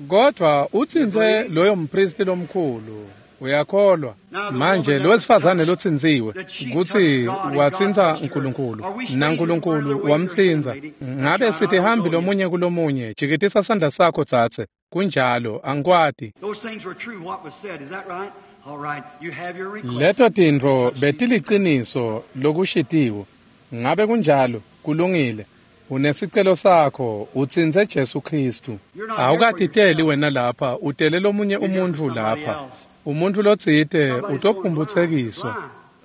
Kodwa utsintse loyo mpristi lomkhulu. Uyakholwa manje lowesifazane lotsintsiwe kutsi watsintsa Nkulunkulu naNkulunkulu wamtsintsa. Ngabe sitihambi lomunye kulomunye? Jikitisa sandla sakho tsatse. Kunjalo, angikwati. Leto tintfo betiliciniso lokushitiwo. Ngabe kunjalo? Kulungile. Unesicelo sakho, utsintse Jesu Khristu. Awukatiteli wena lapha, utele lomunye umuntfu lapha. Umuntfu lotsite utophumphutsekiswa.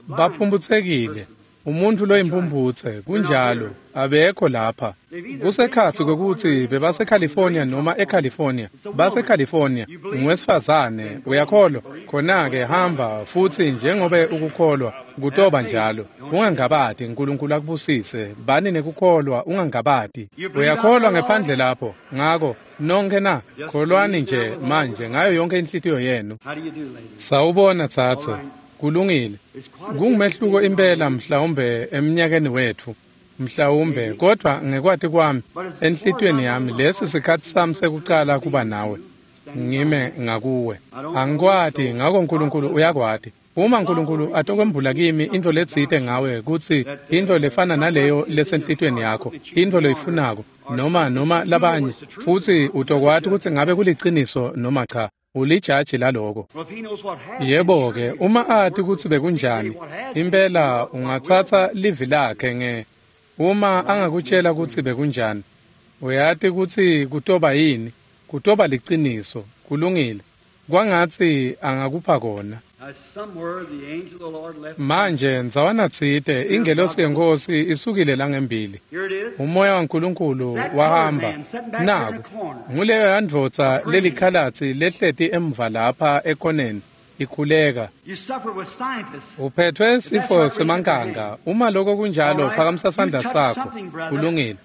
Baphumphutsekile. Umuntfu loyimphumputse, kunjalo, abekho lapha. Kusekhatsi kwekutsi bebaseCalifornia noma eCalifornia. BaseCalifornia, nguwesifazane, uyakholwa? Khona-ke hamba futsi njengobe ukukholwa, kutoba njalo. Ungangabati, Nkulunkulu akubusise. Bani nekukholwa, ungangabati. Uyakholwa ngephandle lapho. Ngako, nonke na, kholwani nje manje ngayo yonke inhlitiyo yenu. Sawubona tsatse. Kulungile. Kungumehluko impela mhlawumbe eminyakeni wetfu. Mhlawumbe, kodwa ngekwati kwami enhlitiyweni yami lesi sikhatsi sami sekucala kuba nawe. Ngime ngakuwe. Angikwati, ngako Nkulunkulu uyakwati. Uma Nkulunkulu atokwembula kimi intfo letsite ngawe kutsi intfo lefana naleyo lesenhlitiyweni yakho, intfo loyifunako noma noma labanye, futsi utokwati kutsi ngabe kuliciniso noma cha. Ulijaji laloko. Yebo-ke, uma ati kutsi bekunjani, impela ungatsatsa livi lakhe nge uma angakutshela kutsi bekunjani, uyati kutsi kutoba yini, kutoba liciniso. Kulungile. Kwangatsi angakupha kona. Manje ndzawana tsite ingelosi yeNkhosi isukile langembili. Umoya waNkulunkulu wahamba. Naku nguleyo yandvodza lelikhalatsi lehleti emva lapha ekoneni ikhuleka. Uphethwe sifo semankanga. Uma lokho kunjalo, phakamisa sandla sakho. Kulungile.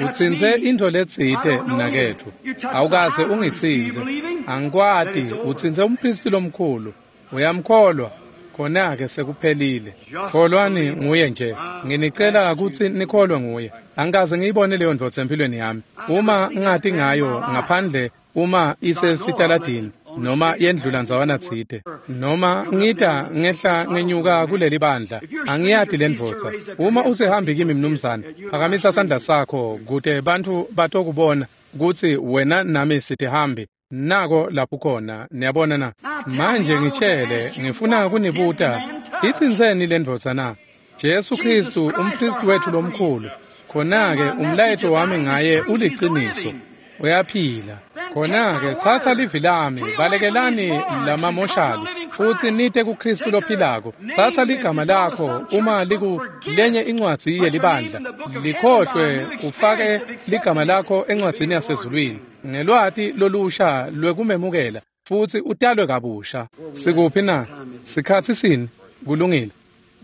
Utsintse intfo letsite mnaketfu. Awukaze ungitsintse. Angikwati. Utsintse umphristi lomkhulu. Uyamkholwa? Khona-ke sekuphelile. Kholwani nguye nje. Nginicela kutsi nikholwe nguye. Angikaze ngiyibone leyo ndvodza empilweni yami. Uma ngingati ngayo ngaphandle uma isesitaladini noma yendlula ndzawana tsite noma ngita ngehla ngenyuka kuleli bandla, angiyati le ndvodza. Uma usehambi kimi mnumzane, phakamisa sandla sakho kute bantfu batokubona kutsi wena nami sitihambi. Nako lapho khona, niyabona na? Manje ngitshele, ngifuna kunibuta, itsintseni le ndvodza na? Jesu Khristu, umphristi wetfu lomkhulu. Khona-ke umlayeto wami ngaye uliciniso. Uyaphila. Khona-ke tsatsa livi lami, balekelani lamamoshali, futsi nite kuKhristu lophilako. Tsatsa ligama lakho uma liku lenye incwadzi yelibandla, likhohlwe ufake ligama lakho encwadzini yasezulwini ngelwati lolusha lwekumemukela futsi utalwe kabusha. Sikuphi na? Sikhatsi sini? Kulungile.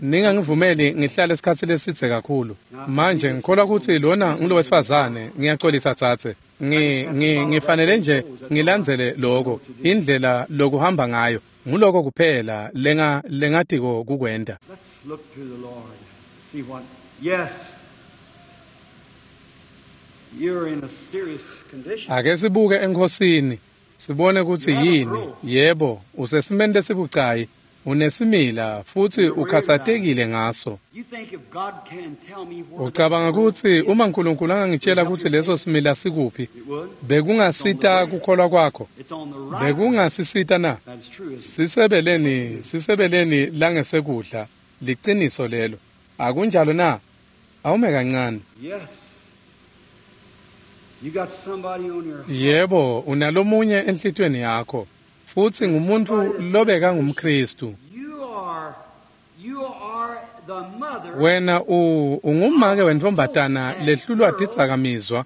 Ningangivumeli ngihlale isikhatsi lesidze kakhulu. Manje ngikholwa kutsi lona ngulowesifazane. Ngiyaxolisa tsatse. Ngi ngi ngifanele nje ngilandzele lokho, indlela lokuhamba ngayo. Nguloko kuphela lenga lengatiko kukwenta. Let's look to the Lord. See what. Yes. You're in a serious condition. Ake sibuke eNkhosini, sibone kutsi yini. Yebo, usesimeni lesibucayi, unesimila futsi ukhatsatekile ngaso. You think if God can tell me where Ucabanga kutsi uma Nkulunkulu angangitshela kutsi leso simila sikuphi, it would? bekungasita kukholwa kwakho? It's on the right. Bekungasisita na? That is true, isn't it? Sisebeleni, sisebeleni langesekudla, liciniso lelo. Akunjalo na? Awume kancane. Yes. You got somebody on your Yebo, unalomunye enhlitiyweni yakho, futsi ngumuntfu lobeka ngumKhristu. You are you are the mother Wena u ungumake wentfombatana lehlulwa tidzakamizwa,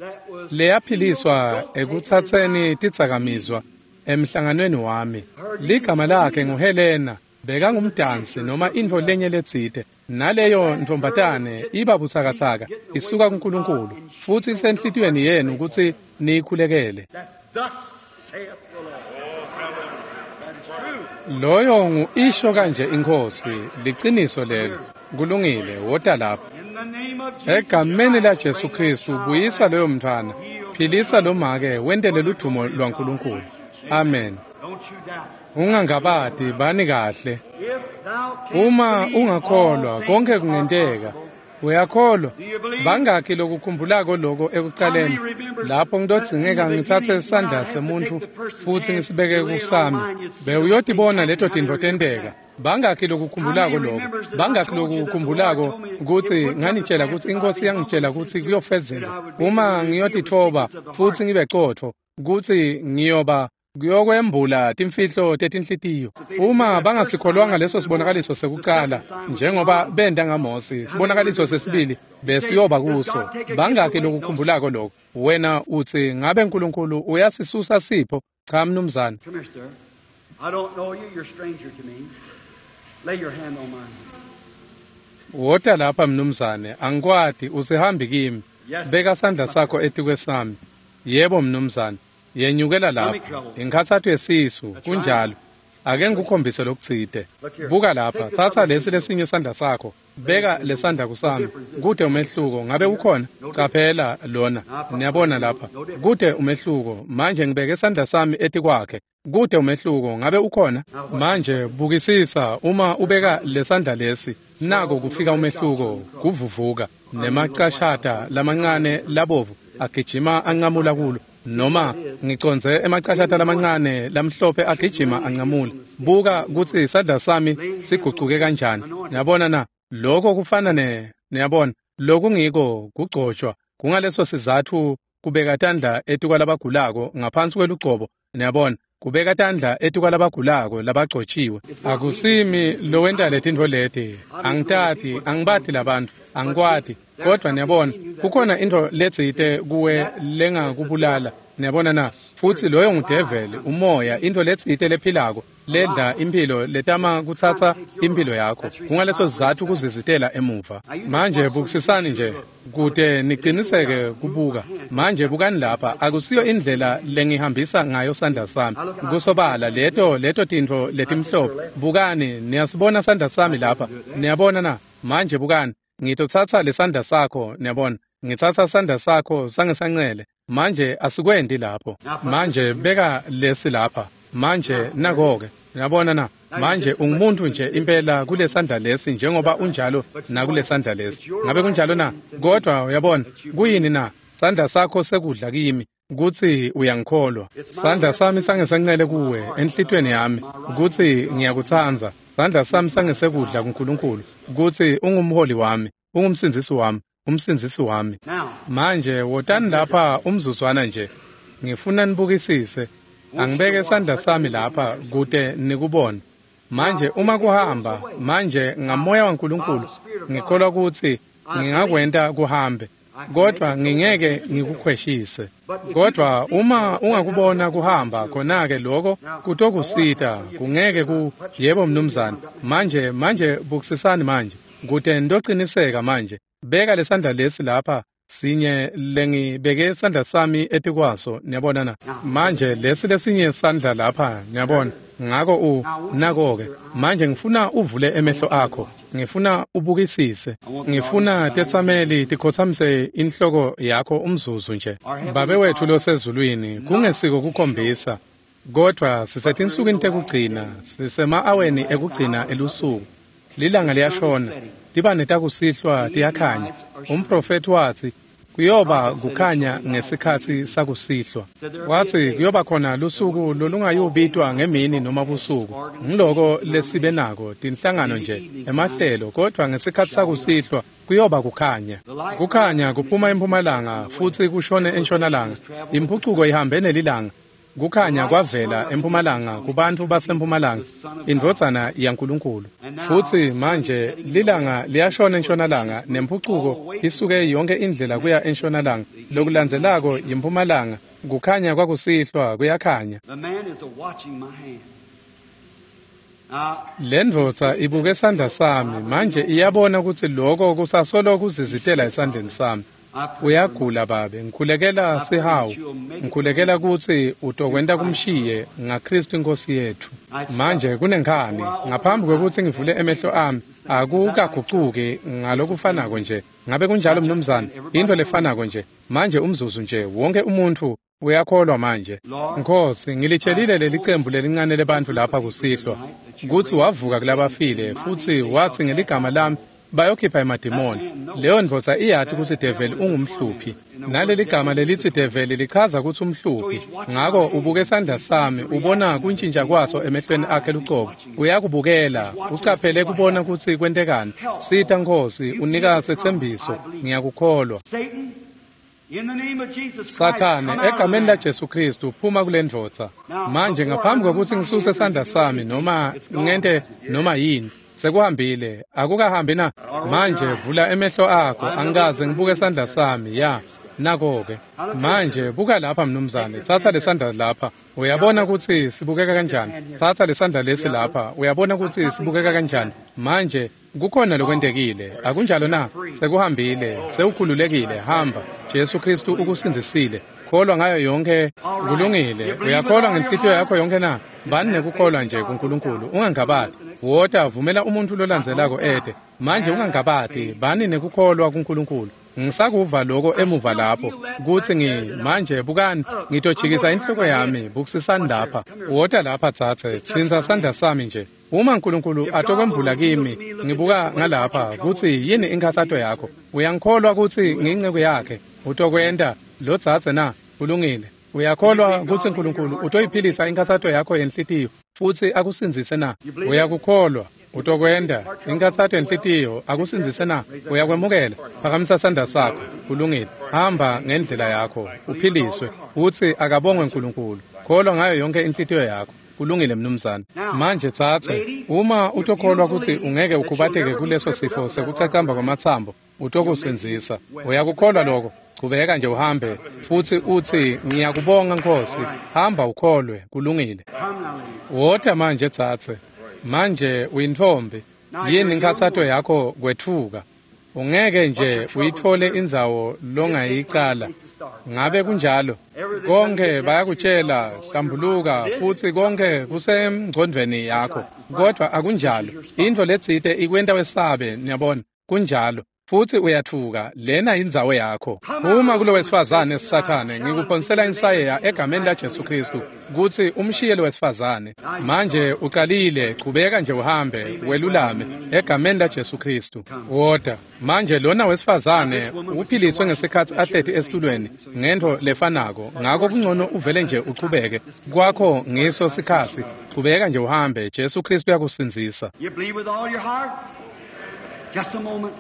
leyaphiliswa ekutsatseni tidzakamizwa emhlanganweni wami. Ligama lakhe nguHelena, bekangumdansi noma intfo lenye letsite. Naleyo ntfombatane iba butsakatsaka, isuka kuNkulunkulu, futsi isenhlitiyweni yenu kutsi niyikhulekele. that thus saith the Lord. That is true. Loyo ngu isho kanje iNkhosi, liciniso lelo. Kulungile, wota lapha. In the name of Jesus. Egameni la Jesu Khristu, buyisa loyo mntfwana, philisa lo make, wentele ludvumo lwaNkulunkulu. Amen. Don't you doubt. Ungangabati, bani kahle. Uma ungakholwa, konke kungenteka. Uyakholwa? Bangakhi lokukhumbulako lokho ekuqaleni? Lapho ngitodzingeka ngitsatse sandla semuntfu futsi ngisibeke kusami. Bewuyotibona leto tintfo tenteka. Bangakhi lokukhumbulako lokho? Bangakhi lokukhumbulako kutsi nganitshela kutsi iNkhosi yangitshela kutsi kuyofezeka uma ngiyotitfoba futsi ngibe qotho, kutsi ngiyoba kuyokwembula timfihlo tetinhlitiyo. Uma bangasikholwanga leso sibonakaliso sekuqala, njengoba benta ngaMose, sibonakaliso sesibili besiyoba kuso. Bangakhi lokukhumbulako lokho? Wena utsi, ngabe Nkulunkulu uyasisusa sipho? Cha, mnumzane. Come here, sir. I don't know you. You're a stranger to me. Lay your hand on mine. Wota lapha, mnumzane. Angikwati, usihambi kimi. Beka sandla sakho etikwesami. Yebo, mnumzane. Yenyukela lapha. Inkhatsato yesisu, kunjalo. Ake ngikukhombise lokutsite. Buka lapha, tsatsa lesi lesinye sandla sakho. Beka lesandla kusami. Kute umehluko, ngabe ukhona? Caphela lona. Niyabona lapha. Kute umehluko. Manje ngibeke sandla sami etikwakhe. Kute umehluko, ngabe ukhona? Manje bukisisa, uma ubeka lesandla lesi, nako kufika umehluko, kuvuvuka nemacashata lamancane labovu agijima anqamula kulo. Noma ngiconze emacashata lamancane lamhlophe agijima anqamula. Buka kutsi isandla sami sigucuke kanjani. Niyabona na? Lokho kufana ne, niyabona, lokungiko kugcotshwa. Kungaleso sizatfu kubeka tandla etikwalabagulako ngaphansi kwelugcobo. Niyabona, kubeka tandla etikwalabagulako labagcotshiwe. Akusimi lowenta letintfo leti. Angitati, angibati labantfu, angikwati. Kodwa niyabona, kukhona intfo letsite kuwe lengakubulala. Niyabona na? Futsi loyo ngudeveli, umoya, intfo letsite lephilako ledla imphilo letama kutsatsa imphilo yakho. Kungaleso sizatfu kuzizitela emuva. Manje bukisisani nje kute niciniseke kubuka. Manje bukani lapha, akusiyo indlela lengihambisa ngayo sandla sami. Kusobala leto leto tintfo letimhlophe. Bukani, niyasibona sandla sami lapha. Niyabona na? Manje bukani, ngitotsatsa lesandla sakho, niyabona. Ngitsatsa sandla sakho sangesancele. Manje asikwendi lapho. Manje beka lesi lapha. Manje nako-ke. Niyabona na? Manje ungumuntu nje impela kulesandla lesi njengoba unjalo nakulesandla lesi. Ngabe kunjalo na? Kodwa uyabona, kuyini na? Sandla sakho sekudla kimi kutsi uyangikholwa. Sandla sami sangesancele kuwe enhlitiyweni yami kutsi ngiyakutsandza. Sandla sami sangesekudla kuNkulunkulu kutsi ungumholi wami, ungumsindzisi wami, umsindzisi wami. Manje wotani lapha umzuzwana nje. Ngifuna nibukisise. Angibeke sandla sami lapha kute nikubone. Manje uma kuhamba, manje ngamoya waNkulunkulu ngikholwa kutsi ngingakwenta kuhambe, kodwa ngingeke ngikukhweshise. Kodwa uma ungakubona kuhamba, khona-ke lokho kutokusita. Kungeke ku, yebo mnumzane. Manje manje bukisisani manje kute nitociniseka manje. Beka lesandla lesi lapha, sinye lengibeke sandla sami etikwaso. Niyabona na? Manje lesi lesinye sandla lapha, niyabona. Ngako u nako-ke. Manje ngifuna uvule emehlo akho. Ngifuna ubukisise. Ngifuna tetsameli tikhotsamise inhloko yakho umzuzu nje. Babe wethu losezulwini, kungesiko kukhombisa, kodwa sisetinsukwini tekugcina, sisema-aweni ekugcina elusuku. Lilanga liyashona, tibane takusihlwa tiyakhanya. Umprofethi watsi kuyoba kukhanya ngesikhatsi sakusihlwa. Watsi kuyoba khona lusuku lolungayubitwa ngemini noma busuku. Ngiloko lesibe nako, tinhlangano nje, emahlelo, kodwa ngesikhatsi sakusihlwa kuyoba kukhanya. Kukhanya kuphuma empumalanga futsi kushone entshonalanga. Imphucuko ihambe nelilanga. Kukhanya kwavela empumalanga kubantfu basempumalanga, indvodzana yaNkulunkulu. Futsi manje lilanga liyashona entshonalanga nemphucuko isuke yonke indlela kuya entshonalanga. Lokulandzelako yimpumalanga, kukhanya kwakusihlwa kuyakhanya. The man is a-watching my hand. Now, Lendvodza ibuke sandla sami, manje iyabona kutsi loko kusasolo kuzizitela esandleni sami. Uyagula babe, ngikhulekela sihawu. Ngikhulekela kutsi utokwenta kumshiye ngaKristu iNkosi yethu. Manje kunenkhani, ngaphambi kwekutsi ngivule emehlo ami, akukagucuki ngalokufanako nje. Ngabe kunjalo mnumzane? Intfo lefanako nje. Manje umzuzu nje, wonke umuntfu Uyakholwa manje. Nkosi, ngilitshelile leli cembu lelincane lebantfu lapha kusihlwa kutsi wavuka kulabafile futsi watsi ngeligama lami bayokhipha emadimoni. Leyo ndvodza iyati kutsi develi ungumhluphi. Naleli gama lelitsi develi lichaza kutsi umhluphi. Ngako ubuke sandla sami ubona kuntshintsha kwaso emehlweni akhe lucobo. Uyakubukela, ucaphele kubona kutsi kwentekani. Sita Nkosi, unika setsembiso, ngiyakukholwa. Sathane, egameni laJesu Kristu, phuma kule ndvodza. Manje ngaphambi kwekutsi ngisuse sandla sami noma ngente noma yini, sekuhambile, akukahambi na? Manje vula emehlo akho, angikaze ngibuke sandla sami, ya. Nako-ke. Manje buka lapha mnumzane, tsatsa lesandla lapha. Uyabona kutsi sibukeka kanjani? Tsatsa lesandla lesi lapha, uyabona kutsi sibukeka kanjani? Manje kukhona lokwentekile, akunjalo na? Sekuhambile, sewukhululekile, hamba. Jesu Kristu ukusindzisile. Kholwa ngayo yonke, kulungile. Uyakholwa ngenhlitiyo yakho yonke na? Bani nekukholwa nje kuNkulunkulu, ungangabati. Wota, vumela umuntfu lolandzelako ete. Manje ungangabati, bani nekukholwa kuNkulunkulu. Ngisakuva lokho emuva lapho kutsi ngi manje bukani ngitojikisa inhloko yami bukisisani lapha. Wota lapha tsatse, tsintsa sandla sami nje. Uma uNkulunkulu atokwembula kimi ngibuka ngalapha kutsi yini inkhatsato yakho. Uyangikholwa kutsi ngiyinceku yakhe? Utokwenta lo tsatse na? Kulungile. Uyakholwa kutsi uNkulunkulu utoyiphilisa inkhatsato yakho yenhlitiyo futsi akusindzise na? Uyakukholwa? Utokwenta inkhatsato yenhlitiyo akusindzise na? Uyakwemukela? Phakamisa sandla sakho. Kulungile. Hamba ngendlela yakho uphiliswe. Utsi akabongwe uNkulunkulu. Kholwa ngayo yonke inhlitiyo yakho. Kulungile mnumzane. Manje tsatse, uma utokholwa kutsi ungeke ukhubateke kuleso sifo sekucacamba kwamatsambo, utokusindzisa. Uyakukholwa lokho? Chubeka nje uhambe futsi utsi ngiyakubonga Nkosi. Hamba ukholwe. Kulungile. Wota manje tsatse. Manje uyintfombi. Yini inkhatsato yakho? Kwetfuka. Ungeke nje uyitfole indzawo longayicala. Ngabe kunjalo? Konke bayakutshela hlambuluka futsi konke kusemngcondvweni yakho, kodwa akunjalo. Intfo letsite ikwenta wesabe, niyabona. Kunjalo. Futsi uyatfuka, lena indzawo yakho. Uma kulo wesifazane Sathane, ngikuphonsela insayeya egameni laJesu Kristu kutsi umshiye lo wesifazane. Manje uqalile, chubeka nje uhambe welulame egameni laJesu Kristu. Wota. Manje lona wesifazane uphiliswe ngesikhatsi ahleti esitulweni ngentfo lefanako, ngako kungcono uvele nje uchubeke. Kwakho ngiso sikhatsi, chubeka nje uhambe, Jesu Kristu uyakusindzisa. You believe with all your heart? Just a moment.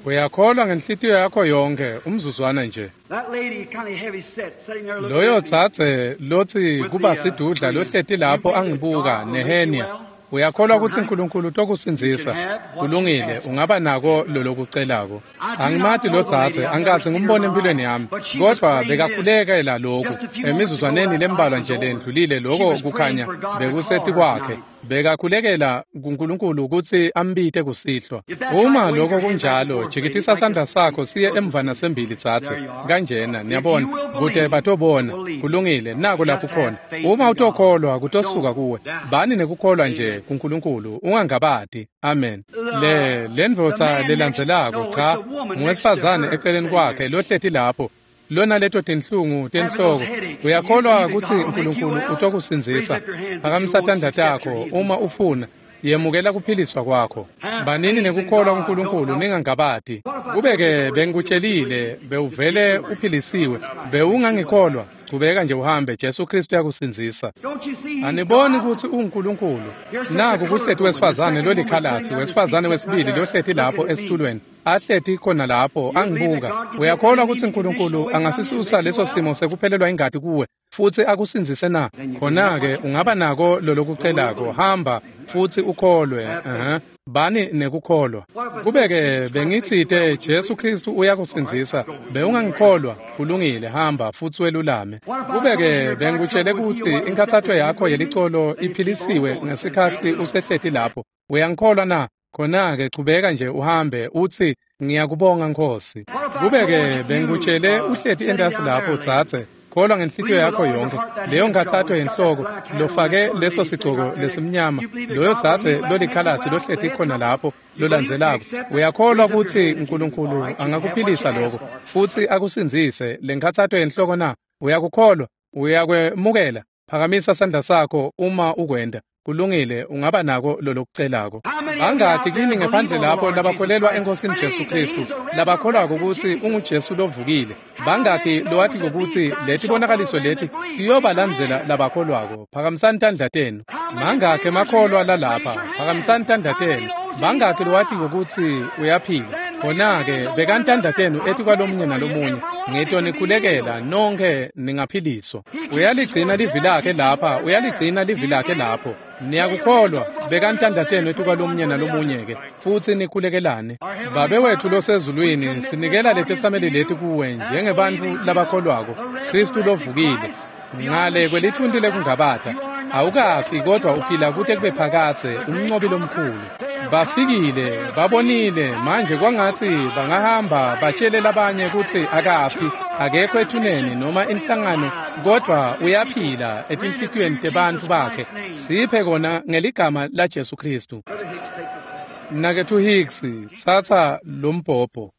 Uyakholwa ngenhlitiyo yakho yonke, umzuzwana nje. That lady kind of heavy set sitting there looking Loyo at me. tsatse lotsi kuba sidudla lohleti lapho angibuka nehenia. Uyakholwa kutsi uNkulunkulu utokusindzisa? Kulungile, ungaba nako lolokucelako. Angimati lo tsatse, angikaze ngimbone empilweni yami, kodvwa bekakhulekela lokhu. Emizuzwaneni lembalwa nje lendlulile lokho kukhanya bekuseti kwakhe. Bekakhulekela kuNkulunkulu kutsi ambite kusihlwa. Uma lokho kunjalo, jikitisa sandla sakho siye emva nasembili tsatse. Kanjena, niyabona, kute batobona. Kulungile, nako lapho khona. Uma utokholwa kutosuka kuwe. Bani nekukholwa nje kuNkulunkulu, ungangabati. Amen. Le lendvodza lelandzelako, cha, ngowesifazane eceleni kwakhe lohleti lapho. Lona leto tinhlungu tenhloko. Uyakholwa kutsi uNkulunkulu utokusindzisa? Phakamisa tandla takho uma ufuna. Yemukela kuphiliswa kwakho. Banini nekukholwa kuNkulunkulu, ningangabati. Kube-ke bengikutshelile bewuvele uphilisiwe, bewungangikholwa? Chubeka nje uhambe, Jesu Kristu uyakusindzisa. Don't you see he's Aniboni God? kutsi unguNkulunkulu? Naku kuhleti wesifazane lolikhalatsi, wesifazane wesibili lohleti lapho esitulweni, ahleti khona lapho angibuka. Uyakholwa kutsi uNkulunkulu angasisusa leso simo sekuphelelwa ingati kuwe futsi akusindzise na? Khona-ke ungaba nako lolokucelako. Hamba futsi ukholwe. Uh-huh. Bani nekukholwa. Kube-ke bengitsite Jesu Kristu uyakusindzisa, bewungangikholwa? Kulungile, hamba futsi welulame. Kube-ke bengikutshele kutsi inkhatsato yakho yelicolo iphilisiwe ngesikhatsi usehleti lapho, uyangikholwa na? Khona-ke chubeka nje uhambe utsi ngiyakubonga Nkosi. Kube-ke bengikutshele uhleti entasi lapho tsatse, Kholwa ngenhlitiyo yakho yonkhe. Leyo nkhatsato yenhloko lofake leso sigcoko lesimnyama, loyo dzadze lolikhalatsi lohleti khona lapho lolandzelako, uyakholwa kutsi Nkulunkulu angakuphilisa lokho futsi akusindzise lenkhatsato yenhloko na? Uyakukholwa? Uyakwemukela? Phakamisa sandla sakho uma ukwenta. Kulungile, ungaba nako lolokucelako. Bangakhi kini ngephandle lapho labakholelwa eNkosini Jesu Khristu, labakholwako kutsi unguJesu lovukile? Bangakhi lowatiko kutsi letibonakaliso leti tiyobalandzela labakholwako? Phakamisani tandla tenu. Mangakhi emakholwa lalapha? Phakamisani tandla tenu. Bangakhi lowatiko kutsi uyaphila? Khona-ke bekani tandla tenu etikwalomunye nalomunye. Ngitonikhulekela nonkhe ningaphiliswa. Uyaligcina livi lakhe lapha, uyaligcina livi lakhe lapho. Niyakukholwa, bekani tandla tenu etikwalomunye nalomunye-ke futsi nikhulekelane. Babe wetfu losezulwini, sinikela letetsameli leti kuwe njengebantfu labakholwako, Khristu lovukile. Ngale kwelithunti lekungabata, awukafi kodwa uphila kute kube phakadze, umncobi lomkhulu. Bafikile, babonile, manje kwangatsi bangahamba batshele labanye kutsi akafi, akekho ethuneni noma inhlangano, kodwa uyaphila etinhlitiyweni tebantfu bakhe. Siphe kona ngeligama laJesu Khristu. Mnaketfu Hicks, tsatsa lombhobho.